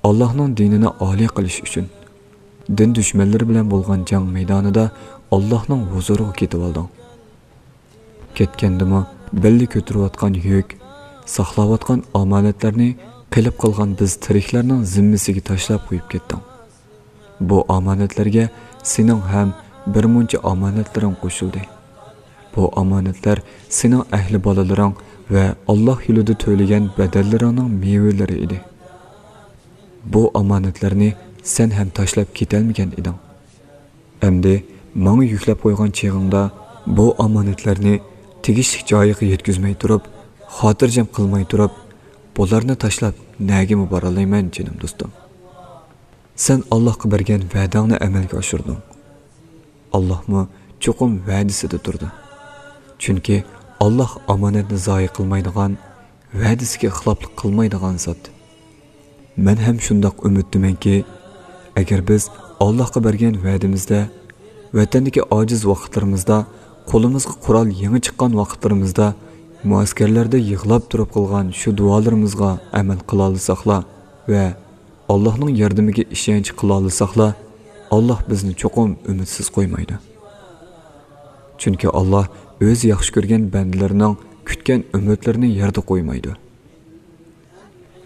ئاللاھنىڭ دىنىنى ئالىي قىلىش ئۈچۈن، دىن دۈشمەنلىرى بىلەن بولغان جەڭ مەيدانىدا ئاللاھنىڭ ھۇزۇرىغا كېتىۋالدىڭ. كەتكەندىمۇ بىللە كۆتۈرۈۋاتقان يۈك، ساقلاۋاتقان ئامانەتلەرنى قېلىپ قالغان بىز تىرىكلەرنىڭ زىممىسىگە تاشلاپ قويۇپ كەتتىڭ. بۇ ئامانەتلەرگە سېنىڭ ھەم بىر مۇنچە ئامانەتلىرىڭ قوشۇلدى. بۇ ئامانەتلەر سېنىڭ ئەھلى بالىلىرىڭ ۋە ئاللاھ يولىدا تۆلىگەن بەدەللىرىڭنىڭ مېۋىلىرى ئىدى. بۇ ئامانەتلەرنى سەن ھەم تاشلاپ كېتەلمىگەن ئىدىڭ. ئەمدى ماڭا يۈكلەپ قويغان چېغىڭدا بۇ ئامانەتلەرنى تېگىشلىك جايىغا يەتكۈزمەي تۇرۇپ، خاتىرجەم قىلماي تۇرۇپ، بۇلارنى تاشلاپ نەگىمۇ بارالايمەن، جېنىم دوستۇم؟ سەن ئاللاھقا بەرگەن ۋەدەڭنى ئەمەلگە ئاشۇردۇڭ. ئاللاھمۇ چوقۇم ۋەدىسىدە تۇرىدۇ. چۈنكى ئاللاھ ئامانەتنى زايە قىلمايدىغان، ۋەدىسىگە خىلاپلىق قىلمايدىغان زات. مەن ھەم شۇنداق ئۈمىدتىمەنكى، ئەگەر بىز ئاللاھقا بەرگەن ۋەدىمىزدە، ۋەتەندىكى ئاجىز ۋاقىتلىرىمىزدا، قولىمىزغا قورال يېڭى چىققان ۋاقىتلىرىمىزدا، مۇئەسكەرلەردە يىغلاپ تۇرۇپ قىلغان شۇ دۇئالىرىمىزغا ئەمەل قىلالىساقلا ۋە ئاللاھنىڭ ياردىمىگە ئىشەنچ قىلالىساقلا، ئاللاھ بىزنى چوقۇم ئۈمىدسىز قويمايدۇ. چۈنكى ئاللاھ ئۆزى ياخشى كۆرگەن بەندىلىرىنىڭ كۈتكەن ئۈمىدلىرىنى يەردە قويمايدۇ.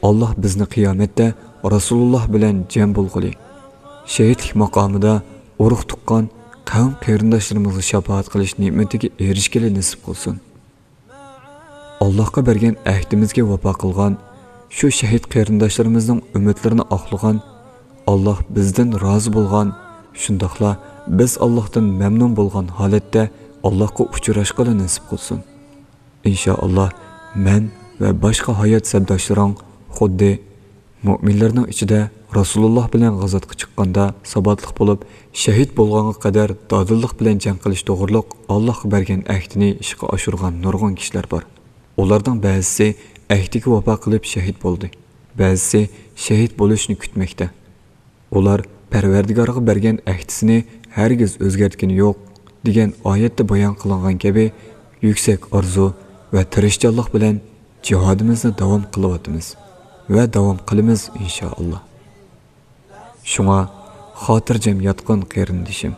ئاللاھ بىزنى قىيامەتتە رەسۇلۇللاھ بىلەن جەم بولغىلى، شېھىتلىك ماقامىدا ئۇرۇق تۇغقان قەۋم قېرىنداشلىرىمىزغا شاپائەت قىلىش نېمىتىگە ئېرىشكىلى نېسىپ قىلسۇن. ئاللاھقا بەرگەن ئەھدىمىزگە ۋاپا قىلغان، شۇ شېھىت قېرىنداشلىرىمىزنىڭ ئۈمىدلىرىنى ئاقلىغان، ئاللاھ بىزدىن رازى بولغان، شۇنداقلا بىز ئاللاھتىن مەمنۇن بولغان ھالەتتە ئاللاھقا ئۇچراشقىلى نېسىپ قىلسۇن. ئىنشائاللاھ، مەن ۋە باشقا ھايات سەپداشلىرىڭ خۇددى مۆمىنلەرنىڭ ئىچىدە رەسۇلۇللاھ بىلەن غازاتقا چىققاندا ساباتلىق بولۇپ، شەھىت بولغانغا قەدەر دادىللىق بىلەن جەڭ قىلىش توغرۇلۇق ئاللاھقا بەرگەن ئەھدىنى ئىشقا ئاشۇرغان نۇرغۇن كىشىلەر بار. ئۇلارنىڭ بەزىسى ئەھدىگە ۋاپا قىلىپ شەھىت بولدى، بەزىسى شەھىت بولۇشنى كۈتمەكتە. ئۇلار پەرۋەردىگارغا بەرگەن ئەھدىسىنى ھەرگىز ئۆزگەرتكىنى يوق، دېگەن ئايەتتە بايان قىلىنغان كەبى، يۈكسەك ئارزۇ ۋە تىرىشچانلىق بىلەن جىھادىمىزنى داۋام قىلىۋاتىمىز ۋە داۋام قىلىمىز، ئىنشائاللاھ. شۇڭا خاتىرجەم ياتقىن، قېرىندىشىم.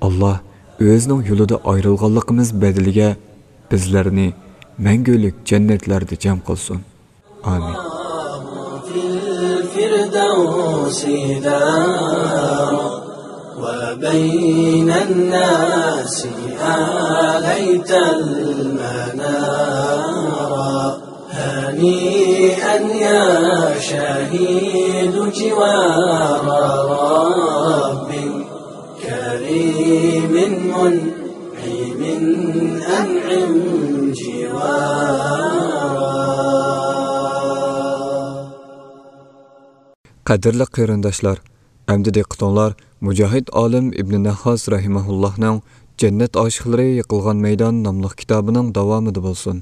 ئاللاھ ئۆزىنىڭ يولىدا ئايرىلغانلىقىمىز بەدىلىگە بىزلەرنى مەڭگۈلۈك جەننەتلەردە جەم قىلسۇن. ئامىن. في الفردوس دار، وبين الناس آليت المنار. هنيئا يا شهيد جوار رب كريم منعم أنعم جوارا. قەدىرلىك قېرىنداشلار، ئەمدى دىققىتىڭلار مۇجاھىد ئالىم ئىبنى نەھھاس رەھىمەھۇللاھنىڭ جەننەت ئاشىقلىرى يىقىلغان مەيدان ناملىق كىتابىنىڭ داۋامىدا بولسۇن.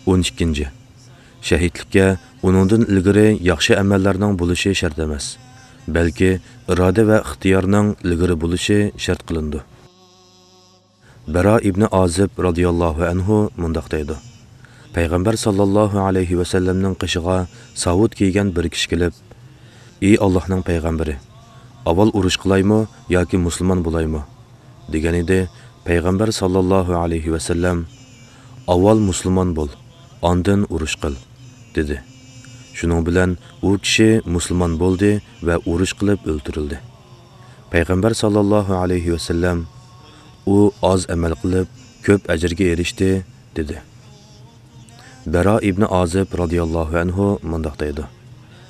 ئون ئىككىنچى. شەھىدلىككە ئۇنىڭدىن ئىلگىرى ياخشى ئەمەللەرنىڭ بولۇشى شەرت ئەمەس، بەلكى ئىرادە ۋە ئىختىيارنىڭ ئىلگىرى بولۇشى شەرت قىلىنىدۇ. بەرا ئىبنى ئازىب رازىياللاھۇ ئەنھۇ مۇنداق دەيدۇ: پەيغەمبەر ساللاللاھۇ ئەلەيھى ۋەسەللەمنىڭ قېشىغا ساۋۇت كىيگەن بىر كىشى كېلىپ، «ئى ئاللاھنىڭ پەيغەمبىرى، ئاۋۋال ئۇرۇش قىلايمۇ ياكى مۇسۇلمان بولايمۇ؟» دېگەن ئىدى. پەيغەمبەر ساللاللاھۇ ئەلەيھى ۋەسەللەم، «ئاۋۋال مۇسۇلمان بول، ئاندىن ئۇرۇش قىل» دېدى. شۇنىڭ بىلەن ئۇ كىشى مۇسۇلمان بولدى ۋە ئۇرۇش قىلىپ ئۆلتۈرۈلدى. پەيغەمبەر ساللاللاھۇ ئەلەيھى ۋەسەللەم، «ئۇ ئاز ئەمەل قىلىپ، كۆپ ئەجىرگە ئېرىشتى» دېدى. بەرا ئىبنى ئازىب رازىياللاھۇ ئەنھۇ مۇنداق دەيدۇ: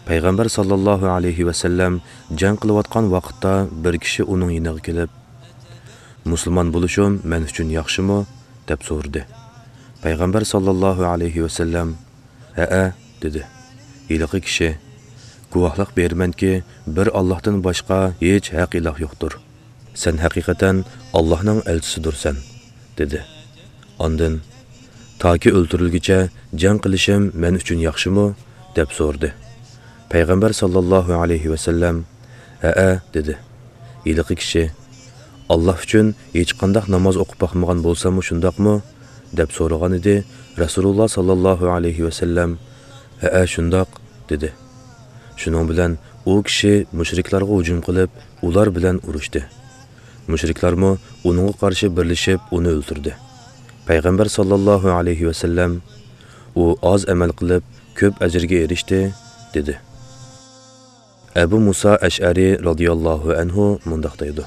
پەيغەمبەر ساللاللاھۇ ئەلەيھى ۋەسەللەم جەڭ قىلىۋاتقان ۋاقىتتا بىر كىشى ئۇنىڭ يېنىغا كېلىپ، «مۇسۇلمان بولۇشۇم مەن ئۈچۈن ياخشىمۇ؟» دەپ سورىدى. پەيغەمبەر ساللاللاھۇ ئەلەيھى ۋەسەللەم، «ھەئە» دېدى. ھېلىقى كىشى، «گۇۋاھلىق بېرىمەنكى، بىر ئاللاھتىن باشقا ھېچ ھەق ئىلاھ يوقتۇر. سەن ھەقىقەتەن ئاللاھنىڭ ئەلچىسىدۇرسەن» دېدى. ئاندىن، «تاكى ئۆلتۈرۈلگۈچە جەڭ قىلىشىم مەن ئۈچۈن ياخشىمۇ؟» دەپ سورىدى. پەيغەمبەر ساللاللاھۇ ئەلەيھى ۋەسەللەم، «ھەئە» دېدى. ھېلىقى كىشى، «ئاللاھ ئۈچۈن ھېچقانداق ناماز ئوقۇپ باقمىغان بولساممۇ شۇنداقمۇ؟» دەپ سورىغان ئىدى. رەسۇلۇللاھ ساللاللاھۇ ئەلەيھى ۋەسەللەم، «ھەئە، شۇنداق» دېدى. شۇنىڭ بىلەن ئۇ كىشى مۇشرىكلارغا ھۇجۇم قىلىپ، ئۇلار بىلەن ئۇرۇشتى. مۇشرىكلارمۇ ئۇنىڭغا قارشى بىرلىشىپ ئۇنى ئۆلتۈردى. پەيغەمبەر ساللاللاھۇ ئەلەيھى ۋەسەللەم، «ئۇ ئاز ئەمەل قىلىپ، كۆپ ئەجىرگە ئېرىشتى» دېدى. ئەبۇ مۇسا ئەشئەرى رازىياللاھۇ ئەنھۇ مۇنداق دەيدۇ: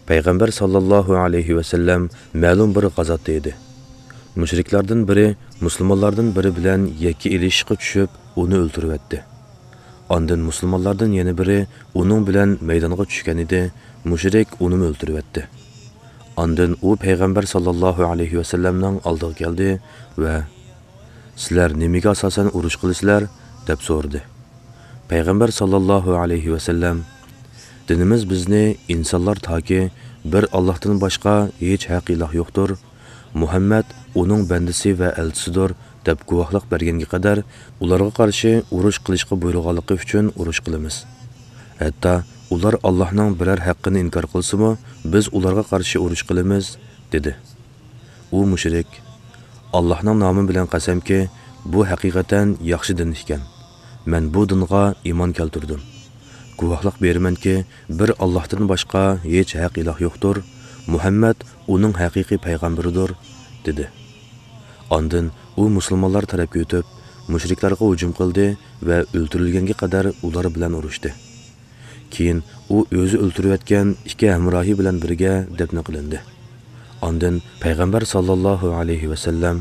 پەيغەمبەر ساللاللاھۇ ئەلەيھى ۋەسەللەم مەلۇم بىر غازاتتا ئىدى. مۇشرىكلاردىن بىرى مۇسۇلمانلاردىن بىرى بىلەن يەككە ئېلىشىشقا چۈشۈپ، ئۇنى ئۆلتۈرۈۋەتتى. ئاندىن مۇسۇلمانلاردىن يەنە بىرى ئۇنىڭ بىلەن مەيدانغا چۈشكەن ئىدى، مۇشرىك ئۇنىمۇ ئۆلتۈرۈۋەتتى. ئاندىن ئۇ پەيغەمبەر ساللاللاھۇ ئەلەيھى ۋەسەللەمنىڭ ئالدىغا كەلدى ۋە، «سىلەر نېمىگە ئاساسەن ئۇرۇش قىلىسىلەر؟» دەپ سورىدى. پەيغەمبەر ساللاللاھۇ ئەلەيھى ۋەسەللەم، «دىنىمىز بىزنى ئىنسانلار تاكى بىر ئاللاھتىن باشقا ھېچ ھەق ئىلاھ يوقتۇر، مۇھەممەد ئۇنىڭ بەندىسى ۋە ئەلچىسىدۇر دەپ گۇۋاھلىق بەرگەنگە قەدەر ئۇلارغا قارشى ئۇرۇش قىلىشقا بۇيرۇغانلىقى ئۈچۈن ئۇرۇش قىلىمىز. ھەتتا ئۇلار ئاللاھنىڭ بىرەر ھەققىنى ئىنكار قىلسىمۇ، بىز ئۇلارغا قارشى ئۇرۇش قىلىمىز» دېدى. ئۇ مۇشرىك، «ئاللاھنىڭ نامى بىلەن قەسەمكى، بۇ ھەقىقەتەن ياخشى دىن ئىكەن. مەن بۇ دىنغا ئىمان كەلتۈردۈم. گۇۋاھلىق بېرىمەنكى، بىر ئاللاھتىن باشقا ھېچ ھەق ئىلاھ يوقتۇر، مۇھەممەد ئۇنىڭ ھەقىقىي پەيغەمبىرىدۇر» دېدى. ئاندىن ئۇ مۇسۇلمانلار تەرەپكە ئۆتۈپ، مۇشرىكلارغا ھۇجۇم قىلدى ۋە ئۆلتۈرۈلگەنگە قەدەر ئۇلار بىلەن ئۇرۇشتى. كېيىن ئۇ ئۆزى ئۆلتۈرۈۋەتكەن ئىككى ھەمراھى بىلەن بىرگە دەپنە قىلىندى. ئاندىن پەيغەمبەر ساللاللاھۇ ئەلەيھى ۋەسەللەم،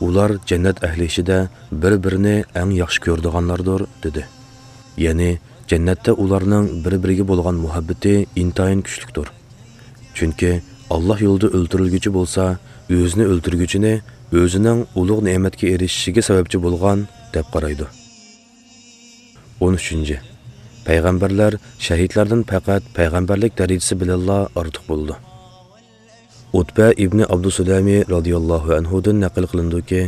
«ئۇلار جەننەت ئەھلى ئىچىدە بىر-بىرىنى ئەڭ ياخشى كۆرىدىغانلاردۇر» دېدى. يەنى جەننەتتە ئۇلارنىڭ بىر-بىرىگە بولغان مۇھەببىتى ئىنتايىن كۈچلۈكتۇر. چۈنكى ئاللاھ يولىدا ئۆلتۈرۈلگۈچى بولسا، ئۆزىنى ئۆلتۈرگۈچىنى ئۆزىنىڭ ئۇلۇغ نېمەتكە ئېرىشىشىگە سەۋەبچى بولغان دەپ قارايدۇ. ئون ئۈچىنچى. پەيغەمبەرلەر شەھىدلەردىن پەقەت پەيغەمبەرلىك دەرىجىسى بىلەنلا ئارتۇق بولىدۇ. ئۇتبە ئىبنى ئابدۇسۇلەمى رازىياللاھۇ ئەنھۇدىن نەقىل قىلىنىدۇكى،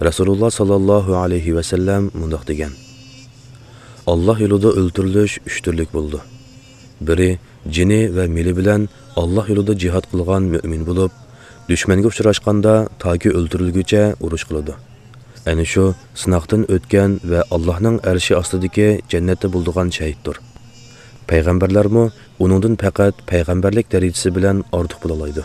رەسۇلۇللاھ ساللاللاھۇ ئەلەيھى ۋەسەللەم مۇنداق دېگەن: «ئاللاھ يولىدا ئۆلتۈرۈلۈش ئۈچ تۈرلۈك بولىدۇ. بىرى، جېنى ۋە مېلى بىلەن ئاللاھ يولىدا جىھاد قىلغان مۆمىن بولۇپ، دۈشمەنگە ئۇچراشقاندا تاكى ئۆلتۈرۈلگۈچە ئۇرۇش قىلىدۇ. ئەنە شۇ سىناقتىن ئۆتكەن ۋە ئاللاھنىڭ ئەرشى ئاستىدىكى جەننەتتە بولىدىغان شەھىدتۇر. پەيغەمبەرلەرمۇ ئۇنىڭدىن پەقەت پەيغەمبەرلىك دەرىجىسى بىلەن ئارتۇق بولالايدۇ.»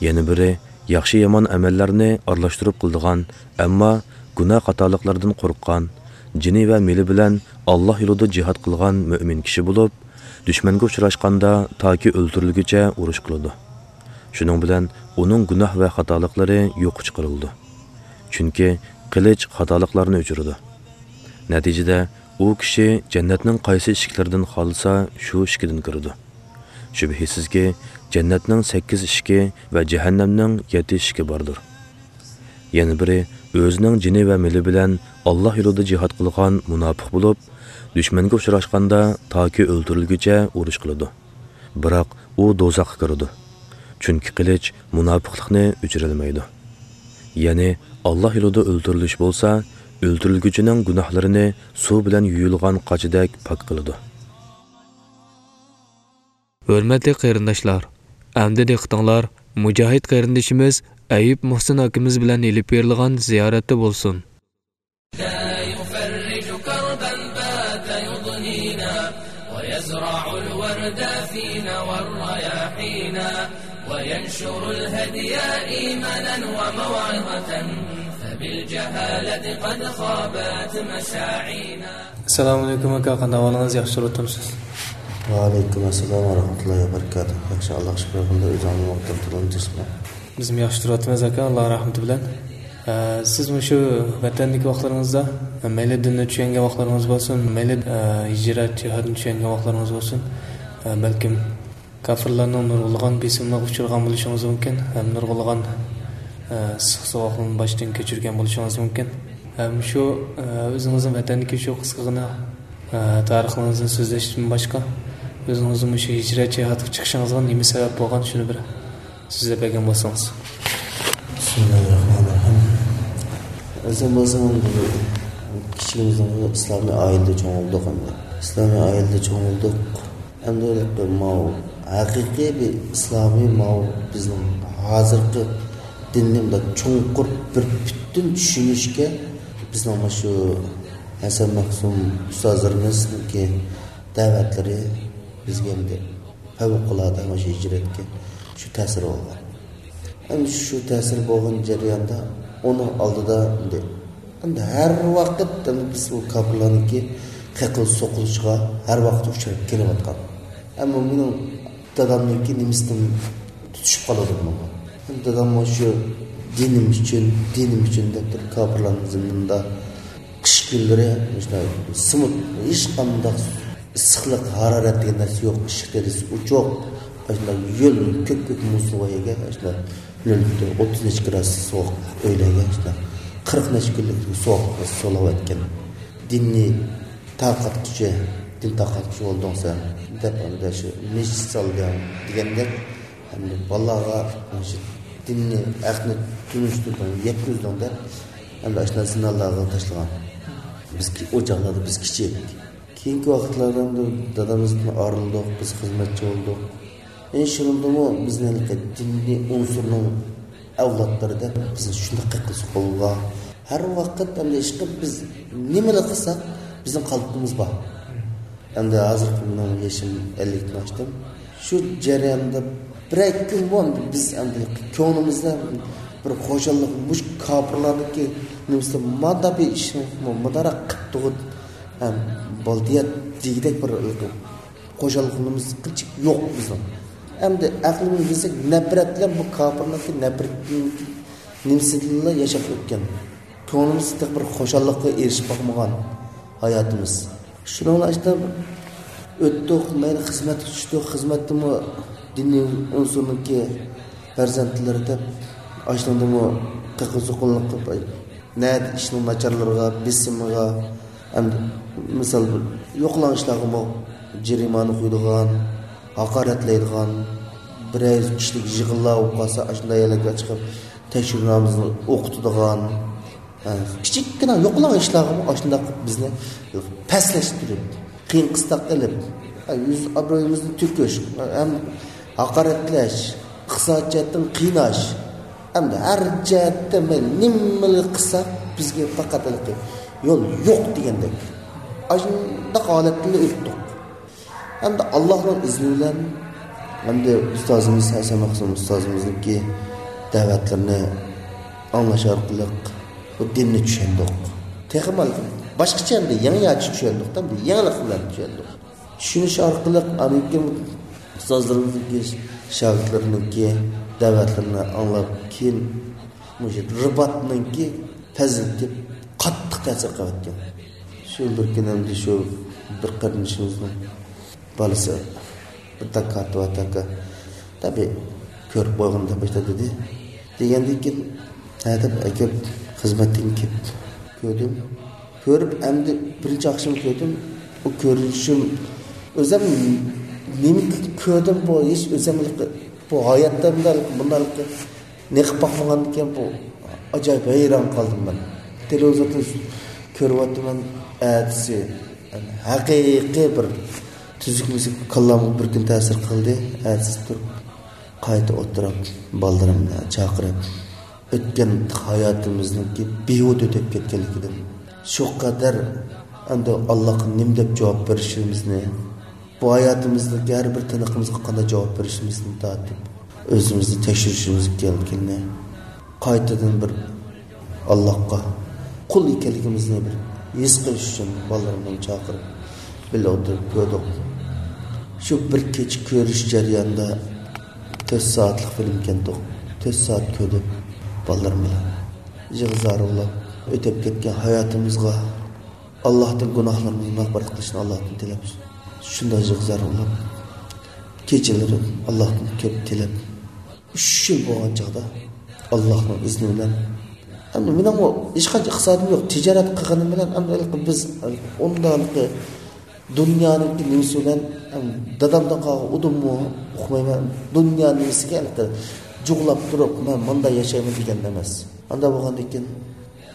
يەنە بىرى، ياخشى-يامان ئەمەللەرنى ئارىلاشتۇرۇپ قىلىدىغان، ئەمما گۇناھ خاتالىقلاردىن قورققان، جېنى ۋە مېلى بىلەن ئاللاھ يولىدا جىھاد قىلغان مۆمىن كىشى بولۇپ، دۈشمەنگە ئۇچراشقاندا تاكى ئۆلتۈرۈلگۈچە ئۇرۇش قىلىدۇ. شۇنىڭ بىلەن ئۇنىڭ گۇناھ ۋە خاتالىقلىرى يوققا چىقىرىلىدۇ. چۈنكى قىلىچ خاتالىقلارنى ئۆچۈرىدۇ. نەتىجىدە، ئۇ كىشى جەننەتنىڭ قايسى ئىشىكلىرىدىن خالىسا، شۇ ئىشىكىدىن كىرىدۇ. شۈبھىسىزكى، جەننەتنىڭ سەككىز ئىشىكى ۋە جەھەننەمنىڭ يەتتە ئىشىكى باردۇر. يەنە بىرى، ئۆزىنىڭ جېنى ۋە مېلى بىلەن ئاللاھ يولىدا جىھاد قىلغان مۇناپىق بولۇپ، دۈشمەنگە ئۇچراشقاندا تاكى ئۆلتۈرۈلگۈچە ئۇرۇش قىلىدۇ. بىراق ئۇ دوزاخقا كىرىدۇ. چۈنكى قىلىچ مۇناپىقلىقنى ئۆچۈرەلمەيدۇ. يەنى ئاللاھ يولىدا ئۆلتۈرۈلۈش بولسا، ئۆلتۈرۈلگۈچىنىڭ گۇناھلىرىنى سۇ بىلەن يۇيۇلغان قاچىدەك پاك قىلىدۇ. ھۆرمەتلىك قېرىنداشلار، ئەمدى دىققىتىڭلار مۇجاھىد قېرىندىشىمىز ئەييۇب مۇھسىن ئاكىمىز بىلەن ئېلىپ بېرىلغان زىيارەتتە بولسۇن. لا يفرج كربا بات يضنينا، ويزرع الورد فينا والرياحينا، وينشر الهدي إيمانا وموعظة، فبالجهالة قد خابت مساعينا. ئەسسالامۇئەلەيكۇم ئاكا، قانداق ئەھۋالىڭىز؟ ياخشى تۇرۇۋاتامسىز؟ ۋەئەلەيكۇم ئەسسالام ۋە رەھمەتۇللاھى ۋە بەرىكاتۇھ. ياخشى، ئاللاغا شۈكۈر قىلدى. ئۆزۈڭنىڭ ۋاقتىنى تولۇمجىسىمۇ؟ بىزمۇ ياخشى تۇرۇۋاتىمىز ئاكا، ئاللا رەھمىتى بىلەن. ئە، سىز مۇشۇ ۋەتەندىكى ۋاقىتلىرىڭىزدا، مەيلى دىننى چۈشەنگەن ۋاقىتلىرىڭىز بولسۇن، مەيلى، ئە، ھىجرەت، جىھادنى چۈشەنگەن ۋاقىتلىرىڭىز بولسۇن، ئە، بەلكىم كاپىرلارنىڭ نۇرغۇنلىغان بېسىملىرىغا ئۇچرىغان بولۇشىڭىز مۇمكىن، ھەم نۇرغۇنلىغان، ئە، ئىسسىق سوغۇقلارنى باشتىن كەچۈرگەن بولۇشىڭىز مۇمكىن. ھەم شۇ، ئە، ئۆزىڭىزنىڭ ۋەتەندىكى شۇ قىسقىغىنە، ئە، تارىخىڭىزدىن سۆزلەشتىن باشقا، ئۆزىڭىزنىڭ مۇشۇ ھىجرەت جىھادقا چىقىشىڭىزغا نېمە سەۋەب بولغان، شۇنى بىر سۆزلەپ بەرگەن بولسىڭىز. بىسمىللاھىررەھمانىررەھىم. ئەزىم بولسىمۇ، كىچىكىمىزدىن ئىسلامىي ئائىلىدە چوڭ بولدۇق ئەمدى. ئىسلامىي ئائىلىدە چوڭ بولدۇق. ئەمدى ماۋۇ ھەقىقىي بىر ئىسلامىي، ماۋۇ بىزنىڭ ھازىرقى دىننى مۇنداق چوڭقۇر بىر پۈتۈن چۈشىنىشكە بىزنىڭ مانا شۇ ھەسەن مەخسۇم ئۇستازلىرىمىزنىڭكى دەۋەتلىرى بىزگە ئەمدى پەۋقۇلئاددە مانا شۇ ھىجرەتكە شۇ تەسىر بولغان. ئەمدى شۇ تەسىر بولغان جەرياندا ئۇنىڭ ئالدىدا ئەمدى، ئەمدى ھەر ۋاقىت ئەمدى بىز ئۇ كاپىرلارنىڭكى قېقىل سوقۇلۇشىغا ھەر ۋاقىت ئۇچراپ كېلىۋاتقان. ئەمما مېنىڭ دادامنىڭكى نېمىسىدىن تۇتۇشۇپ قالىدۇ بۇنىڭغا. ئەمدى داداممۇ شۇ دىنىم ئۈچۈن، دىنىم ئۈچۈن دەپ تۇرۇپ كاپىرلارنىڭ زېمىنىدا قىش كۈنلىرى مۇشۇنداق سىمۇت، ھېچقانداق ئىسسىقلىق، ھارارەت دېگەن نەرسە يوق، ئىششىق دېرىزىسى ئوچۇق، ئاشۇنداق يۆل، كۆك-كۆك مۇسۇلغا يەرگە، ئاشۇنداق نۆل پۈتۈن ئوتتۇز نەچچە گرادۇس سوغۇق ئۆيلەرگە، ئاشۇنداق قىرىق نەچچە كۈنلۈك سوغۇق سولاۋەتكەن. دىننى تارقاتقۇچى، دىن تارقاتقۇچى بولدۇڭ سەن، دەپ، ئەمدى شۇ مەسچىت سالدىڭ دېگەندەك، ئەمدى بالىلارغا مۇشۇ دىننى، ھەقنى تونۇشتۇردۇڭ، يەتكۈزدۈڭ دەپ، ئەمدى ئاشۇنداق زىندانلارغا تاشلىغان. بىز كى-، ئۇ چاغلاردا بىز كىچىك. كېيىنكى ۋاقىتلاردا ئەمدى دادىمىزدىن ئايرىلدۇق، بىز خىزمەتچى بولدۇق. ئەنە شۇنىڭدىمۇ بىزنى ھېلىقى دىنىي ئۇنسۇرنىڭ ئەۋلادلىرى دەپ بىزنى شۇنداق قېقىلسا قولغا. ھەر ۋاقىت ئەمدى ئىشقىلىپ بىز نېمىلا قىلساق، بىزنىڭ قالپىقىمىز بار. ئەمدى ھازىرقى مېنىڭ يېشىم ئەللىكتىن ئاشتىم. شۇ جەرياندا بىرەر كۈنمۇ ئەمدى بىز ئەمدى كۆڭلىمىزدە بىر خۇشاللىق، مۇشۇ كاپىرلارنىڭكى نېمىسىدە مانا بىر ئىشنى مۇنداقراق قىپتۇغۇ، ھەم بالدىيات دېگۈدەك بىر خۇشاللىقىمىز قىلچىلىك يوق بىزنىڭ. ئەمدى ئەقلىمىزگە كەلسەك، نەپرەت بىلەن بۇ كاپىرنىڭكى نەپرەتنىڭكى نېمىسىدىلا ياشاپ ئۆتكەن. كۆڭلىمىز تېخى بىر خۇشاللىققا ئېرىشىپ باقمىغان ھاياتىمىز. شۇنىڭ بىلەن ئاشۇنداق ئۆتتۇق، مەيلى خىزمەتكە چۈشتۇق، خىزمەتتىمۇ دىنىي ئۇنسۇرنىڭكى پەرزەنتلىرى دەپ، ئاشۇنىڭدىمۇ قېقىل سوقۇللۇق قىلىپ، نەدە ئىشنىڭ ناچارلىرىغا، بېسىمىغا، ئەمدى مىسال بىر يوقىلاڭ ئىشلارغىمۇ جەرىمانە قويىدىغان، ھاقارەتلەيدىغان، بىرەر كىشىلىك يىغىنلار بولۇپ قالسا، ئاشۇنداق يەرلەرگە چىقىپ تەكشۈرۈۋالمىسىمۇ ئوقۇتىدىغان، ھە، كىچىككىنە يوقىلاڭ ئىشلارغىمۇ ئاشۇنداق بىزنى پەسلەشتۈرۈپ، قىيىن قىستاق قىلىپ، ھە، يۈز ئابرۇيىمىزنى تۆكۈش، ھەم ھاقارەتلەش، ئىقتىساد جەھەتتىن قىيناش، ئەمدى ھەر جەھەتتە مەيلى نېمىلا قىلساق، بىزگە پەقەت ھېلىقى يول يوق دېگەندەك. ئاشۇنداق ھالەتتىن ئۆتتۇق. ئەمدى ئاللاھنىڭ ئىزنى بىلەن، ئەمدى ئۇستازىمىز ھەسەن مەخسۇم ئۇستازىمىزنىڭكى دەۋەتلىرىنى ئاڭلاش ئارقىلىق بۇ دىننى چۈشەندۇق. تېخىمۇ باشقىچە ئەمدى يېڭىچە چۈشەندۇق، ئەمدى يېڭىلىق بىلەن چۈشەندۇق. چۈشىنىش ئارقىلىق ئاندىن كېيىن ئۇستازلىرىمىزنىڭكى، شاگىرتلىرىنىڭكى دەۋەتلىرىنى ئاڭلاپ، كېيىن مۇشۇ رىباتنىڭكى پەزىلىتى قاتتىق تەسىر قىلىۋەتكەن. شۇ بىر كۈنى ئەمدى شۇ بىر قېرىندىشىمىزنىڭ بالىسى بىر تاكا تارتىۋاتىدىكەن. تەبىئىي، كۆرۈپ قويغىنىدا باشتا دېدى. دېگەندىن كېيىن، ھە دەپ ئەكەپ، خىزمەتتىن كېلىپ كۆردۈم. كۆرۈپ، ئەمدى بىرىنچى ئاخشىمى كۆردۈم. ئۇ كۆرۈنۈشۈم، ئۆزۈم نېمە كۆردۈم، بۇ ھېچ ئۆزۈم بۇ ھاياتتا مۇنداق، مۇنداق نېقىپ باقمىغاندىكىن، بۇ ئاجايىپ ھەيران قالدىم مەن. تېلېۋىزوردا كۆرۈۋاتىمەن، ئەتىسى ھەقىقىي بىر تۈزۈك مۈزۈك كاللامغا بىر كۈن تەسىر قىلدى. ئەتىسى تۇرۇپ، قايتا ئولتۇرۇپ، بالىلىرىمنى چاقىرىپ، ئۆتكەن ھاياتىمىزنىڭكى بىھۇدە ئۆتۈپ كەتكەنلىكىدىن، شۇ قەدەر ئەمدى ئاللاغا نېمە دەپ جاۋاب بېرىشىمىزنى، بۇ ھاياتىمىزدىكى ھەر بىر تىنىقىمىزغا قانداق جاۋاب بېرىشىمىزنى تارتىپ، ئۆزىمىزنى تەكشۈرۈشىمىز كېرەكلىكىنى، قايتىدىن بىر ئاللاغا قۇل ئىكەنلىكىمىزنى بىر ھېس قىلىش ئۈچۈن بالىلىرىمنى چاقىرىپ، بىللە ئولتۇرۇپ كۆردۇق. شۇ بىر كېچە كۆرۈش جەريانىدا تۆت سائەتلىك فىلىم ئىكەنتۇق. تۆت سائەت كۆردۇق بالىلىرىم بىلەن. يىغا زار بولۇپ، ئۆتۈپ كەتكەن ھاياتىمىزغا، ئاللاھتىن گۇناھلىرىمىزنى مەغپىرەت قىلىشنى ئاللاھتىن تىلەپ، شۇنداق يىغا زار بولۇپ، كېچىلىرى ئاللاھتىن كۆپ تىلەپ، ئۈچ يىل بولغان چاغدا، ئاللاھنىڭ ئىزنى بىلەن، ئەمدى مېنىڭمۇ ھېچقانچە ئىقتىسادىم يوق، تىجارەت قىلغىنىم بىلەن، ئەمدى ھېلىقى بىز ئۇنداق دۇنيانىڭكى نېمىسى بىلەن، ئەم، دادامدىن قالغان ئۇدۇممۇ ئۇقمايمەن. دۇنيا نېمىسىگە ھېلىقى جۇغلاپ تۇرۇپ، مەن مۇنداق ياشايمەن دېگەن ئەمەس. ئانداق بولغاندىن كېيىن،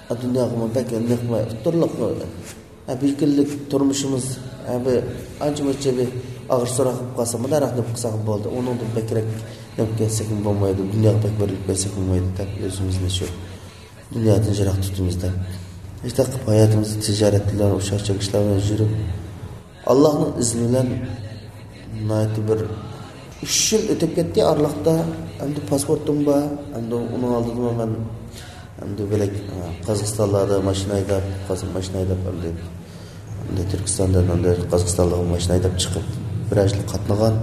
ئا، دۇنياغىمۇ بەك نېقىمەي، ئۇتتۇرلۇق، ئا، بىر كۈنلۈك تۇرمۇشىمىز، ئا، بىر ئانچە-مۇنچە بىر ئاغرىق-سوراق بولۇپ قالسا، مۇنداقراق نېمە قىلساق بولدى، ئۇنىڭدىن بەكرەك نېمە كەتسەكمۇ بولمايدۇ، دۇنياغا بەك بېرىلىپ كەتسەكمۇ بولمايدۇ دەپ، ئۆزىمىزنى شۇ دۇنيادىن يىراق تۇتىمىز دەپ. شۇنداق قىلىپ ھاياتىمىزنى تىجارەت بىلەن، ئوخشاش ئىشلار بىلەن يۈرۈپ، ئاللاھنىڭ ئىزنى بىلەن ناھايىتى بىر ئۈچ يىل ئۆتۈپ كەتتى ئارىلىقتا. ئەمدى پاسپورتۇم بار. ئەمدى ئۇنىڭ ئالدىدا مەن ئەمدى بۆلەك، ئە، قازاقىستانلاردا ماشىنا ھەيدەپ، قازاق ماشىنا ھەيدەپ، ئەمدى، ئەمدى تۈركىستاندىن ئەمدى قازاقىستانلارغا ماشىنا ھەيدەپ چىقىپ، بىر يىل قاتنىغان.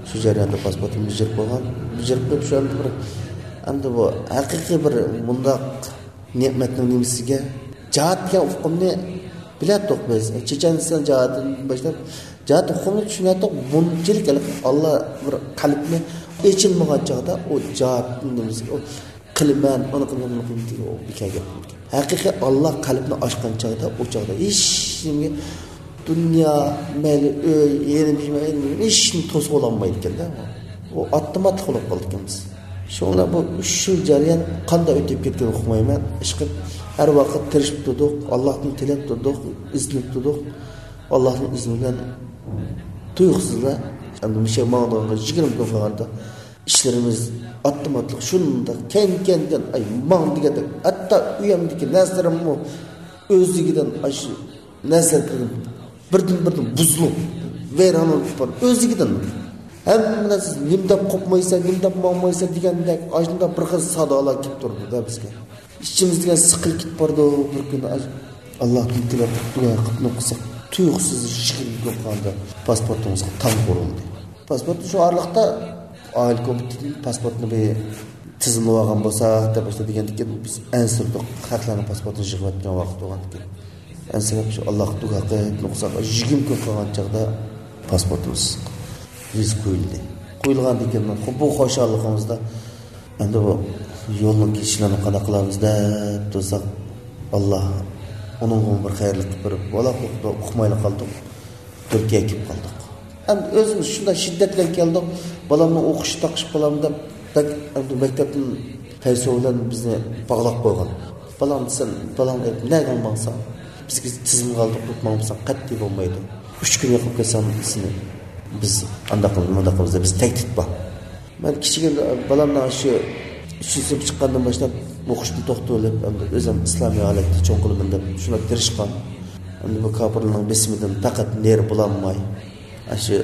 شۇ جەرياندا پاسپورتۇم بېجىرىپ قويغان. بېجىرىپ قويۇپ، شۇ ئەمدى بىر، ئەمدى بۇ ھەقىقىي بىر مۇنداق نېمەتنىڭ نېمىسىگە، جىھاد دېگەن ئۇقۇمنى بىلەتتۇق بىز. چېچەنىستان جىھادىدىن باشلاپ، جىھاد ئۇقۇمىنى چۈشىنەتتۇق. بۇنچىلىك ھېلىقى ئاللا بىر قەلبنى ئېچىلمىغان چاغدا، ئۇ جىھادنىڭ نېمىسىگە، ئۇ قىلىمەن، ئۇنى قىلىمەن، بۇنى قىلىمەن دېگەن ئۇ بىكارگە. ھەقىقىي ئاللا قەلبنى ئاچقان چاغدا، ئۇ چاغدا ھېچ نېمىگە، دۇنيا، مەيلى ئۆي، يېرىم، ھېچ نېمە توسۇۋالالمايدىكەن-دە. ئۇ ئاتتىماتلىق بولۇپ قالدىكەن بىز. شۇڭا بۇ ئۈچ يىل جەريان قانداق ئۆتۈپ كەتكىنىنى ئۇقمايمەن. ئىشقىلىپ، ھەر ۋاقىت تىرىشىپ تۇردۇق، ئاللاھتىن تىلەپ تۇردۇق، ئىزدىنىپ تۇردۇق. ئاللاھنىڭ ئىزنى بىلەن تۇيۇقسىزلا، ئەمدى مۇشۇ ماڭىدىغانغا يىگىرمە كۈن قالغاندا، ئىشلىرىمىز ئاتتىماتلىق شۇنداق كەينى-كەينىدىن، ئاي، ماڭ دېگەندەك، ھەتتا ئۆيۈمدىكى نەرسىلىرىممۇ ئۆزلۈكىدىن ئاشۇ نەرسىلەر بىردىن-بىردىن بۇزۇلۇپ، ۋەيران بولۇپ بارىدۇ. ئۆزلۈكىدىن ھەممە نەرسە نېمە دەپ قوپمايسەن، نېمە دەپ ماڭمايسەن دېگەندەك، ئاشۇنداق بىر خىل سادالار كېلىپ تۇرىدۇ-دە بىزگە. ئىچىمىزدىكى سىقىلىپ كېتىپ بارىدۇ. بىر كۈنى ئاش-، ئاللاھتىن تىلەپ، دۇئا قىلىپ نوقۇساق، تۇيۇقسىز يىگىرمە كۈن قالغاندا پاسپورتىمىزغا تامغا ئۇرۇلدى. پاسپورت شۇ ئارىلىقتا ئائىلە كومىتېتىدىن پاسپورتنى بىر تىزىملىۋالغان بولساق دەپ باشتا دېگەندىكىن، بىز ئەنسىرىدۇق. خەقلەرنىڭ پاسپورتىنى يىغىۋەتكەن ۋاقىت بولغاندىكىن. ئەنسىرەپ شۇ ئاللاغا دۇئا قىلىپ نوقۇساق، يىگىرمە كۈن قالغان چاغدا پاسپورتىمىز ۋىزا قويۇلدى. قويۇلغاندىن كېيىن بۇ خۇشاللىقىمىزدا ئەمدى بۇ يولنىڭ كېسىشلىرىنى قانداق قىلارمىز دەپ تۇرساق، ئاللا ئۇنىڭغىمۇ بىر خەيرلىك قىلىپ بېرىپ، ۋالا ئۇقمايلا قالدۇق. تۈركىيەگە كېلىپ قالدۇق. ئەمدى ئۆزىمىز شۇنداق شىددەت بىلەن كەلدۇق. بالامنىڭ ئوقۇشى تاقىشىپ قالامدۇ دەپ، بەك ئەمدى مەكتەپتىن پەيسو بىلەن بىزنى باغلاپ قويغان. بالاڭ دېسەم، بالاڭنى ئېلىپ نەگە ماڭساڭ، بىزگە تىزىمغا ئالدۇق دەپ ماڭمىساڭ قەتئىي بولمايدۇ. ئۈچ كۈن يوقاپ كەتسەڭ سېنى بىز ئانداق قىلىمىز، مۇنداق قىلىمىز دەپ بىز تەھدىت بار. مەن كىچىك بالامنىڭ شۇ ئۈچىنچى سىنىپ چىققاندىن باشلاپ ئوقۇشتىن توختىتىۋېلىپ، ئەمدى ئۆزۈم ئىسلامىي ھالەتتە چوڭ قىلىمەن دەپ شۇنداق تىرىشقان. ئەمدى بۇ كاپىرلارنىڭ بېسىمىدىن پەقەت نېرى بولالماي، ئاشۇ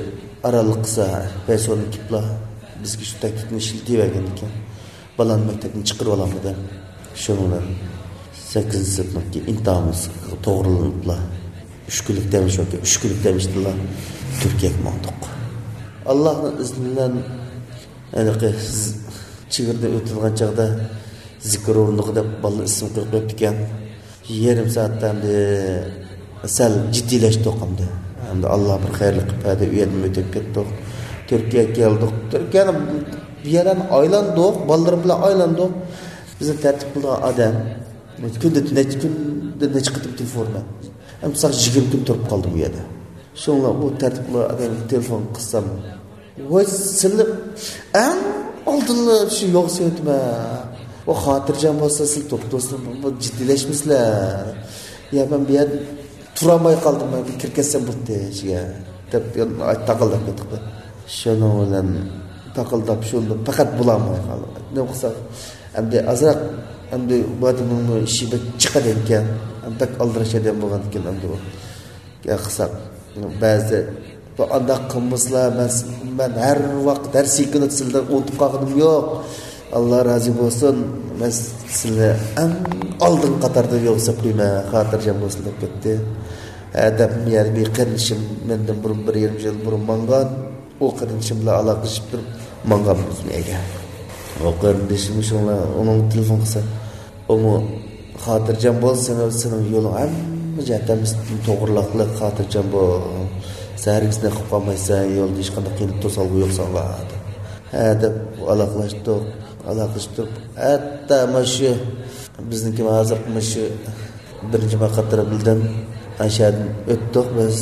ئارانلىق قىلسا، پەيسونى كىپلا بىزگە شۇ تەھدىتنى ئىشلىتىۋەرگەن ئىكەن. بالامنى مەكتەپتىن چىقىرىۋالامدۇ دەپ. شۇنىڭ بىلەن سەككىزىنچى سىنىپنىڭكى ئىمتىھانىمىز توغرىلىنىپلا، ئۈچ كۈنلۈك دەم ئېلىش ۋاقتى، ئۈچ كۈنلۈك دەم ئېلىشتىنلا تۈركىيەگە ماڭدۇق. ئاللاھنىڭ ئىزنى بىلەن ھېلىقى چېگرىدىن ئۆتىدىغان چاغدا زىكىر ئورنىغا دەپ بالىلار ئىسىم قويۇپ قويۇپتىكەن. يېرىم سائەتتە ئەمدى سەل جىددىيلەشتۇق ئەمدى. ئەمدى ئاللا بىر خەيرلىك قىلىپ بەردى، ئۇ يەردىن ئۆتۈپ كەتتۇق. تۈركىيەگە كەلدۇق. تۈركىيەنىڭ بۇ يەرلەرنى ئايلاندۇق، بالىلىرىم بىلەن ئايلاندۇق. بىزنى تەرتىپ قىلىدىغان ئادەم كۈندە نەچچە، كۈندە نەچچە قېتىم تېلېفون ئۇرىدۇ. ئەمدى ساغ يىگىرمە كۈن تۇرۇپ قالدىم بۇ يەردە. شۇڭلار ئۇ تەرتىپ قىلىدىغان ئادەمگە تېلېفون قىلسام، ۋاي، سىلەر ئەڭ ئالدىنلا شۇ يوق سۆيۈتمە. ئۇ خاتىرجەم بولسا، سىلەر توپتۇرسىلەر، بۇ جىددىيلەشمىسىلەر. يا، مەن بۇ يەردە تۇرالماي قالدىم، مەن بىر كىرىپ كەتسەم بولدى ئىچىگە، دەپ تاقىلداپ كەتتۇق. شۇنىڭ بىلەن تاقىلداپ، شۇنداق پەقەت بولالماي قالدۇق. نېمە قىلساق، ئەمدى ئازراق، ئەمدى بۇ ئادەمنىڭمۇ ئىشى بەك جىق ئىكەن، بەك ئالدىراش ئادەم بولغاندىكىن، ئەمدى ئۇ گەپ قىلساق، بەزى بۇ ئانداق قىلمىسىلا، مەن، مەن ھەر ۋاقىت، ھەر سېكۇنت سىلىدىن ئۇنتۇپ قالغىنىم يوق. ئاللا رازى بولسۇن، مەن سىلىنى ئەڭ ئالدىنقى قاتاردا يول سەپلەيمەن، خاتىرجەم بولسۇن، دەپ كەتتى. ھە، دەپ، يەنە بىر قېرىندىشىم مەندىن بۇرۇن، بىر يېرىم يىل بۇرۇن ماڭغان، ئۇ قېرىندىشىم بىلەن ئالاقىلىشىپ تۇرۇپ ماڭغانمىز ئۆيگە. ئۇ قېرىندىشىم شۇڭلار ئۇنىڭ تېلېفون قىلسا، ئۇمۇ خاتىرجەم بول، سېنىڭ، سېنىڭ يولۇڭ ھەممە جەھەتتىن توغرىلىقلىق، خاتىرجەم بول. سەن ھەرگىز نېقىپ قالمايسەن، يولدا ھېچقانداق قىيىنلىق توسالغۇ يوق ساڭا، دەپ. ھە، دەپ ئالاقىلاشتۇق، ئالاقىلىشىپ تۇرۇپ، ھەتتا مانا شۇ بىزنىڭكى ھازىرقى مانا شۇ بىرىنچى ماي قاترا بىلدىن ئاشەدىن ئۆتتۇق بىز.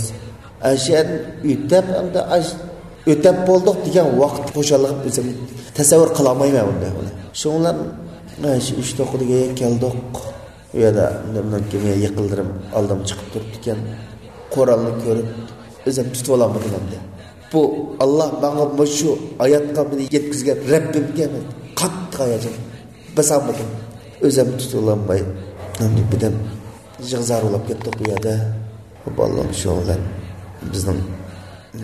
ئاشەدىن ئۆتەپ، ئەمدى ئاش-، ئۆتەپ بولدۇق دېگەن ۋاقىت خۇشاللىقىم ئۆزۈم تەسەۋۋۇر قىلالمايمەن بۇنداق بولۇپ. شۇڭلار مانا شۇ ئۈچ توققۇزدىكى كەلدۇق. ئۇ يەردە مېنىڭكى يېقىنلىرىم ئالدىمغا چىقىپ تۇرۇپتىكەن. قورالنى كۆرۈپ، ئۆزۈم تۇتۇۋالالمىدىم ئەمدى. بۇ ئاللا ماڭا مۇشۇ ھاياتقا مېنى يەتكۈزگەن رەببىمگە مەن قاتتىق ھاياجان باسالمىدىم. ئۆزۈم تۇتۇۋالالماي، ئەمدى بىردەم يىغا-زار بولاپ كەتتۇق بۇ يەردە. بالىلىرىم شۇ بىلەن بىزنىڭ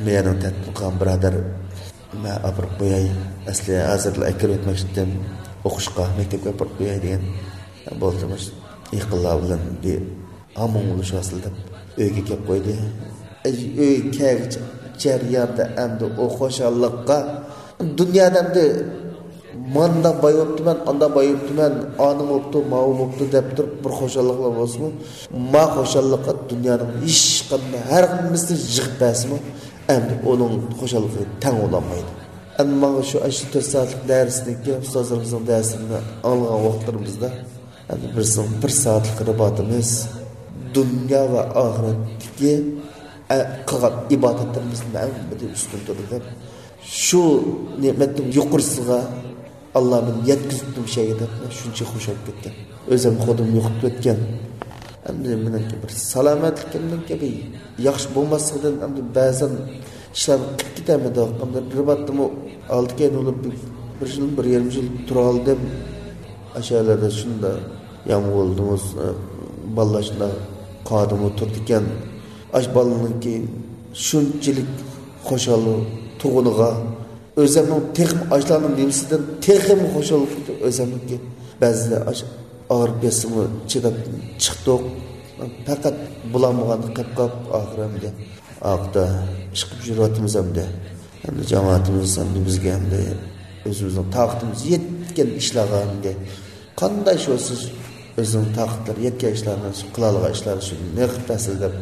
بۇ يەرنىڭ تەتبىقات بۇرادەر، مەن ئاپىرىپ قوياي. ئەسلى ھازىرلا ئەكىرىپ ئۆتمەكچىدىم ئوقۇشقا، مەكتەپكە ئاپىرىپ قوياي دېگەن. بولدى، مۇشۇ يېقىنلار بىلەن بىر ھامۇڭ بولۇشۇۋالسىلا دەپ ئۆيگە كەپ قويدى. ئۆيگە كەلگۈچە جەرياندا ئەمدى ئۇ خۇشاللىققا، دۇنيادا ئەمدى مانداق باي بوپتىمەن، ئانداق باي بوپتىمەن، ئانىڭ بوپتۇ، ماۋۇ بوپتۇ دەپ تۇرۇپ بىر خۇشاللىقلار بولسىمۇ، ما خۇشاللىققا دۇنيانىڭ ھېچقانداق ھەممىسىنى يىغىپ بەرسىمۇ، ئەمدى ئۇنىڭ خۇشاللىقىغا تەڭ بولالمايدۇ. ئەمما ماڭا شۇ، شۇ تۆت سائەتلىك دەرسنىڭكى، ئۇستازلىرىمىزنىڭ دەرسلىرىنى ئاڭلىغان ۋاقىتلىرىمىزدا، ئەمدى بىرسىنىڭ بىر سائەتلىك رىباتىمىز دۇنيا ۋە ئاخىرەتتىكى، ئە، قىلغان ئىبادەتلىرىمىزدىن ھەممىدىن ئۈستۈن تۇرىدۇ دەپ، شۇ نېمەتنىڭ يۇقىرىسىغا ئاللا مېنى يەتكۈزۈپتۇ مۇشۇ يەرگە دەپ، شۇنچە خۇش بولۇپ كەتكەن. ئۆزۈم خۇدۇم يوقىتىپ كەتكەن. ئەمدى مېنىڭكى بىر سالامەتلىكىمنىڭكى بىر ياخشى بولماسلىقىدىن ئەمدى بەزەن ئىشلارنى قىلىپ كېتەلمىدۇق. ئەمدى رىباتتىمۇ ئالدى كەينى بولۇپ بىر يىل، بىر يېرىم يىل تۇرالىدىم. ئاشۇ يەرلەردە شۇنداق يامغۇر بولدىمۇ، بالىلار شۇنداق قاردا تۇرىدىكەن. ئاشۇ بالىنىڭكى شۇنچىلىك خۇشال تۇغۇنىغا، ئۆزۈمنىڭ تېخىمۇ ئاشۇلارنىڭ نېمىسىدىن تېخىمۇ خۇشال بولۇپ كېتىپ، ئۆزۈمنىڭكى بەزىدە ئاش-، ئاغرىپ كەتسىمۇ چىداپ چىقتۇق. پەقەت بولالمىغاندا قېلىپ قاپ، ئاخىرى ئەمدى ئارقىدا ئىش قىلىپ يۈرۈۋاتىمىز ئەمدى. ئەمدى جامائىتىمىز ئەمدى بىزگە ئەمدى ئۆزىمىزنىڭ تاقىتىمىز يەتكەن ئىشلارغا ئەمدى قانداق ئىش بولسا، ئۆزىنىڭ تاقەتلىرى يەتكەن ئىشلارنى، قىلالىغان ئىشلارنى شۇنى نېقىپ بەرسىلە دەپ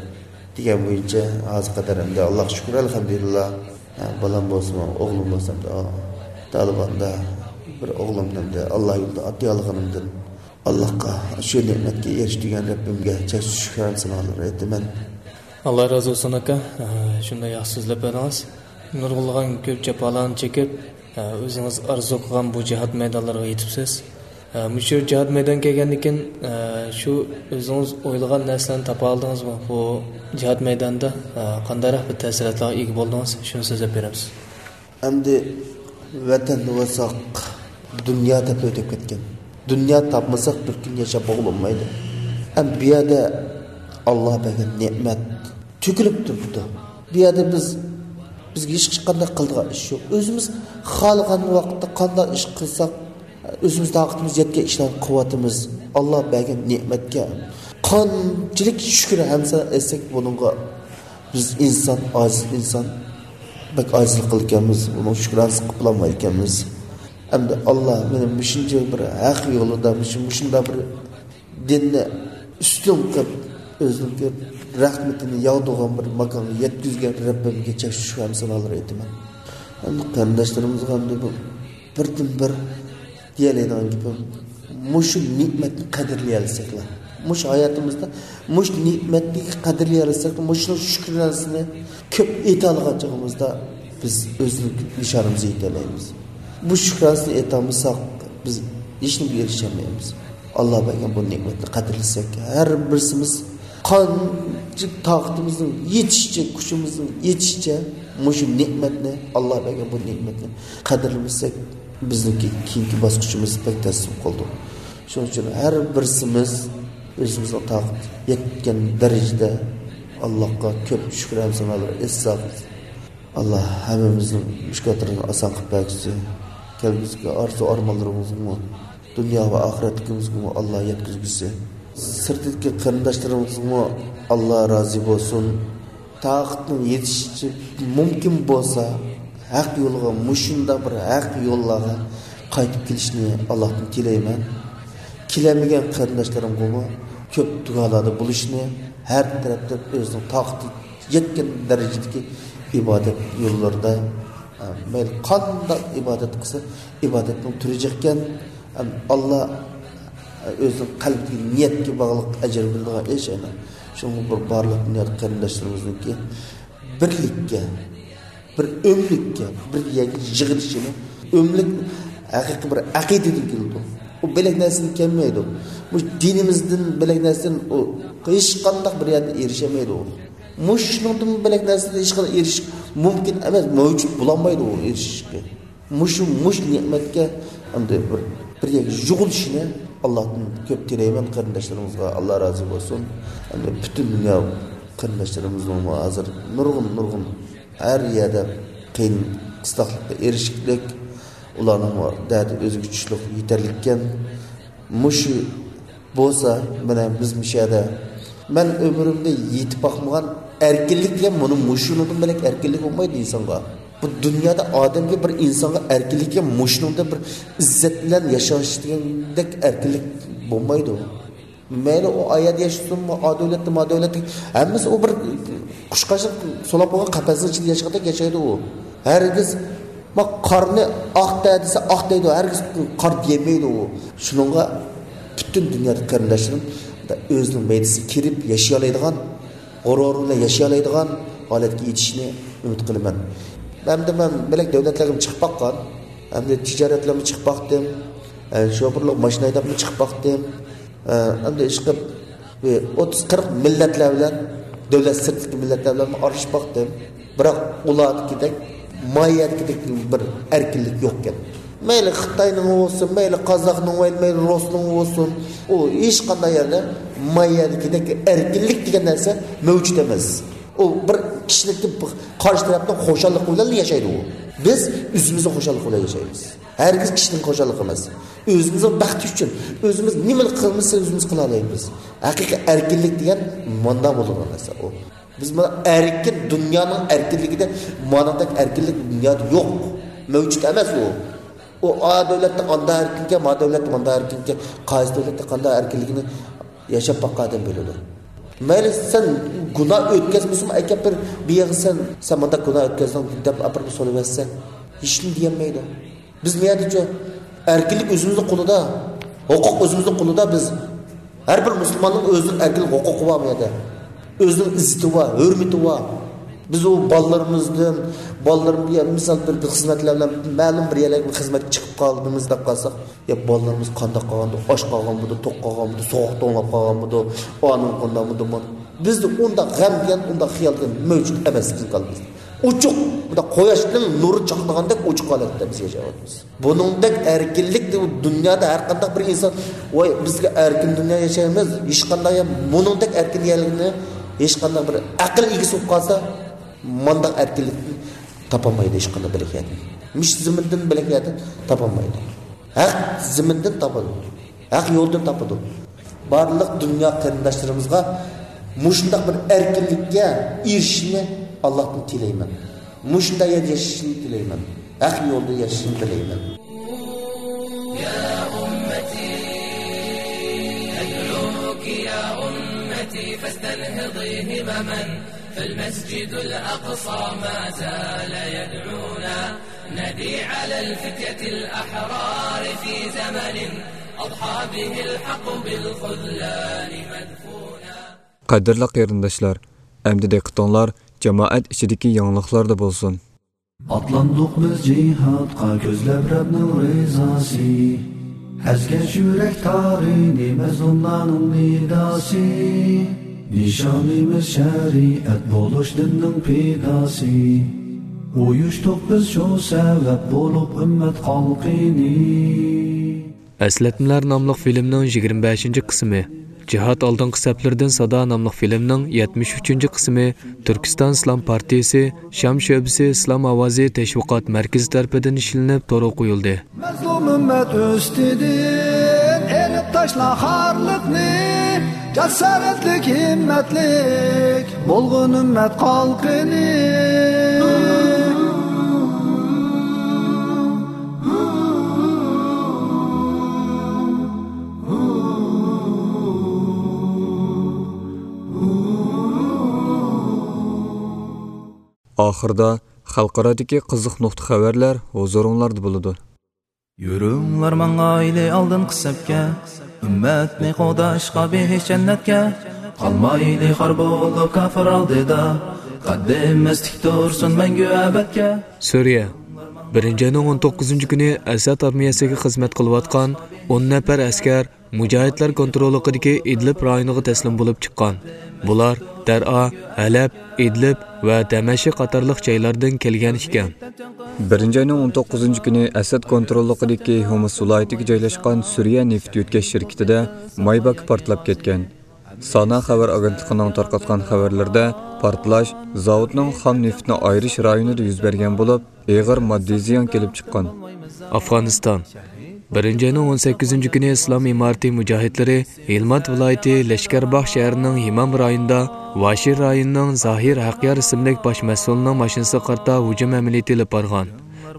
دېگەن بويىچە ھازىرغا قەدەر ئەمدى، ئاللاغا شۈكۈر، ئەلھەمدۇلىللا. ھە، بالام بولسىمۇ، ئوغلۇم بولسا ئەمدى، ئا، تالىباندا بىر ئوغلۇمنى ئەمدى ئاللا يولىدا ئاتىيالىغىنىمدىن، ئاللاغا، شۇ نېمەتكە ئېرىشتۈرگەن رەببىمگە چەكسىز شۈكرانە سانالىرى ئېيتىمەن. ئاللا رازى بولسۇن، ئاكا. ئە، شۇنداق ياخشى سۆزلەپ بەردىڭىز. نۇرغۇنلىغان كۆپ جاپالارنى چېكىپ، ئە، ئۆزىڭىز ئارزۇ قىلغان بۇ جىھاد مەيدانلىرىغا يېتىپسىز. ئە، مۇشۇ جىھاد مەيدانىغا كەلگەندىن كېيىن، ئە، شۇ ئۆزىڭىز ئويلىغان نەرسىلەرنى تاپالدىڭىزمۇ؟ بۇ جىھاد مەيدانىدا، ئە، قانداقراق بىر تەسىراتلارغا ئىگە بولدىڭىز؟ شۇنى سۆزلەپ بېرەمسىز. ئەمدى ۋەتەندە بولساق، دۇنيا تېپىپ ئۆتۈپ كەتكەن. دۇنيا تاپمىساق، بىر كۈن ياشاپ بولغىلى بولمايدۇ. ئەمدى بۇ يەردە ئاللا بەرگەن نېمەت تۆكۈلۈپ تۇرۇپتۇ. بۇ يەردە بىز، بىزگە ھېچقانداق قىلىدىغان ئىش يوق. ئۆزىمىز خالىغان ۋاقىتتا قانداق ئىش قىلساق، ئۆزىمىز تاقىتىمىز يەتكەن ئىشلارنى قىلىۋاتىمىز. ئاللا بەرگەن نېمەتكە قانچىلىك شۈكۈر ھەمسە ئەتسەك بۇنىڭغا، بىز ئىنسان، ئاجىز ئىنسان. بەك ئاجىزلىق قىلىدىكەنمىز، ئۇنىڭ شۈكرانىسىنى قىلىپ بولالمايدىكەنمىز. ئەمدى ئاللا مېنى مۇشۇنچە بىر ھەق يولىدا، مۇشۇ، مۇشۇنداق بىر دىننى ئۈستۈن قىلىپ، ئۆزىنىڭكى رەھمىتىنى ياغدۇرغان بىر ماكانغا يەتكۈزگەن رەببىمگە چەكسىز شۈكرانە سانالىرى ئېيتىمەن. ئەمدى قېرىنداشلىرىمىزغا ئەمدى بۇ بىردىنبىر دېيەلەيدىغان گېپىم، مۇشۇ نېمەتنى قەدىرلىيەلىسەكلا، مۇشۇ ھاياتىمىزدا مۇشۇ نېمەتنى قەدىرلىيەلىسەك، مۇشۇنىڭ شۈكرانىسىنى كۆپ ئېيتالىغان چېغىمىزدا، بىز ئۆزلۈك نىشانىمىزغا يېتەلەيمىز. بۇ شۈكرانىسىنى ئېيتالمىساق، بىز ھېچنېمىگە ئېرىشەلمەيمىز. ئاللا بەرگەن بۇ نېمەتنى قەدىرلىسەك، ھەر بىرسىمىز قانچە تاقىتىمىزنىڭ يېتىشىچە، كۈچىمىزنىڭ يېتىشىچە مۇشۇ نېمەتنى، ئاللا بەرگەن بۇ نېمەتنى قەدىرلىمىسەك، بىزنىڭكى كېيىنكى باسقۇچىمىز بەك تەس بولۇپ قالىدۇ. شۇنىڭ ئۈچۈن ھەر بىرسىمىز ئۆزىمىزنىڭ تاقىتى يەتكەن دەرىجىدە ئاللاغا كۆپ شۈكرانە سانالار ئېيتساق، ئاللا ھەممىمىزنىڭ مۈشكۈلاتلىرىنى ئاسان قىلىپ بەرگۈسى، كەلگۈسىدىكى ئارزۇ ئارمانلىرىمىزغىمۇ، دۇنيا ۋە ئاخىرەتلىكىمىزگىمۇ ئاللا يەتكۈزگۈسى. سىرتتىكى قېرىنداشلىرىمىزغىمۇ ئاللا رازى بولسۇن. تاقىتىنىڭ يېتىشىچە مۇمكىن بولسا، ھەق يولغا، مۇشۇنداق بىر ھەق يوللارغا قايتىپ كېلىشنى ئاللاھتىن تىلەيمەن. كېلەلمىگەن قېرىنداشلىرىمغىمۇ كۆپ دۇئالاردا بولۇشنى، ھەر تەرەپتىن ئۆزىنىڭ تاقىتى يەتكەن دەرىجىدىكى ئىبادەت يوللىرىدا، ئە، مەيلى قانداق ئىبادەت قىلسا، ئىبادەتنىڭ تۈرى جىقكەن، ئەم، ئاللا، ئە، ئۆزىنىڭ قەلبىدىكى نىيەتكە باغلىق ئەجىر بېرىدىغان ئىش ئەينەن. شۇڭا بۇ بارلىق دۇنيادىكى قېرىنداشلىرىمىزنىڭكى بىرلىككە، بىر ئۆملۈككە، بىر يەرگە يىغىلىشىنى، ئۆملۈك ھەقىقىي بىر ئەقىدىدىن كېلىدۇ. ئۇ بۆلەك نەرسىدىن كەلمەيدۇ. مۇشۇ دىنىمىزدىن بۆلەك نەرسىدىن ئۇ ھېچقانداق بىر يەردە ئېرىشەلمەيدۇ ئۇ. مۇشۇنىڭدىن بۆلەك نەرسىدىن ھېچقانداق ئېرىشىش مۇمكىن ئەمەس، مەۋجۇت بولالمايدۇ ئۇ ئېرىشىشكە. مۇشۇ، مۇشۇ نېمەتكە ئەمدى بىر، بىر يەرگە يىغىلىشىنى ئاللاھتىن كۆپ تىلەيمەن قېرىنداشلىرىمىزغا، ئاللا رازى بولسۇن. ئەمدى پۈتۈن دۇنيا قېرىنداشلىرىمىزنىڭمۇ ھازىر نۇرغۇن، نۇرغۇن ھەر يەردە قىيىن قىستاقلىققا ئېرىشىكلىك، ئۇلارنىڭمۇ دەردى ئۆزىگە چۈشلۈك يېتەرلىككەن. مۇشۇ بولسا، مانا بىز مۇشۇ يەردە، مەن ئۆمرۈمدە يېتىپ باقمىغان ئەركىنلىك دېگەن مۇنۇ مۇشۇنىڭدىن بۆلەك ئەركىنلىك بولمايدۇ ئىنسانغا. بۇ دۇنيادا ئادەمگە، بىر ئىنسانغا ئەركىنلىك دېگەن مۇشۇنىڭدا بىر ئىززەت بىلەن ياشاش دېگەندەك ئەركىنلىك بولمايدۇ. مەيلى ئۇ ئايەدە ياشىسۇنمۇ، ئا دۆلەتتە، ما دۆلەتتە، ھەممىسى ئۇ بىر قۇشقاچنىڭ سولاپ قويغان قەپەسنىڭ ئىچىدە ياشىغاندەك ياشايدۇ ئۇ. ھەرگىز، ما، قارنى ئاق دە دېسە، ئاق دەيدۇ، ھەرگىز قار دېيەلمەيدۇ ئۇ. شۇنىڭغا پۈتۈن دۇنيادىكى قېرىنداشلىرىم ئۆزىنىڭ مەيدىسىگە كىرىپ ياشىيالايدىغان، غۇرۇر بىلەن ياشىيالايدىغان ھالەتكە يېتىشىنى ئۈمىد قىلىمەن. ئەمدى مەن بۆلەك دۆلەتلەرگىمۇ چىقىپ باققان، ئەمدى تىجارەتلەرمۇ چىقىپ باقتىم، ئە، شوپۇرلۇق ماشىنا ھەيدەپمۇ چىقىپ باقتىم. ئە، ئەمدى ئىشقىلىپ، بىر ئوتتۇز قىرىق مىللەتلەر بىلەن، دۆلەت سىرتىدىكى مىللەتلەر بىلەن ئارىلىشىپ باقتىم. بىراق ئۇلاردىكىدەك، ما يەردىكىدەك بىر ئەركىنلىك يوقكەن. مەيلى خىتاينىڭ بولسۇن، مەيلى قازاقنىڭ، مەيلى رۇسنىڭ بولسۇن، ئۇ ھېچقانداق يەردە ما يەردىكىدەك ئەركىنلىك دېگەن نەرسە مەۋجۇت ئەمەس. ئۇ بىر كىشىلىكتىن قارشى تەرەپنىڭ خۇشاللىقى بىلەن ياشايدۇ ئۇ. بىز ئۆزىمىزنىڭ خۇشاللىقى بىلەن ياشايمىز. ھەرگىز كىشىنىڭ خۇشاللىقى ئەمەس. ئۆزىمىزنىڭ بەختى ئۈچۈن، ئۆزىمىز نېمىنى قىلمىسا ئۆزىمىز قىلالايمىز. ھەقىقىي ئەركىنلىك دېگەن ماندا بولىدىغان نەرسە ئۇ. بىز مانا ئەركىن، دۇنيانىڭ ئەركىنلىكىدە مانىڭدەك ئەركىنلىك دۇنيادا يوق. مەۋجۇت ئەمەس ئۇ. ئۇ ئا دۆلەتتە ئاندا ئەركىنكەن، ما دۆلەتتە ماندا ئەركىنكەن، قايسى دۆلەتتە قانداق ئەركىنلىكىنى ياشاپ باققان ئادەم بىلىدۇ. مەيلى سەن گۇناھ ئۆتكەزمىسىمۇ، ئەكەپ بىر، بىر يەرگە سەن، سەن مانداق گۇناھ ئۆتكەزدىڭ دەپ ئاپىرىپ سولىۋەتسەڭ، ھېچنېمە دېيەلمەيدۇ. بىز بۇ يەردىچۇ ئەركىنلىك ئۆزىمىزنىڭ قولىدا، ھوقۇق ئۆزىمىزنىڭ قولىدا بىز. ھەر بىر مۇسۇلماننىڭ ئۆزىنىڭ ئەركىنلىك ھوقۇقى بار بۇ يەردە. ئۆزىنىڭ ئىززىتى بار، ھۆرمىتى بار. بىز ئۇ بالىلىرىمىزدىن، بالىلىرىم، يا مىسال بىر، بىر خىزمەتلەر بىلەن مەلۇم بىر يەرلەرگە بىر خىزمەتكە چىقىپ قالدىمىز دەپ قالساق، يا بالىلىرىمىز قانداق قالغاندۇ، ئاچ قالغانمىدۇ، توق قالغانمىدۇ، سوغۇق توڭلاپ قالغانمىدۇ، ئانىڭ قانداقمىدۇ، مانا. بىزدە ئۇنداق غەم دېگەن، ئۇنداق خىيال دېگەن مەۋجۇت ئەمەس بىزنىڭ كاللىمىزدا. ئوچۇق، بۇنداق قۇياشنىڭ نۇرى چاقنىغاندەك ئوچۇق ھالەتتە بىز ياشاۋاتىمىز. بۇنىڭدەك ئەركىنلىك دۇنيادا ھەر قانداق بىر ئىنسان، ۋاي، بىزگە ئەركىن دۇنيا ياشايمىز، ھېچقانداق يا-، بۇنىڭدەك ئەركىن يەرلىكنى ھېچقانداق بىر ئەقىل ئىگىسى بولۇپ قالسا، مانداق ئەركىنلىكنى تاپالمايدۇ ھېچقانداق بۆلەك يەردىن. مۇشۇ زېمىندىن بۆلەك يەردىن تاپالمايدۇ. ھەق زېمىندىن تاپىدۇ. ھەق يولدىن تاپىدۇ. بارلىق دۇنيا قېرىنداشلىرىمىزغا مۇشۇنداق بىر ئەركىنلىككە ئېرىشىشىنى ئاللاھتىن تىلەيمەن. مۇشۇنداق يەردە ياشىشىنى تىلەيمەن. ھەق يولدا ياشىشىنى تىلەيمەن. يا أمتي، أدعوك يا أمتي، فاستنهضي همما، فالمسجد الأقصى ما زال يدعونا، ندي على الفتية الأحرار في زمن أضحى به الحق بالخذلان مدفونا. قەدىرلىك قېرىنداشلار، ئەمدى دىققىتىڭلار جامائەت ئىچىدىكى يېڭىلىقلاردا بولسۇن. ئاتلاندۇق بىز جىھادقا كۆزلەپ رەبنىڭ رىزاسى. ئەزگەش يۈرەك تارىنى مەزلۇملارنىڭ نىداسى. نىشانىمىز شەرىئەت بولۇش دىننىڭ پىداسى. ئۇيۇشتۇق بىز شۇ سەۋەب بولۇپ ئۈممەت خەلقىنى. ئەسلەتمىلەر ناملىق فىلىمنىڭ يىگىرمە بەشىنچى قىسمى، جىھاد ئالدىنقى سەپلىرىدىن سادا ناملىق فىلىمنىڭ يەتمىش ئۈچىنچى قىسمى تۈركىستان ئىسلام پارتىيىسى شام شۆبىسى ئىسلام ئاۋازى تەشۋىقات مەركىزى تەرىپىدىن ئىشلىنىپ تورغا قويۇلدى. مەزلۇم ئۈممەت ئۈستىدىن ئېلىپ تاشلا خارلىقنى، جاسارەتلىك، ھىممەتلىك بولغىن ئۈممەت خەلقىنى. ئاخىرىدا خەلقئارادىكى قىزىق نۇقتا خەۋەرلەر ھۇزۇرۇڭلاردا بولىدۇ. يۈرۈڭلار ماڭايلى ئالدىنقى سەپكە، ئۈممەتنى قوغداشقا بېھىش جەننەتكە. قالمايلى خار بولۇپ كاپىر ئالدىدا، قەددىمىز تىك تۇرسۇن مەڭگۈ ئەبەدكە. سۈرىيە، بىرىنچى ئاينىڭ ئون توققۇزىنچى كۈنى ئەسەد ئارمىيەسىگە خىزمەت قىلىۋاتقان ئون نەپەر ئەسكەر مۇجاھىدلار كونتروللۇقىدىكى ئىدلىب رايونىغا تەسلىم بولۇپ چىققان. بۇلار دەرئا، ھەلەب، ئىدلىب ۋە دەمەشق قاتارلىق جايلاردىن كەلگەن ئىكەن. بىرىنچى ئاينىڭ ئون توققۇزىنچى كۈنى ئەسەد كونتروللۇقىدىكى ھومس ۋىلايىتىگە جايلاشقان سۈرىيە نېفىت يۆتكەش شىركىتىدە ماي باكى پارتلاپ كەتكەن. سانا خەۋەر ئاگېنتلىقىنىڭ تارقاتقان خەۋەرلىرىدە، پارتلاش زاۋۇتنىڭ خام نېفىتنى ئايرىش رايونىدا يۈز بەرگەن بولۇپ، ئېغىر ماددىي زىيان كېلىپ چىققان. ئافغانىستان. بىرىنچى ئاينىڭ ئون سەككىزىنچى كۈنى ئىسلام ئىمارىتى مۇجاھىدلىرى ھىلمات ۋىلايىتى لەشكەرباغ شەھىرىنىڭ ھىمام رايونىدا ۋاشىي رايونىنىڭ زاھىر ھەقيار ئىسىملىك باش مەسئۇلىنىڭ ماشىنىسىغا قارىتا ھۇجۇم ئەمەلىيىتى ئېلىپ بارغان.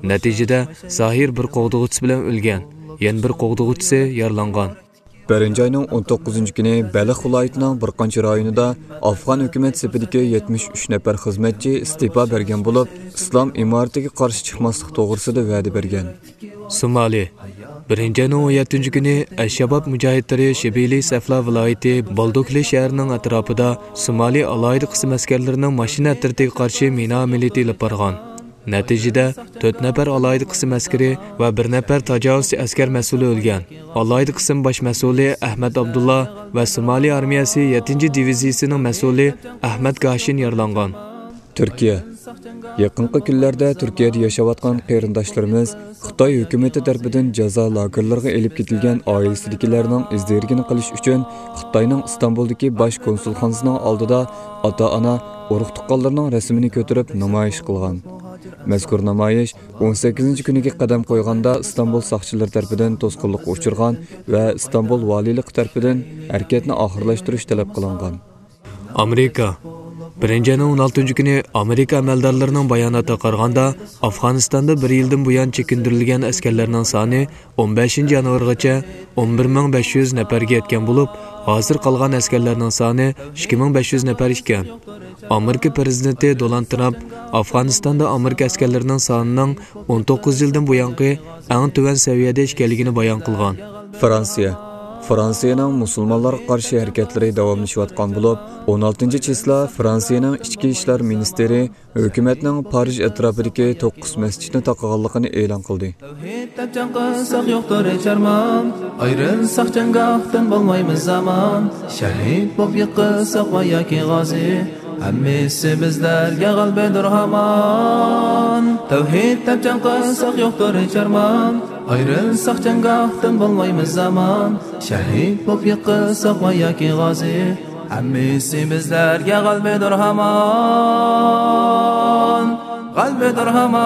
نەتىجىدە، زاھىر بىر قوغدىغۇچىسى بىلەن ئۆلگەن، يەنە بىر قوغدىغۇچىسى يارىلانغان. بىرىنچى ئاينىڭ ئون توققۇزىنچى كۈنى بەلخ ۋىلايىتىنىڭ بىر قانچە رايونىدا ئافغان ھۆكۈمەت سېپىدىكى يەتمىش ئۈچ نەپەر خىزمەتچى ئىستېپا بەرگەن بولۇپ، ئىسلام ئىمارىتىگە قارشى چىقماسلىق توغرىسىدا ۋەدە بەرگەن. سومالى. بىرىنچى ئاينىڭ ئون يەتتىنچى كۈنى ئەلشاباب مۇجاھىدلىرى شىبىلى سەفلا ۋىلايىتى بالدوكلى شەھىرىنىڭ ئەتراپىدا سومالى ئالاھىدە قىسىم ئەسكەرلىرىنىڭ ماشىنا ئەترىتىگە قارشى مىنا ئەمەلىيىتى ئېلىپ بارغان. نەتىجىدە، تۆت نەپەر ئالاھىدە قىسىم ئەسكىرى ۋە بىر نەپەر تاجاۋۇزچى ئەسكەر مەسئۇلى ئۆلگەن. ئالاھىدە قىسىم باش مەسئۇلى ئەھمەت ئابدۇللا ۋە سومالى ئارمىيەسى يەتتىنچى دىۋىزىيىسىنىڭ مەسئۇلى ئەھمەت گاشىن يارىلانغان. تۈركىيە. يېقىنقى كۈنلەردە تۈركىيەدە ياشاۋاتقان قېرىنداشلىرىمىز خىتاي ھۆكۈمىتى تەرىپىدىن جازا لاگېرلىرىغا ئېلىپ كېتىلگەن ئائىلىسىدىكىلەرنىڭ ئىز دېرىكىنى قىلىش ئۈچۈن خىتاينىڭ ئىستانبۇلدىكى باش كونسۇلخانىسىنىڭ ئالدىدا ئاتا-ئانا، ئۇرۇق-تۇغقانلىرىنىڭ رەسىمىنى كۆتۈرۈپ نامايىش قىلغان. مەزكۇر نامايىش ئون سەككىزىنچى كۈنىگە قەدەم قويغاندا، ئىستانبۇل ساقچىلىرى تەرىپىدىن توسقۇنلۇققا ئۇچرىغان ۋە ئىستانبۇل ۋالىيلىقى تەرىپىدىن ھەرىكەتنى ئاخىرلاشتۇرۇش تەلەپ قىلىنغان. ئامېرىكا. بىرىنچى ئاينىڭ ئون ئالتىنچى كۈنى ئامېرىكا ئەمەلدارلىرىنىڭ باياناتىغا قارىغاندا، ئافغانىستاندا بىر يىلدىن بۇيان چېكىندۈرۈلگەن ئەسكەرلەرنىڭ سانى ئون بەشىنچى يانۋارغىچە ئون بىر مىڭ بەش يۈز نەپەرگە يەتكەن بولۇپ، ھازىر قالغان ئەسكەرلەرنىڭ سانى ئىككى مىڭ بەش يۈز نەپەر ئىكەن. ئامېرىكا پىرېزىدېنتى دونالد ترامپ ئافغانىستاندا ئامېرىكا ئەسكەرلىرىنىڭ سانىنىڭ ئون توققۇز يىلدىن بۇيانقى ئەڭ تۆۋەن سەۋىيەدە ئىكەنلىكىنى بايان قىلغان. فرانسىيە. فرانسىيەنىڭ مۇسۇلمانلارغا قارشى ھەرىكەتلىرى داۋاملىشىۋاتقان بولۇپ، ئون ئالتىنچى چىسلا فرانسىيەنىڭ ئىچكى ئىشلار مىنىستىرى ھۆكۈمەتنىڭ پارىژ ئەتراپىدىكى توققۇز مەسچىتنى تاقىغانلىقىنى ئېلان قىلدى. تەۋھىد دەپ جەڭ قىلساق يوقتۇر ھېچ ئارمان، ئايرىلساق جەڭگاھتىن بولمايمىز ئامان، شەھىد بولۇپ يىقىلساق ۋە ياكى غازى، ھەممىسى بىزلەرگە غەلىبىدۇر ھامان. تەۋھىد دەپ جەڭ قىلساق يوقتۇر ھېچ ئارمان، ئايرىلساق جەڭگاھتىن بولمايمىز ئامان، شەھىد بولۇپ يىقىلساق ۋە ياكى غازى، ھەممىسى بىزلەرگە غەلىبىدۇر ھامان، غەلىبىدۇر ھامان.